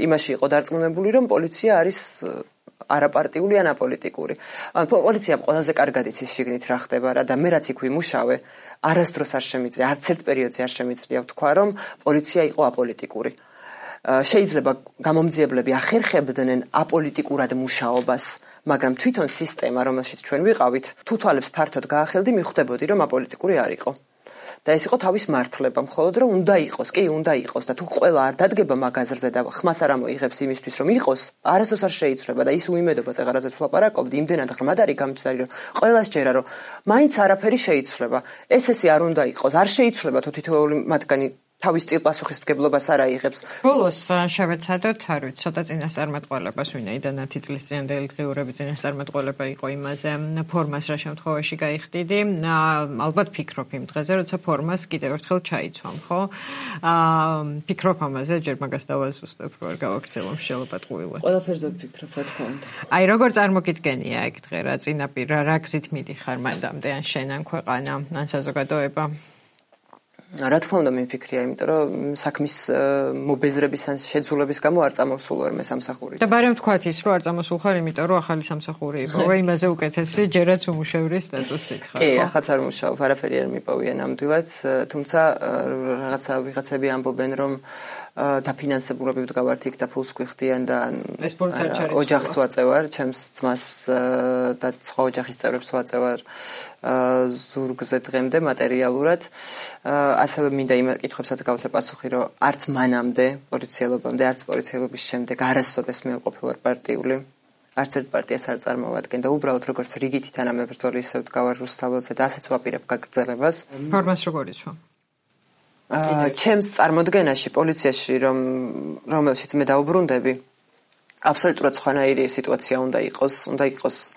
S1: იმაში იყო დარწმუნებული, რომ პოლიცია არის არაპარტიული ან აპოლიტიკური. ანუ პოლიციამ ყველაზე კარგად იცის შიგნით რა ხდება რა და მე რაც იქ ვიმუშავე, არასდროს არ შემიძლია, არც ერთ პერიოდზე არ შემიძლია ვთქვა, რომ პოლიცია იყო აპოლიტიკური. შეიძლება გამომძიებლები ახერხებდნენ აპოლიტიკურად მუშაობას, მაგრამ თვითონ სისტემა, რომელშიც ჩვენ ვიყავით, თუ თვალებს ფართოდ გაახელდი, მიხვდებოდი, რომ აპოლიტიკური არ იყო. და ეს იყო თავის მართლება, მხოლოდ რომ უნდა იყოს, კი, უნდა იყოს და თუ ყველა არ დადგება მაგაზრზე და ხმას არ ამოიღებს იმისთვის, რომ იყოს, არასდროს არ შეიცვლება და ის უიმედობა წეღარაძეც ვლაპარაკობდი, იმდენად ღრმად არის გამჯდარი, რომ ყველას ჯერა, რომ მაინც არაფერი შეიცვლება. ესე არ უნდა იყოს, არ შეიცვლება თუ თითოეული მათგანი თავის წილპასუხისმგებლობას არ აიღებს.
S2: ბოლოს შევეცადოთ, არ ვიცი, ცოტა წინასწარმეტყველებას ვინაიდანაც წლისწინდელი დღიურები წინასწარმეტყველება იყო იმაზე, ფორმას რა შემთხვევაში გაიხდიდი. ალბათ ფიქრობ იმ დღეზე, როცა ფორმას კიდევ ერთხელ ჩაიცვამ, ხო? ფიქრობ ამაზე, ჯერ მაგას დავაზუსტებ, რომ არ გავაქცევო მსჯელობად ყვილად.
S1: ყველაფერზე ვფიქრობ, რა თქმა უნდა.
S2: აი, როგორ წარმოგიდგენია ეგ დღე რა წინაპირ რა გზით მიდიხარ მანდამდე ან შენ ან ქვეყანა, ან საზოგადოება?
S1: რა თქმა უნდა მიმფიქრია, იმიტომ რომ საქმის მობეზრების ან შეძულების გამო არ წამოვსულ ვარ მე სამსახურით.
S2: და ბარემ თქვათ ის, რომ არ წამოსულ ხარ, იმიტომ რომ ახალი სამსახური იპოვე, იმაზე უკეთესი, ჯერაც უმუშევრის სტატუსით ხარ.
S1: კი, ახაც არ მუშაობ, არაფერი არ მიპოვია ნამდვილად, თუმცა ვიღაცები ამბობენ, რომ დაფინანსებულები ვდგავართ იქ და ფულს გვიხდიან და ოჯახს ვაწევარ, ჩემს ძმას და სხვა ოჯახის წევრებს ვაწევარ ზურგზე დღემდე მატერიალურად. ასევე მინდა იმ კითხვებსაც გავცე პასუხი, რომ არც მანამდე პოლიციელობამდე, არც პოლიციელობის შემდეგ არასოდეს მე ყოფილვარ პარტიული. არც ერთ პარტიას არ წარმოვადგენ და უბრალოდ როგორც რიგითი თანამებრძოლი ისე ვდგავარ რუსთაველზე და ასეც ვაპირებ გაგრძელებას.
S2: ფორმას როგორ იცვა?
S1: ჩემს წარმოდგენაში პოლიციაში რომელშიც მე დაუბრუნდები, აბსოლუტურად სხვანაირი სიტუაცია უნდა იყოს.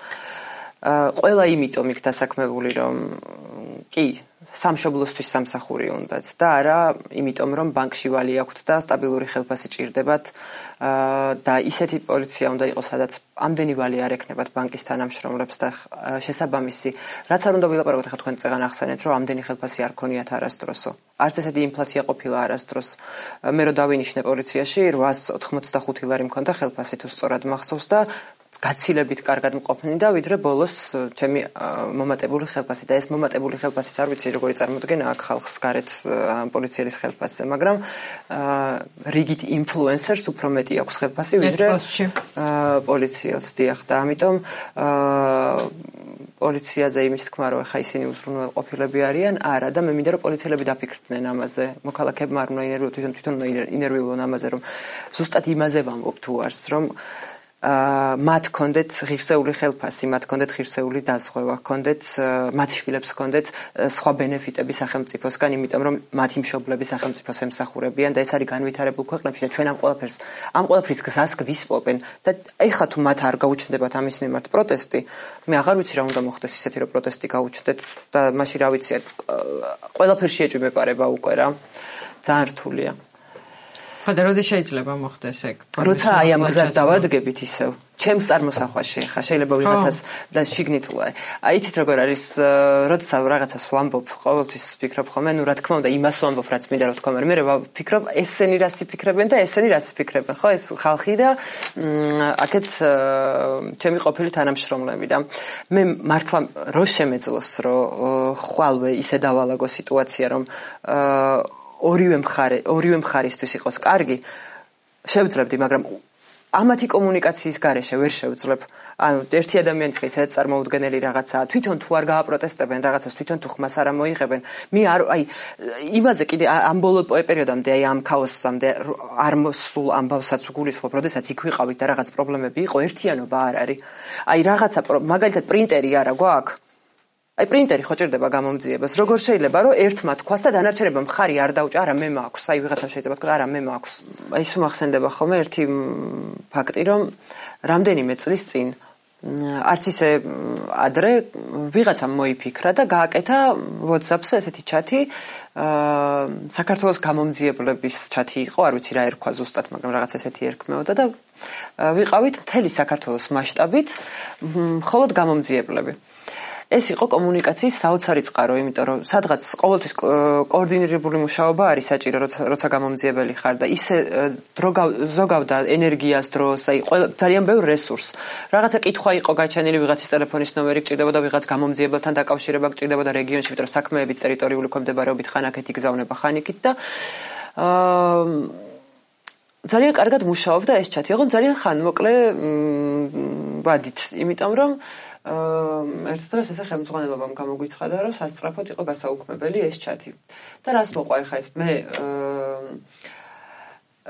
S1: ყველა იმიტომ იქ დასაქმებული, რომ კი, სამშობლოსთვის სამსახური უნდათ და არა იმიტომ, რომ ბანკში ვალი აქვთ და სტაბილური ხელფასი ჭირდებათ და ისეთი პოლიცია უნდა იყოს, სადაც ამდენი ვალი არ ექნებათ ბანკის თანამშრომლებს და შესაბამისი, რაც არ უნდა ვილაპარაკოთ, ახლა თქვენ წეგან ახსენეთ, რომ ამდენი ხელფასი არ ქონიათ არასდროსო. არც ესეთი ინფლაცია ყოფილა არასდროს. მე რო დავინიშნე პოლიციაში 885 ლარი მქონდა ხელფასი, თუ სწორად მახსოვს და გაცილებით კარგად მყოფნი და ვიდრე ბოლოს ჩემი მომატებული ხელფასი და ეს მომატებული ხელფასიც არ ვიცი როგორი წარმოდგენა აქ ხალხს გარეთ პოლიციელის ხელფასზე, მაგრამ რიგით ინფლუენსერს უფრო მეტი აქვს ხელფასი ვიდრე პოლიციელს, დიახ, და ამიტომ პოლიციაზე იმის თქმა, რომ ხა ისინი უზრუნველყოფილები არიან, არა და მე მინდა რომ პოლიციელები დაფიქრდნენ ამაზე, მოქალაქეებმა არ უნდა ინერვიულონ, თვითონ ინერვიულონ ამაზე, რომ ზუსტად იმაზე ვამბობ თუ არს, რომ მათ კონდეთ ღირსეული ხელფასი, მათ კონდეთ ღირსეული დაზღვევა, კონდეთ მათ შვილებს კონდეთ სხვა ბენეფიტები სახელმწიფოსგან, იმიტომ რომ მათი მშობლები სახელმწიფოს ემსახურებიან და ეს არის განვითარებულ ქვეყნებში და ჩვენ ამ ყველაფრის გზას გვისპობენ და ეხლა თუ მათ არ გაუჩნდებათ ამის მიმართ პროტესტი, მე აღარ ვიცი რა უნდა მოხდეს ისეთი რომ პროტესტი გაუჩნდეთ და მაშინ რა ვიცი, ყველაფერში ეჭვმეპარება უკვე რა. ძალიან რთულია.
S2: ხოდა როდის შეიძლება მოხდეს ეგ?
S1: როცა აი ამ გზას დავადგებით ისევ. ჩემს წარმოსახვაში ხა შეიძლება ვიღაცას და შიგნით იცით როგორ არის როცა რაღაცას ვამბობ ყოველთვის ვფიქრობ ხოლმე რა თქმა უნდა იმას ვამბობ რაც მინდა რა თქმა უნდა მე ვფიქრობ ესენი რას იფიქრებენ და ესენი რას იფიქრებენ ხო ეს ხალხი და აქეთ ჩემი ყოფილი თანამშრომლები და მე მართლა რო შემეძლოს რომ ხვალვე ისე დავალაგო სიტუაცია რომ ორივე მხარისთვის იყოს კარგი შევძლებდი მაგრამ ამათი კომუნიკაციის გარეშე ვერ შევძლებ. ანუ ერთი ადამიანის ისე წარმოუდგენელი რაღაცაა. თვითონ თუ არ გააპროტესტებენ რაღაცას, თვითონ თუ ხმას არ მოიღებენ, მე იმაზე კიდე ამ ბოლო პერიოდამდე ამ ქაოსამდე არ მოსულ ამბავსაც ვგულისხმობ, როდესაც იქ ვიყავით და რაღაც პრობლემები იყო, ერთიანობა არ არის. რაღაცა მაგალითად პრინტერი არა გვაქვს. პრინტერი ხო ჭირდება გამომძიებას. როგორ შეიძლება რომ ერთმა თქვას და დანარჩენებმა მხარი არ დაუჭა, არა მე მაქვს. ვიღაცა შეიძლება თქვა, არა მე მაქვს. ის უმახსენდება ხოლმე ერთი ფაქტი, რომ რამდენიმე წლის წინ არც ისე ადრე ვიღაცამ მოიფიქრა და გააკეთა WhatsApp-ზე ესეთი ჩათი, საქართველოს გამომძიებლების ჩათი იყო, არ ვიცი რა ერქვა ზუსტად, მაგრამ რაღაც ესეთი ერქმეოდა და ვიყავით მთელი საქართველოს მასშტაბით მხოლოდ გამომძიებლები. ეს იყო კომუნიკაციის საოცარი წყარო, იმიტომ რომ სადღაც ყოველთვის კოორდინირებული მუშაობა არის საჭირო, როცა გამომძიებელი ხარ და ისე დრო ზოგავდა ენერგიას, დროს, ძალიან ბევრ რესურსს. რაღაცა კითხვა იყო გაჩენილი, ვიღაცის ტელეფონის ნომერი გჭირდებოდა, ვიღაც გამომძიებელთან დაკავშირება გჭირდებოდა რეგიონში, იმიტომ რომ საქმეებიც ტერიტორიული ქვემდებარეობით ხან აქეთ იგზავნება, ხან იქით და ძალიან კარგად მუშაობდა ეს ჩათი. ოღონდ ძალიან ხანმოკლე ვადით, იმიტომ რომ ერთ დღეს ესე ხელმძღვანელობამ გამოგვიცხადა, რომ სასწრაფოდ იყო გასაუქმებელი ეს ჩათი. და რას მოყვა ახლა ეს მე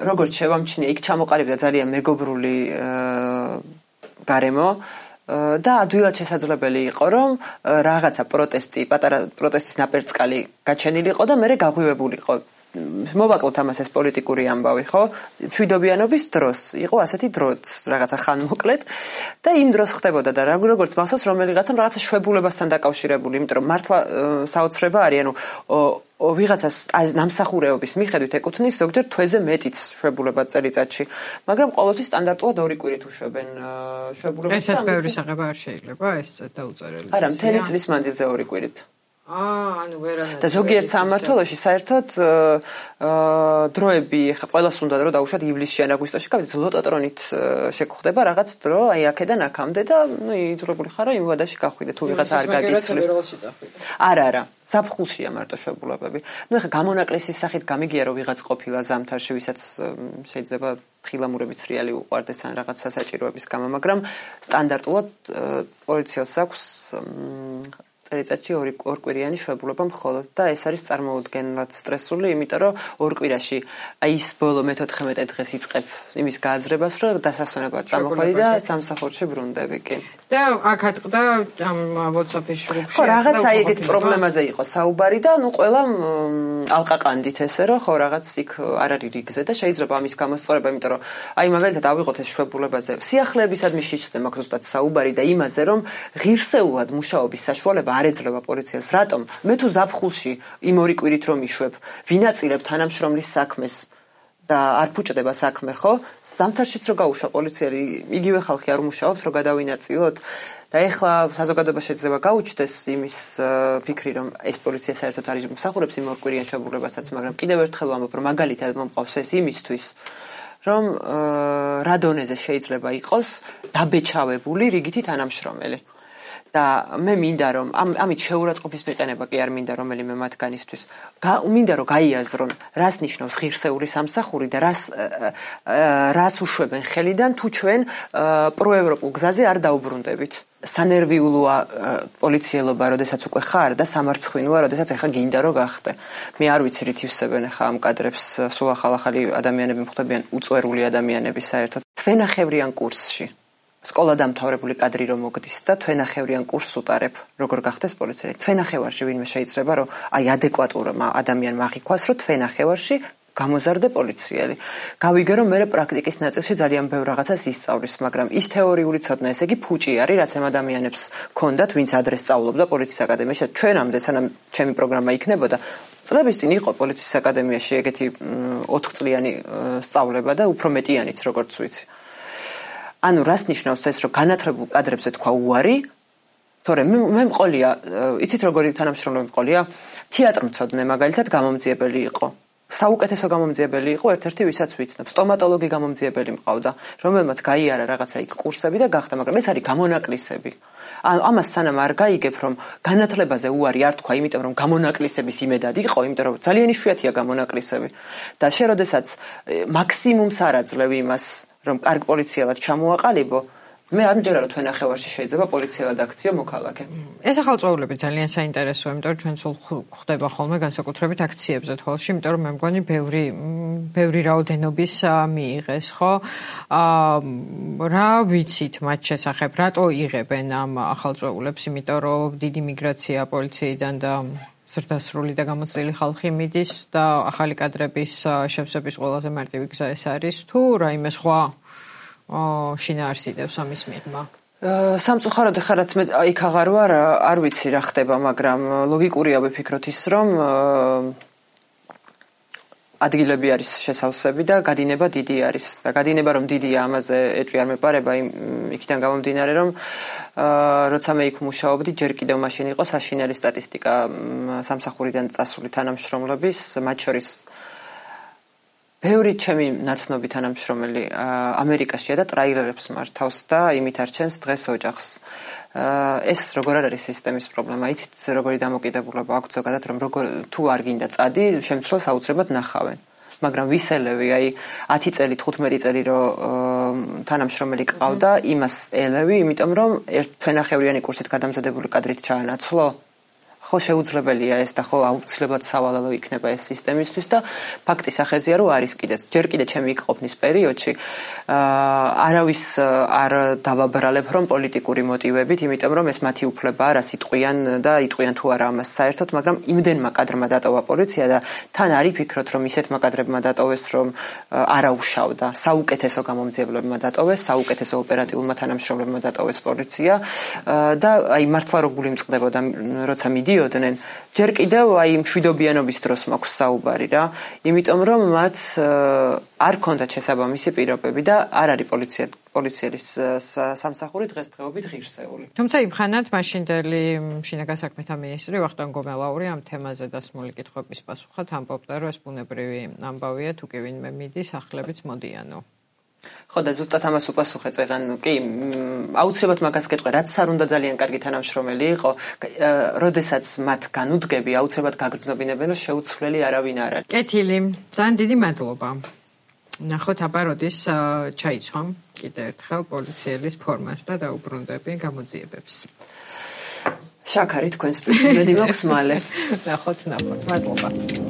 S1: როგორც შევამჩნიე, იქ ჩამოყალიბდა ძალიან მეგობრული გარემო და ადვილად შესაძლებელი იყო, რომ რაღაცა პატარა პროტესტის ნაპერწკალი გაჩენილი იყო და მე გაღვივებულიყო. მოვაკლოთ ამას ეს პოლიტიკური ამბავი, ხო? მშვიდობიანობის დროს იყო ასეთი დროც, რაღაცა ხანმოკლედ და იმ დროს ხდებოდა და როგორც მახსოვს რომელიღაცამ რაღაცა შვებულებასთან დაკავშირებული, იმიტომ რომ მართლა საოცრება არის, ანუ ვიღაცას ნამსახურეობის მიხედვით ეკუთვნის ზოგჯერ თვეზე მეტიც შვებულება წელიწადში, მაგრამ ყოველთვის სტანდარტულად 2 კვირით უშვებენ შვებულებას.
S2: ესაც ბევრი საღება არ შეიძლება ეს დაუწერელი.
S1: არა, მთელი წლის მანძილზე 2 კვირით.
S2: ანუ ვერანაირად.
S1: და ზოგიერთ სამმართველოში საერთოდ დროები ხა ყველას უნდა რომ დაუშვათ ივლისში ან აგვისტოში, გავიდეთ ლოტოტრონით შეგხვდება რაღაც დრო, აი აქედან აქამდე და იძულებული ხარ რომ იმ ვადაში გახვიდე თუ ვიღაც არ გაგიცნობს. არა, ზაფხულშია მარტო შვებულებები. ეხა გამონაკლისის სახით გამიგია რომ ვიღაც ყოფილა ზამთარში, ვისაც შეიძლება ხილამურებით რეალი უყვარდეს ან რაღაც სასაჭიროების გამო, მაგრამ სტანდარტულად პოლიციას აქვს წელიწადში 2 კვირიანი შვებულება მხოლოდ და ეს არის წარმოუდგენლად სტრესული, იმიტომ რომ 2 კვირაში აი ის ბოლო მე-14 დღეს იწყებ იმის გააზრებას, რომ დასასვენებლად წამოხვედი და სამსახურში ბრუნდები კი.
S2: და აქ ატყდა ამ WhatsApp-ის ჯგუფში.
S1: ხო, რაღაც აი ეგეთ პრობლემაზე იყო საუბარი და ნუ ყველა ალყაყანდით ესე რომ ხო რაღაც იქ არ არის რიგზე და შეიძლება ამის გამოსწორება, იმიტომ რომ აი მაგალითად ავიღოთ ეს შვებულებაზე. სიახლეებისადმი შეჭრა მაქვს ზუსტად საუბარი და იმაზე რომ ღირსეულად მუშაობის საშუალება არ ეძლევა პოლიციას. რატომ? მე თუ ზაფხულში იმ 2 კვირით რომ იშვებ, ვინაწილებ თანამშრომლის საქმეს და არ ფუჭდება საქმე, ხო? ზამთარშიც რო გაუშვა პოლიციელი, იგივე ხალხი არ უმუშაობს, რომ გადავინაწილოთ. და ეხლა საზოგადოება შეიძლება გაუჩნდეს იმის ფიქრი, რომ ეს პოლიცია საერთოდ არის მსახურებს იმ 2 კვირიან შვებულებასაც, მაგრამ კიდევ ერთხელ ვამბობ, რომ მაგალითად მომყავს ეს იმისთვის, რომ რა დონეზე შეიძლება იყოს დაბეჭავებული რიგითი თანამშრომელი. და მე მინდა რომ ამით შეურაცხყოფის მიყენება კი არ მინდა რომელიმე მათგანისთვის. მინდა რომ გაიაზრონ, რას ნიშნავს ღირსეული სამსახური და რას უშვებენ ხელიდან თუ ჩვენ პროევროპულ გზაზე არ დაუბრუნდებით. სანერვიულოა პოლიციელობა, როდესაც უკვე ხარ და სამარცხვინოა, როდესაც ახლა გინდა რომ გახდე. მე არ ვიცი რით ივსებენ ახლა ამ კადრებს, სულ ახალ-ახალი ადამიანები მხვდებიან, უწვერული ადამიანები საერთოდ. თქვენახევრიან კურსში სკოლა დამთავრებული კადრი რომ მოგდის და თვენახევრიან კურსს უტარებ, როგორ გახდეს პოლიციელი. თვენახევარში ვინმე შეიძლება რომ აი ადეკვატურმა ადამიანმა აღიქვას, რომ თვენახევარში გამოზარდე პოლიციელი. გავიგე რომ მე პრაქტიკის ნაწილში ძალიან ბევრ რაღაცას ისწავლის, მაგრამ ის თეორიული ცოდნა, ესე იგი ფუჭი არის, რაც ამ ადამიანებს ჰქონდათ, ვინც ადრე სწავლობდა პოლიციის აკადემიაში. ჩვენამდე სანამ ჩემი პროგრამა იქნებოდა, წლების წინ იყო პოლიციის აკადემიაში ეგეთი 4 წლიანი სწავლება და უფრო მეტიანიც, როგორც ვიცი. ანუ რას ნიშნავს ეს, რომ განათლებულ კადრებზე თქვა უარი, თორემ მე მყოლია, იცით როგორი თანამშრომლები მყოლია, თეატრმცოდნე მაგალითად გამომძიებელი იყო. საუკეთესო გამომძიებელი იყო ერთ-ერთი ვისაც ვიცნობ. სტომატოლოგი გამომძიებელი მყავდა, რომელმაც გაიარა რაღაცა იქ კურსები და გახდა, მაგრამ ეს არის გამონაკლისები. ანუ ამას სანამ არ გაიგებ, რომ განათლებაზე უარი არ თქვა, იმიტომ რომ გამონაკლისების იმედად იყო, იმიტომ რომ ძალიან იშვიათია გამონაკლისები. და შე როდესაც მაქსიმუმს არ აძლევ იმას, რომ კარგ პოლიციელად ჩამოაყალიბო, მე არ მჯერა რომ თვენახევარში შეიძლება პოლიციელად აქციო მოქალაქე.
S2: ეს ახალწოვრები ძალიან საინტერესოა, იმიტომ რომ ჩვენ სულ ხდება ხოლმე განსაკუთრებით აქციებზე თვალში, იმიტომ რომ მე მგონი ბევრი რაოდენობის მიიღეს, ხო? რა ვიცით მათ შესახებ, რატო იღებენ ამ ახალწოვრებს, იმიტომ რომ დიდი მიგრაცია პოლიციიდან და ზრდასრული და გამოცდილი ხალხი მიდის და ახალი კადრების შევსების ყველაზე მარტივი გზა ეს არის, თუ რაიმე სხვა შინაარსიდევს ამის მიღმა.
S1: სამწუხაროდ ახლა რაც მე იქ აღარ ვარ, არ ვიცი რა ხდება, მაგრამ ლოგიკურია ვიფიქროთ ის, რომ ადგილები არის შესავსები და გადინება დიდი არის. და გადინება რომ დიდია, ამაზე ეჭვი არ მეპარება, იქიდან გამომდინარე, რომ როცა მე იქ მუშაობდი, ჯერ კიდევ მაშინ იყო საშინელი სტატისტიკა სამსახურიდან წასული თანამშრომლების, მათ შორის ბევრი ჩემი ნაცნობი თანამშრომელი ამერიკაშია და ტრაილერებს მართავს და იმით არჩენს დღეს ოჯახს. ეს როგორ არის სისტემის პრობლემა? იცით როგორი დამოკიდებულება აქვს ზოგადად, რომ თუ არ გინდა წადი, შემცვლელს აუცილებლად ნახავენ. მაგრამ ვისელევი, აი 10 წელი, 15 წელი რომ თანამშრომელი ყავდა, იმას ელევი, იმიტომ რომ თვენახევრიანი კურსით გადამზადებული კადრით ჩაანაცვლო. ხო შეუძლებელია ეს და ხო აუცილებლად სავალალო იქნება ეს სისტემისთვის და ფაქტის ახეზია რომ არის კიდეც ჯერ კიდე ჩემი იქ ყოფნის პერიოდში არავის არ დავაბრალებ რომ პოლიტიკური მოტივებით, იმიტომ რომ ეს მათი უფლება არა სიტყვიან და იტყვიან თუ არა ამას საერთოდ, მაგრამ იმდენმა კადრმა დატოვა პოლიცია და თან არის ფიქრობ რომ ისეთმა კადრებმა დატოვეს რომ არაუშავდა, საუკეთესო გამომძიებლებმა დატოვეს, საუკეთესო ოპერატიულმა თანამშრომლებმა დატოვეს პოლიცია და აი მართლა რო გული მწყდებოდა როცა მიდიოდნენ, ჯერ კიდევ აი მშვიდობიანობის დროს მაქვს საუბარი რა, იმიტომ რომ მათ არ ქონდათ შესაბამისი პირობები და არ არის პოლიციის სამსახური დღესდღეობით ღირსეული.
S2: თუმცა იმხანად მაშინდელი შინაგან საქმეთა მინისტრი ვახტანგ გომელაური ამ თემაზე დასმული კითხვების პასუხად ამბობდა, რომ ეს ბუნებრივი ამბავია, თუ კი ვინმე მიდის, ახლებიც მოდიანო.
S1: ხო და ზუსტად ამას უპასუხე წეგან, კი, აუცილებლად მაგას გეტყვი, რაც არ უნდა ძალიან კარგი თანამშრომელი იყო, როდესაც მათ განუდგები, აუცილებლად გაგრძნობინებენ, რომ შეუცვლელი არავინ არ არის.
S2: კეთილი, ძალიან დიდი მადლობა. ნახოთ აბა როდის ჩაიცვამ კიდევ ერთხელ პოლიციელის ფორმას და დაუბრუნდები გამოძიებებს.
S1: შაქარი თქვენს პრინციპები მაქვს მალე.
S2: ნახოთ, მადლობა.